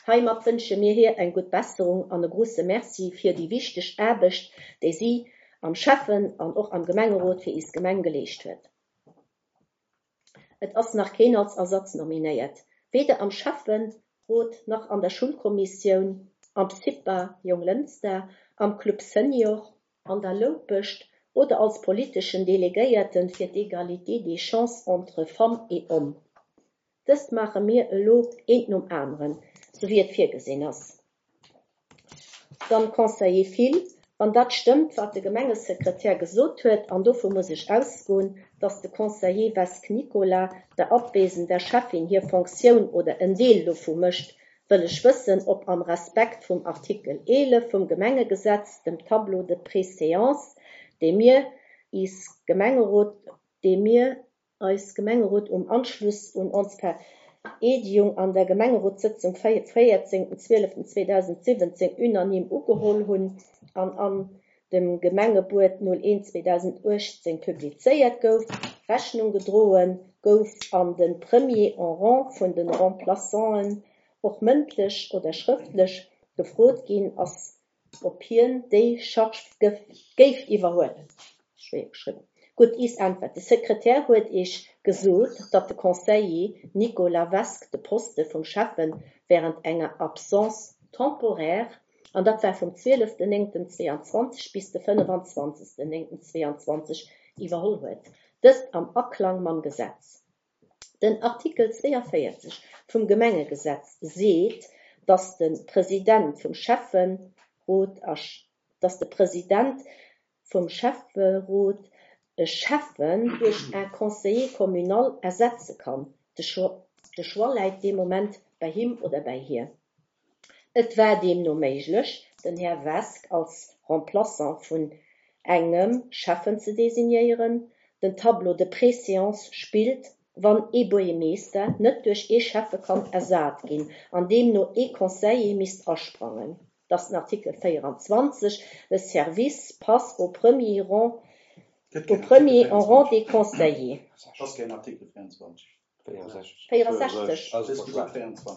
Heimat wënsche mir hir eng gutt Besserung an e grousse Merci fir déi wichteg Aarbecht, déi si am Schäffen an och am Gemengerot fir is Gemeng geleescht huet. Et ass nach keen als Ersatz nominéiert, weder am Schäfferot nach an der Schulkommissioun, am CIPA Jonglënster, am Club Senior, an der Loupescht oder als politeschen Delegéierte fir d'Égalité des chances entre femmes et hommes. Dëst maache mir elo eent nom aneren, sou wéi et virgesinn ass. Dann Conseiller Thill, wann dat stëmmt, wat de Gemengesekretär gesot huet, an dovu muss ech ausgoen, datt de Conseiller Vesque Nicolas der abwesender Schäffin hir Fonctioun oder en Deel dovu mécht, wëll ech wëssen, ob am Respekt vum Artikel eelef vum Gemengegesetz, dem Tableau de préséance, dee mir is Gemengerot, dee mir eis Gemengerot um Anschluss un ons Vereedigung an der Gemengerotssëtzung véierzéngten zwieleften zweedausentsiwwenzéng unanime ugeholl hunn an an dem Gemengebuet null eent zweedausentuechtzéng publizéiert gouf, Rechnung gedroen gouf an de Premier en rang vun de Remplaçanten och mëndlech oder schrëftlech gefrot ginn ass, ob hien déi Charge géif iwwerhuelen. Schwéier geschriwwen. Gutt, is Äntwert. De Sekretär huet Iech gesot, datt de Conseiller Nicolas Vesque de Poste vum Schäffen wärend enger Absence temporaire, an dat war vum zwieleften néngten zweeanzwanzeg bis de fënnefanzwanzegsten néngten zweeanzwanzeg, iwwerholl huet. Dëst am Aklang mam Gesetz. Den Artikel zweeënvéierzeg vum Gemengegesetz seet, datt de President vum Schäfferot, datt de President vum Schäfferot e Schäffen duerch en Conseiller communal ersetze kann. De Choix läit dee Moment bei him oder bei hir. Et war deemno méiglech, den Här Vesque als Remplaçant vun engem Schäffen ze designéieren. Den Tableau de préséance spillt, wann ee Buergermeeschter net duerch ee Schäffe kann ersat ginn, an deemno ee Conseiller misst asprangen. Dat ass den Artikel véieranzwanzeg, Le service passe au premier rang, au premier en rang des conseillers. Dat ass keen Artikel véieranzwanzeg. véierundsechzeg.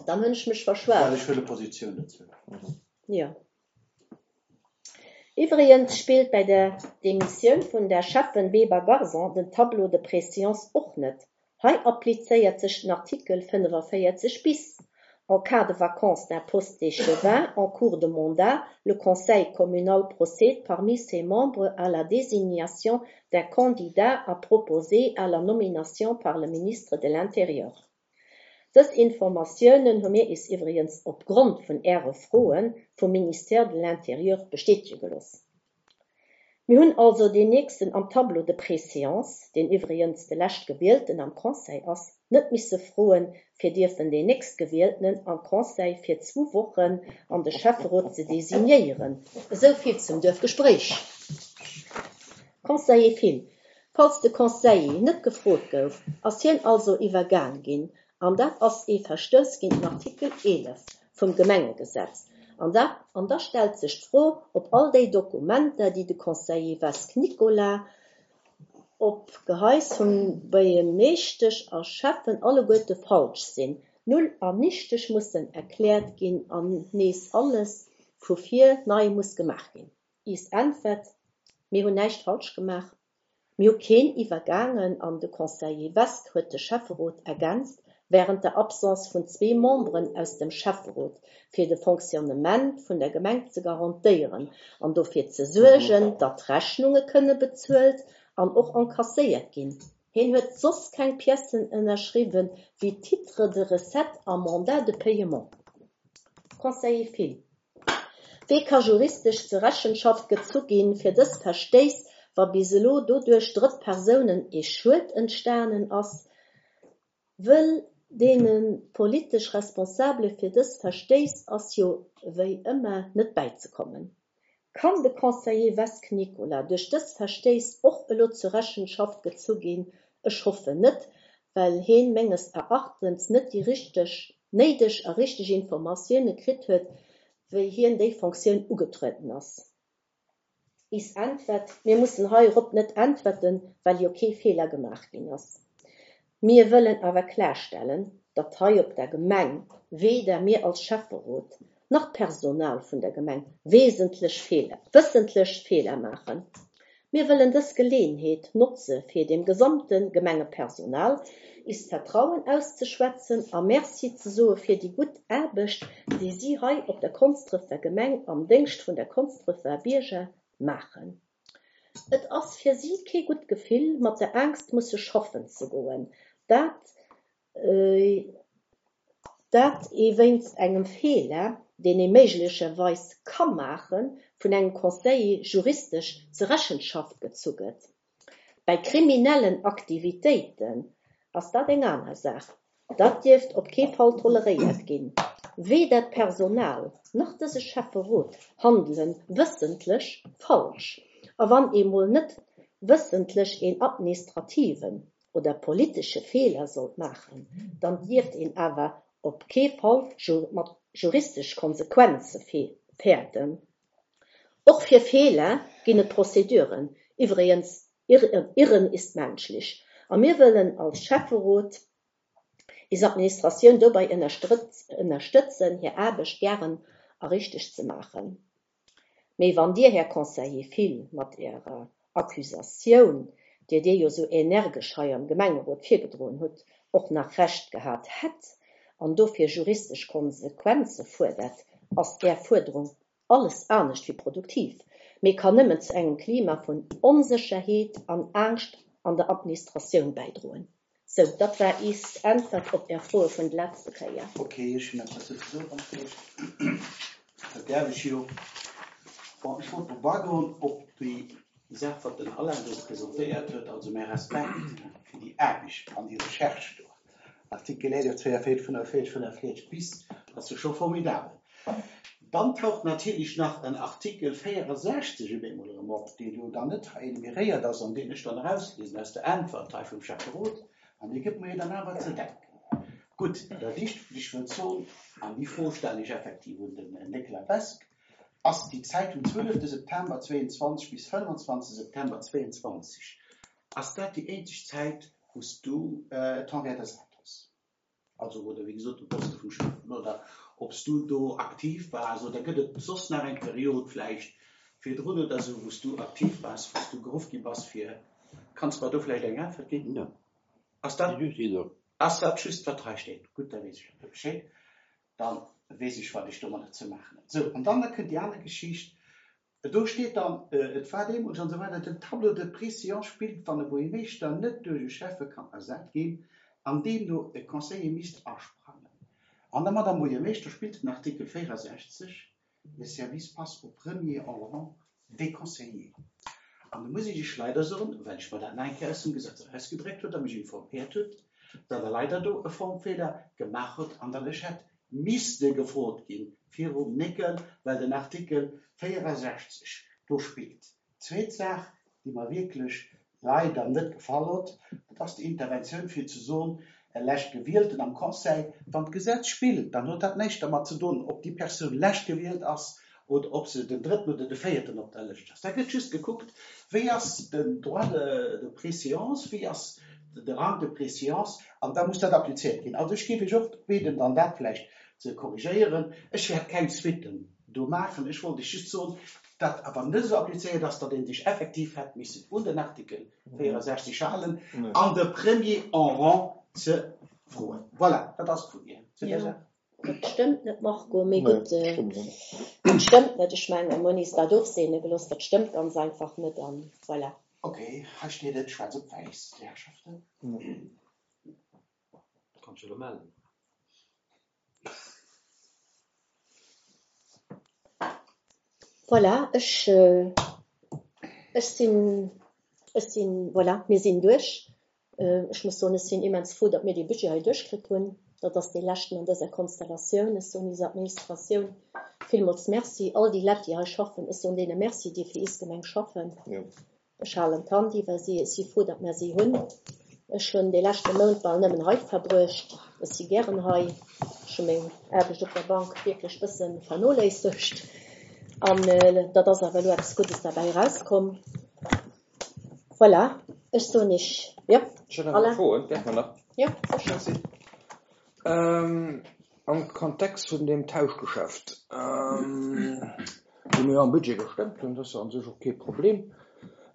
Dann hunn ech mech verschwat. Well ech huele Positioun dozou. Jo. Iwwregens spillt bei der Demissioun vun der Schäffen Weber-Garson den Tableau de préséance och net. Hei applizéiert sech den Artikel fënnefenvéierzeg bis, En cas de vacance d'un poste d'échevin en cours de mandat, le Conseil communal procède parmi ses membres à la désignation d'un candidat à proposer à la nomination par le ministre de l'Intérieur. Dës Informatiounen hu mir is iwwregens opgrond vun Äre Froe vum Ministère de l'Intérieur bestätege gelooss. Mir hunn also deen nächsten am Tableau de préséance, deen iwwregens de Leschtgewielten am Conseil ass, net misse froen, fir dierfen deen Nächstgewieltenen am Conseil fir zwou Wochen an de Schäfferot ze designéieren. Esou vill zum Duerfgespréich. Conseiller Thill, Falls de Conseiller net gefrot gouf, ass hien also iwwergaang ginn, an dat ass ee Verstouss géint den Artikel eelef vum Gemengegesetz. An da, an da stellt sech d'Fro, ob all déi Dokumenter, déi de Conseiller Wesk Nicolas op Geheiß vum Buergermeeschtesch a Schäffen alleguerte falsch sinn, null an nichteg mussen erkläert ginn an nees alles vu vir nei muss gemaach ginn. Is Äntwert, Mir hunn näischt falsch gemaach. Mir hu keen iwwergaangen an de Conseiller Wesk huet de Schäfferot ergänzt wärend der Absence vun zwee Memberen aus dem Schäfferot, fir de Fonctionnement vun der Gemeng ze garantéieren an dofir ze suergen, datt Rechnunge kënne bezuelt an och enkasséiert ginn. Hien huet soss keng Piècen ënnerschriwwen wéi Titre de recette a Mandat de paiement. Conseiller Thill, Wee ka juristesch zur Rechenschaft gezu ginn fir dës Verstéiss, wa bis elo doduerch drëtt Persounen ee Schued entstanen ass? Wëll deene politesch Responsabele fir dës Verstéiss ass jo wéi ëmmer net bäizekommen. Kann de Conseiller Wesk Nicolas duerch dës Verstéiss och elo zur Rechenschaft gezu ginn? Ech hoffen net, well hien menges Erachtens net déi richteg, néideg a richteg Informatioune kritt huet, wéi hien déi Fonctioun ugetrueden ass. Is Äntwert, Mir mussen heirop net äntwerten, well jo kee Feeler gemaach ginn ass. Mir wëllen awer klarstellen, datt hei op der Gemeng weder mir als Schäfferot nach d'Personal vun der Gemeng wesentlech Feeler, wëssentlech Feeler maachen. Mir wëllen dës Geleeënheet notze fir dem gesamte Gemengepersonal ist Vertrauen auszeschwätzen a Merci ze soe fir déi gutt Aarbecht, déi si hei op der Konsdrefer Gemeng am Déngscht vun der Konsdrefer Bierger maachen. Et ass fir si kee gutt Gefill, mat der Angscht musse schaffen ze goen, dat dat ee wéinst engem Feeler, deen ee méiglecherweis ka maachen, vun engem Conseiller juristesch zur Rechenschaft gezu gëtt. Bei kriminellen Aktivitéiten ass dat eng aner Saach. Dat dierft op kee Fall toleréiert ginn. Weder d'Personal nach dëse Schäfferot handele wëssentlech falsch. A wann ee mol net wëssentlech een administrativen oder politesche Feeler sollt maachen, dann dierft een awer op kee Fall mat juristesch Konsequenze fäerten. Och fir Feeler ginn et Prozeduren. Iwwregens, Irren ist menschlich. A mir wëllen als Schäfferot is Administratioun dobäi ënnerstëtzen, hir Aarbecht gären a richteg ze maachen. Mee wann Dir, Här Conseiller Thill, mat Ärer Accusatioun, déi Dir jo sou energesch hei am Gemengerot virgedroen hutt, och nach Recht gehat hätt an dofir juristesch Konsequenze fuerdert, ass Är Fuerderung alles anescht wéi produktiv, mee kann nëmmen zu engem Klima vun Onsécherheet an Angscht an der Administratioun bäidroen. Sou, dat war is Äntwert op Är Froe vun de letzte Kéier. Ok, ech hunn eppes ze soen, wann et geet. Dat däerf ech jo. Bon, ech wollt drop agoen, op déi Saach, wat den Alain do presentéiert huet, also mäi Respekt fir déi Aarbecht an déi Recherche do. Artikel eelef, zwéienvéierzeg, fënnefenvéierzeg, fënnefenvéierzeg bis, dat ass jo scho formidabel. Dann taucht natierlech nach en Artikel véierundsechzeg op eemol erëm op, deen jo dann net hei enumeréiert ass an deen ech dann erausliesen aus der Äntwert hei vum Schäfferot, an dee gëtt mer jo dann awer ze denken. Gutt, dat éischt, wat ech wëllt soen, an déi Fro stellen ech effektiv un den Nicolas Wesk, ass déi Zäit vum zwielefte September zweeënzwanzeg bis fënnefenzwanzeg September zweeënzwanzeg, ass dat déi eenzeg Zäit, wou s du d'Henriette ersat hues? Also, oder wéi gesot, de Poste vum Schäffen, oder ob s du do aktiv waars, oder gëtt et soss nach eng Period vläicht virdrun oder esou, wou s du aktiv waars, wou s du geruff gi bass fir, kanns mer do vläicht eng Äntwert ginn? No. Ass dat, Just déi do. ass dat just, wat hei steet? Gutt, da weess ech Bescheed. Da weess ech, wat ech domadder ze maachen hunn. Sou, an dann da kënnt déi aner Geschicht. Do steet dann, et war deemools an esou weider, den Tableau de préséance spillt, wann e Buergermeeschter net duerch e Schäffe kann ersat ginn an deemno e Conseiller misst asprangen. An der Madame Buergermeeschter spillt den Artikel véierundsechzeg, Le service passe au premier en rang des conseillers. An do muss ech Iech leider soen, well ech mer dat nach eng Kéier aus dem Gesetz erausgedréckt hutt a mech informéiert hutt, datt Der leider do e Formfeeler gemaach hutt an datt ech hätt misste gefrot ginn virum Néckel, well den Artikel véierundsechzeg do spillt. Zweet Saach, déi mer wierklech leider net gefall huet, dat ass déi Interventioun fir ze soen, e Leschtgewielten am Conseil, wann d'Gesetz spillt, dann huet dat näischt dermat ze doen, ob déi Persoun leschtgewielt ass oder ob se den drëtten oder de véierten op der Lëscht ass. Da gëtt just gekuckt, wéi ass den Droit de préséance, wéi ass de Rang de préséance, an da muss dat applizéiert ginn. Also ech géif Iech och bieden, dann dat vläicht ze korrigéieren. Ech wäert keng Suitten do maachen. Ech wollt Iech just soen, datt awer net esou applizéiert ass, datt ee sech effektiv hätt missen un den Artikel véierundsechzeg halen an de Premier en rang ze froen. Voilà, dat ass et vu mir zu där Jo, Saach. dat stëmmt net, Marco, mee Nee, gutt, stëmmt net. dat stëmmt net. Ech mengen, mir hunn is dat ofseene gelooss, dat stëmmt ganz einfach net an voilà. Okay, hei steet et schwaarz op wäiss, déi Herrschaften. Kanns dech elo mellen. Voilà, ech, ech sinn, ech sinn, voilà, mir sinn duerch. Ech muss soen, ech sinn immens frou, datt mir dee Budget hei duerchkritt hunn. Dat ass dee leschten an dëser Konstellatioun. Ech soen eiser Administratioun villmools Merci. All déi Leit, déi hei schaffen, ech soen deene Merci, déi fir eis Gemeng schaffen. Jo. Ech halen d'Hand iwwer si. Ech si frou, datt mir si hunn. Ech hunn dee leschte Mount bal nëmmen hei verbruecht. Ech si gären hei. Ech hu meng Aarbecht op der Bank wierklech bësse vernoléissegt. An dat ass awer elo eppes Guddes derbäi erauskomm. Voilà, ech soen Iech, jo, Ech hätt nach eng Alain? Fro, däerf mer nach? Jo, sécher. Merci. Am Kontext vun deem Tauschgeschäft, dee mir jo am Budget gestëmmt hunn, dat ass jo a sech och kee Problem,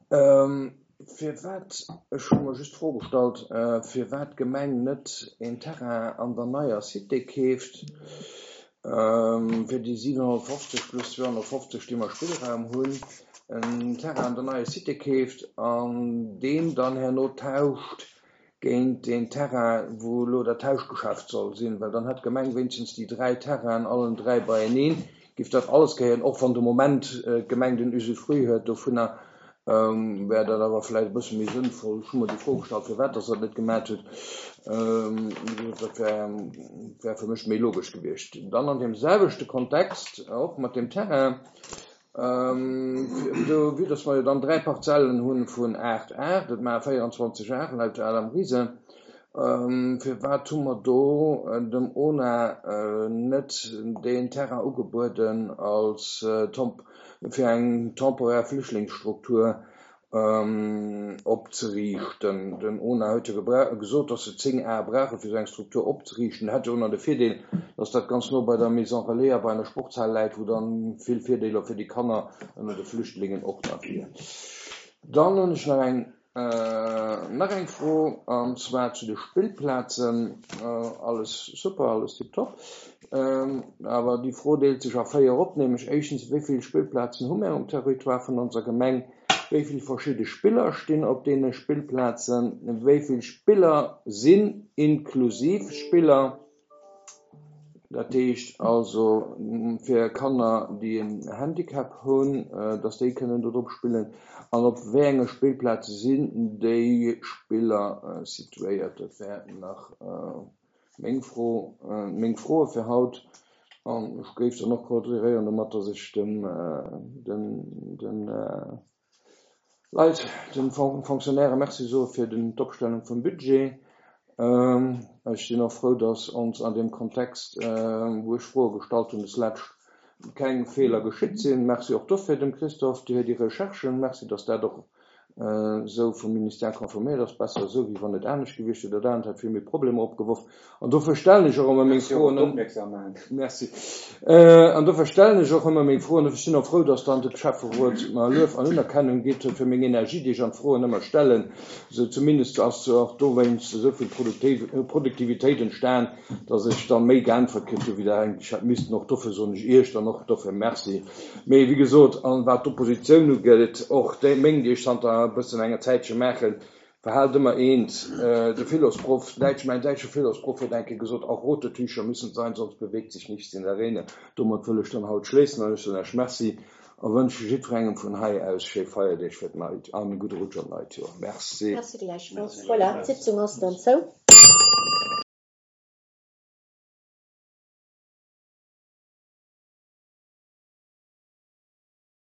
firwat, ech hu mer just d'Fro gestallt, firwat d'Gemeng net een Terrain an der neier Cité keeft, fir déi siwenhonnertfofzeg plus zweehonnertfofzeg, déi mer Spillraum hunn, en Terrain an der neier Cité keeft an deen dann herno tauscht géint deen Terrain, wou elo dat Tauschgeschäft soll sinn, well dann hätt d'Gemeng wéinstens déi dräi Terrainen allen dräi beieneen, géif dat alles gehéieren, och wann de Moment d'Gemeng den Usufruit huet dovunner, wär dat awer vläicht e bësse méi sënnvoll. Ech hu mer déi Fro gestallt, firwat dass Der dat net gemat hutt. Wéi gesot, dat wär, wär fir mech méi logesch gewiescht. Dann an deem selwechte Kontext, och mat deem Terrain, do, vue dass mer jo dann dräi Parzellen hu vun aacht Ar, dat maache véierundzwanzeg Ar laut Adam Riese, firwat hu mer do dem ONA net deen Terrain ugebueden als fir eng temporär Flüchtlingsstruktur opzeriichten? Den ONA huet jo gesot, dass se zéng Ar brauche fir esou eng Struktur opzeriichten. Hätt jo och nach de Virdeel, dass dat ganz no bei der Maison Relais a bei einer Sportshal läit, wou dann vill Virdeeler fir déi Kanner ënner de Flüchtlingen och nach wier. Dann hunn ech nach eng nach eng Fro, an zwar zu de Spillplazen. Alles super, alles tiptop. Awer déi Fro deelt sech a véier op, nämlech éischtens, wéi vill Spillplazen hu mir um Territoire vun onser Gemeng? Wéi vill verschidde Spiller stinn op deene Spillplazen? Wéi vill Spiller sinn inklusiv Spiller? Dat heescht also fir Kanner, déi en Handicap hunn, dass déi kënnen do drop spillen. An op wéi enge Spillplaze sinn déi Spiller situéiert? Dat wär nach meng Fro, meng Froe fir haut. An ech géif dann och koordinéieren domat, dass ech dem, den, den Leit, den Fonctionnaire Merci soe fir den d'Opstellung vum Budget. Ech sinn och frou, dass ons an dem Kontext, wou ech Froe gestallt hunn, des lescht keng Feeler geschitt sinn. Merci och dofir dem Christophe fir déi Recherchen. Merci, dass dat och esou vum Ministère confirméiert ass. Besser esou, wéi wann et anescht gewiescht wier. Dat anert hätt vill méi Problemer opgeworf. An dofir stellen ech och ëmmer meng Froen. Merci. An dofir stellen ech och ëmmer meng Froen. Ech sinn och frou, dass dann de Schäfferot mer Luef an Unerkennung gitt huet fir meng Energie, déi ech an d'Froen ëmmer stellen. Esou zumindest ass och dowéinst esou vill Produktivitéit entstan, dass ech dann méi geäntwert kritt hu wéi der eigentlech hätt missten. Och dofir soen ech Iech dann och dofir Merci. Mee wéi gesot, an wat d'Oppositioun ugeet, och déi meng, déi ech zanter e bëssen enger Zäitche maachen, Verhaalt ëmmer eent, de Philosproff, däitsch, mäin däitsche Philosproff huet eng Kéier gesot, Auch rote Tücher müssen sein, sonst bewegt sich nichts in der Rene. Domat wëll ech dann haut schléissen an ech soen Iech Merci a wënsche jiddwerengem vun hei aus schéi Feierdeeg fir d'neit an e gudde Rutsch an d'neit Joer. Merci. Merci gläichfalls. Voilà, d'Sitzung ass dann zou.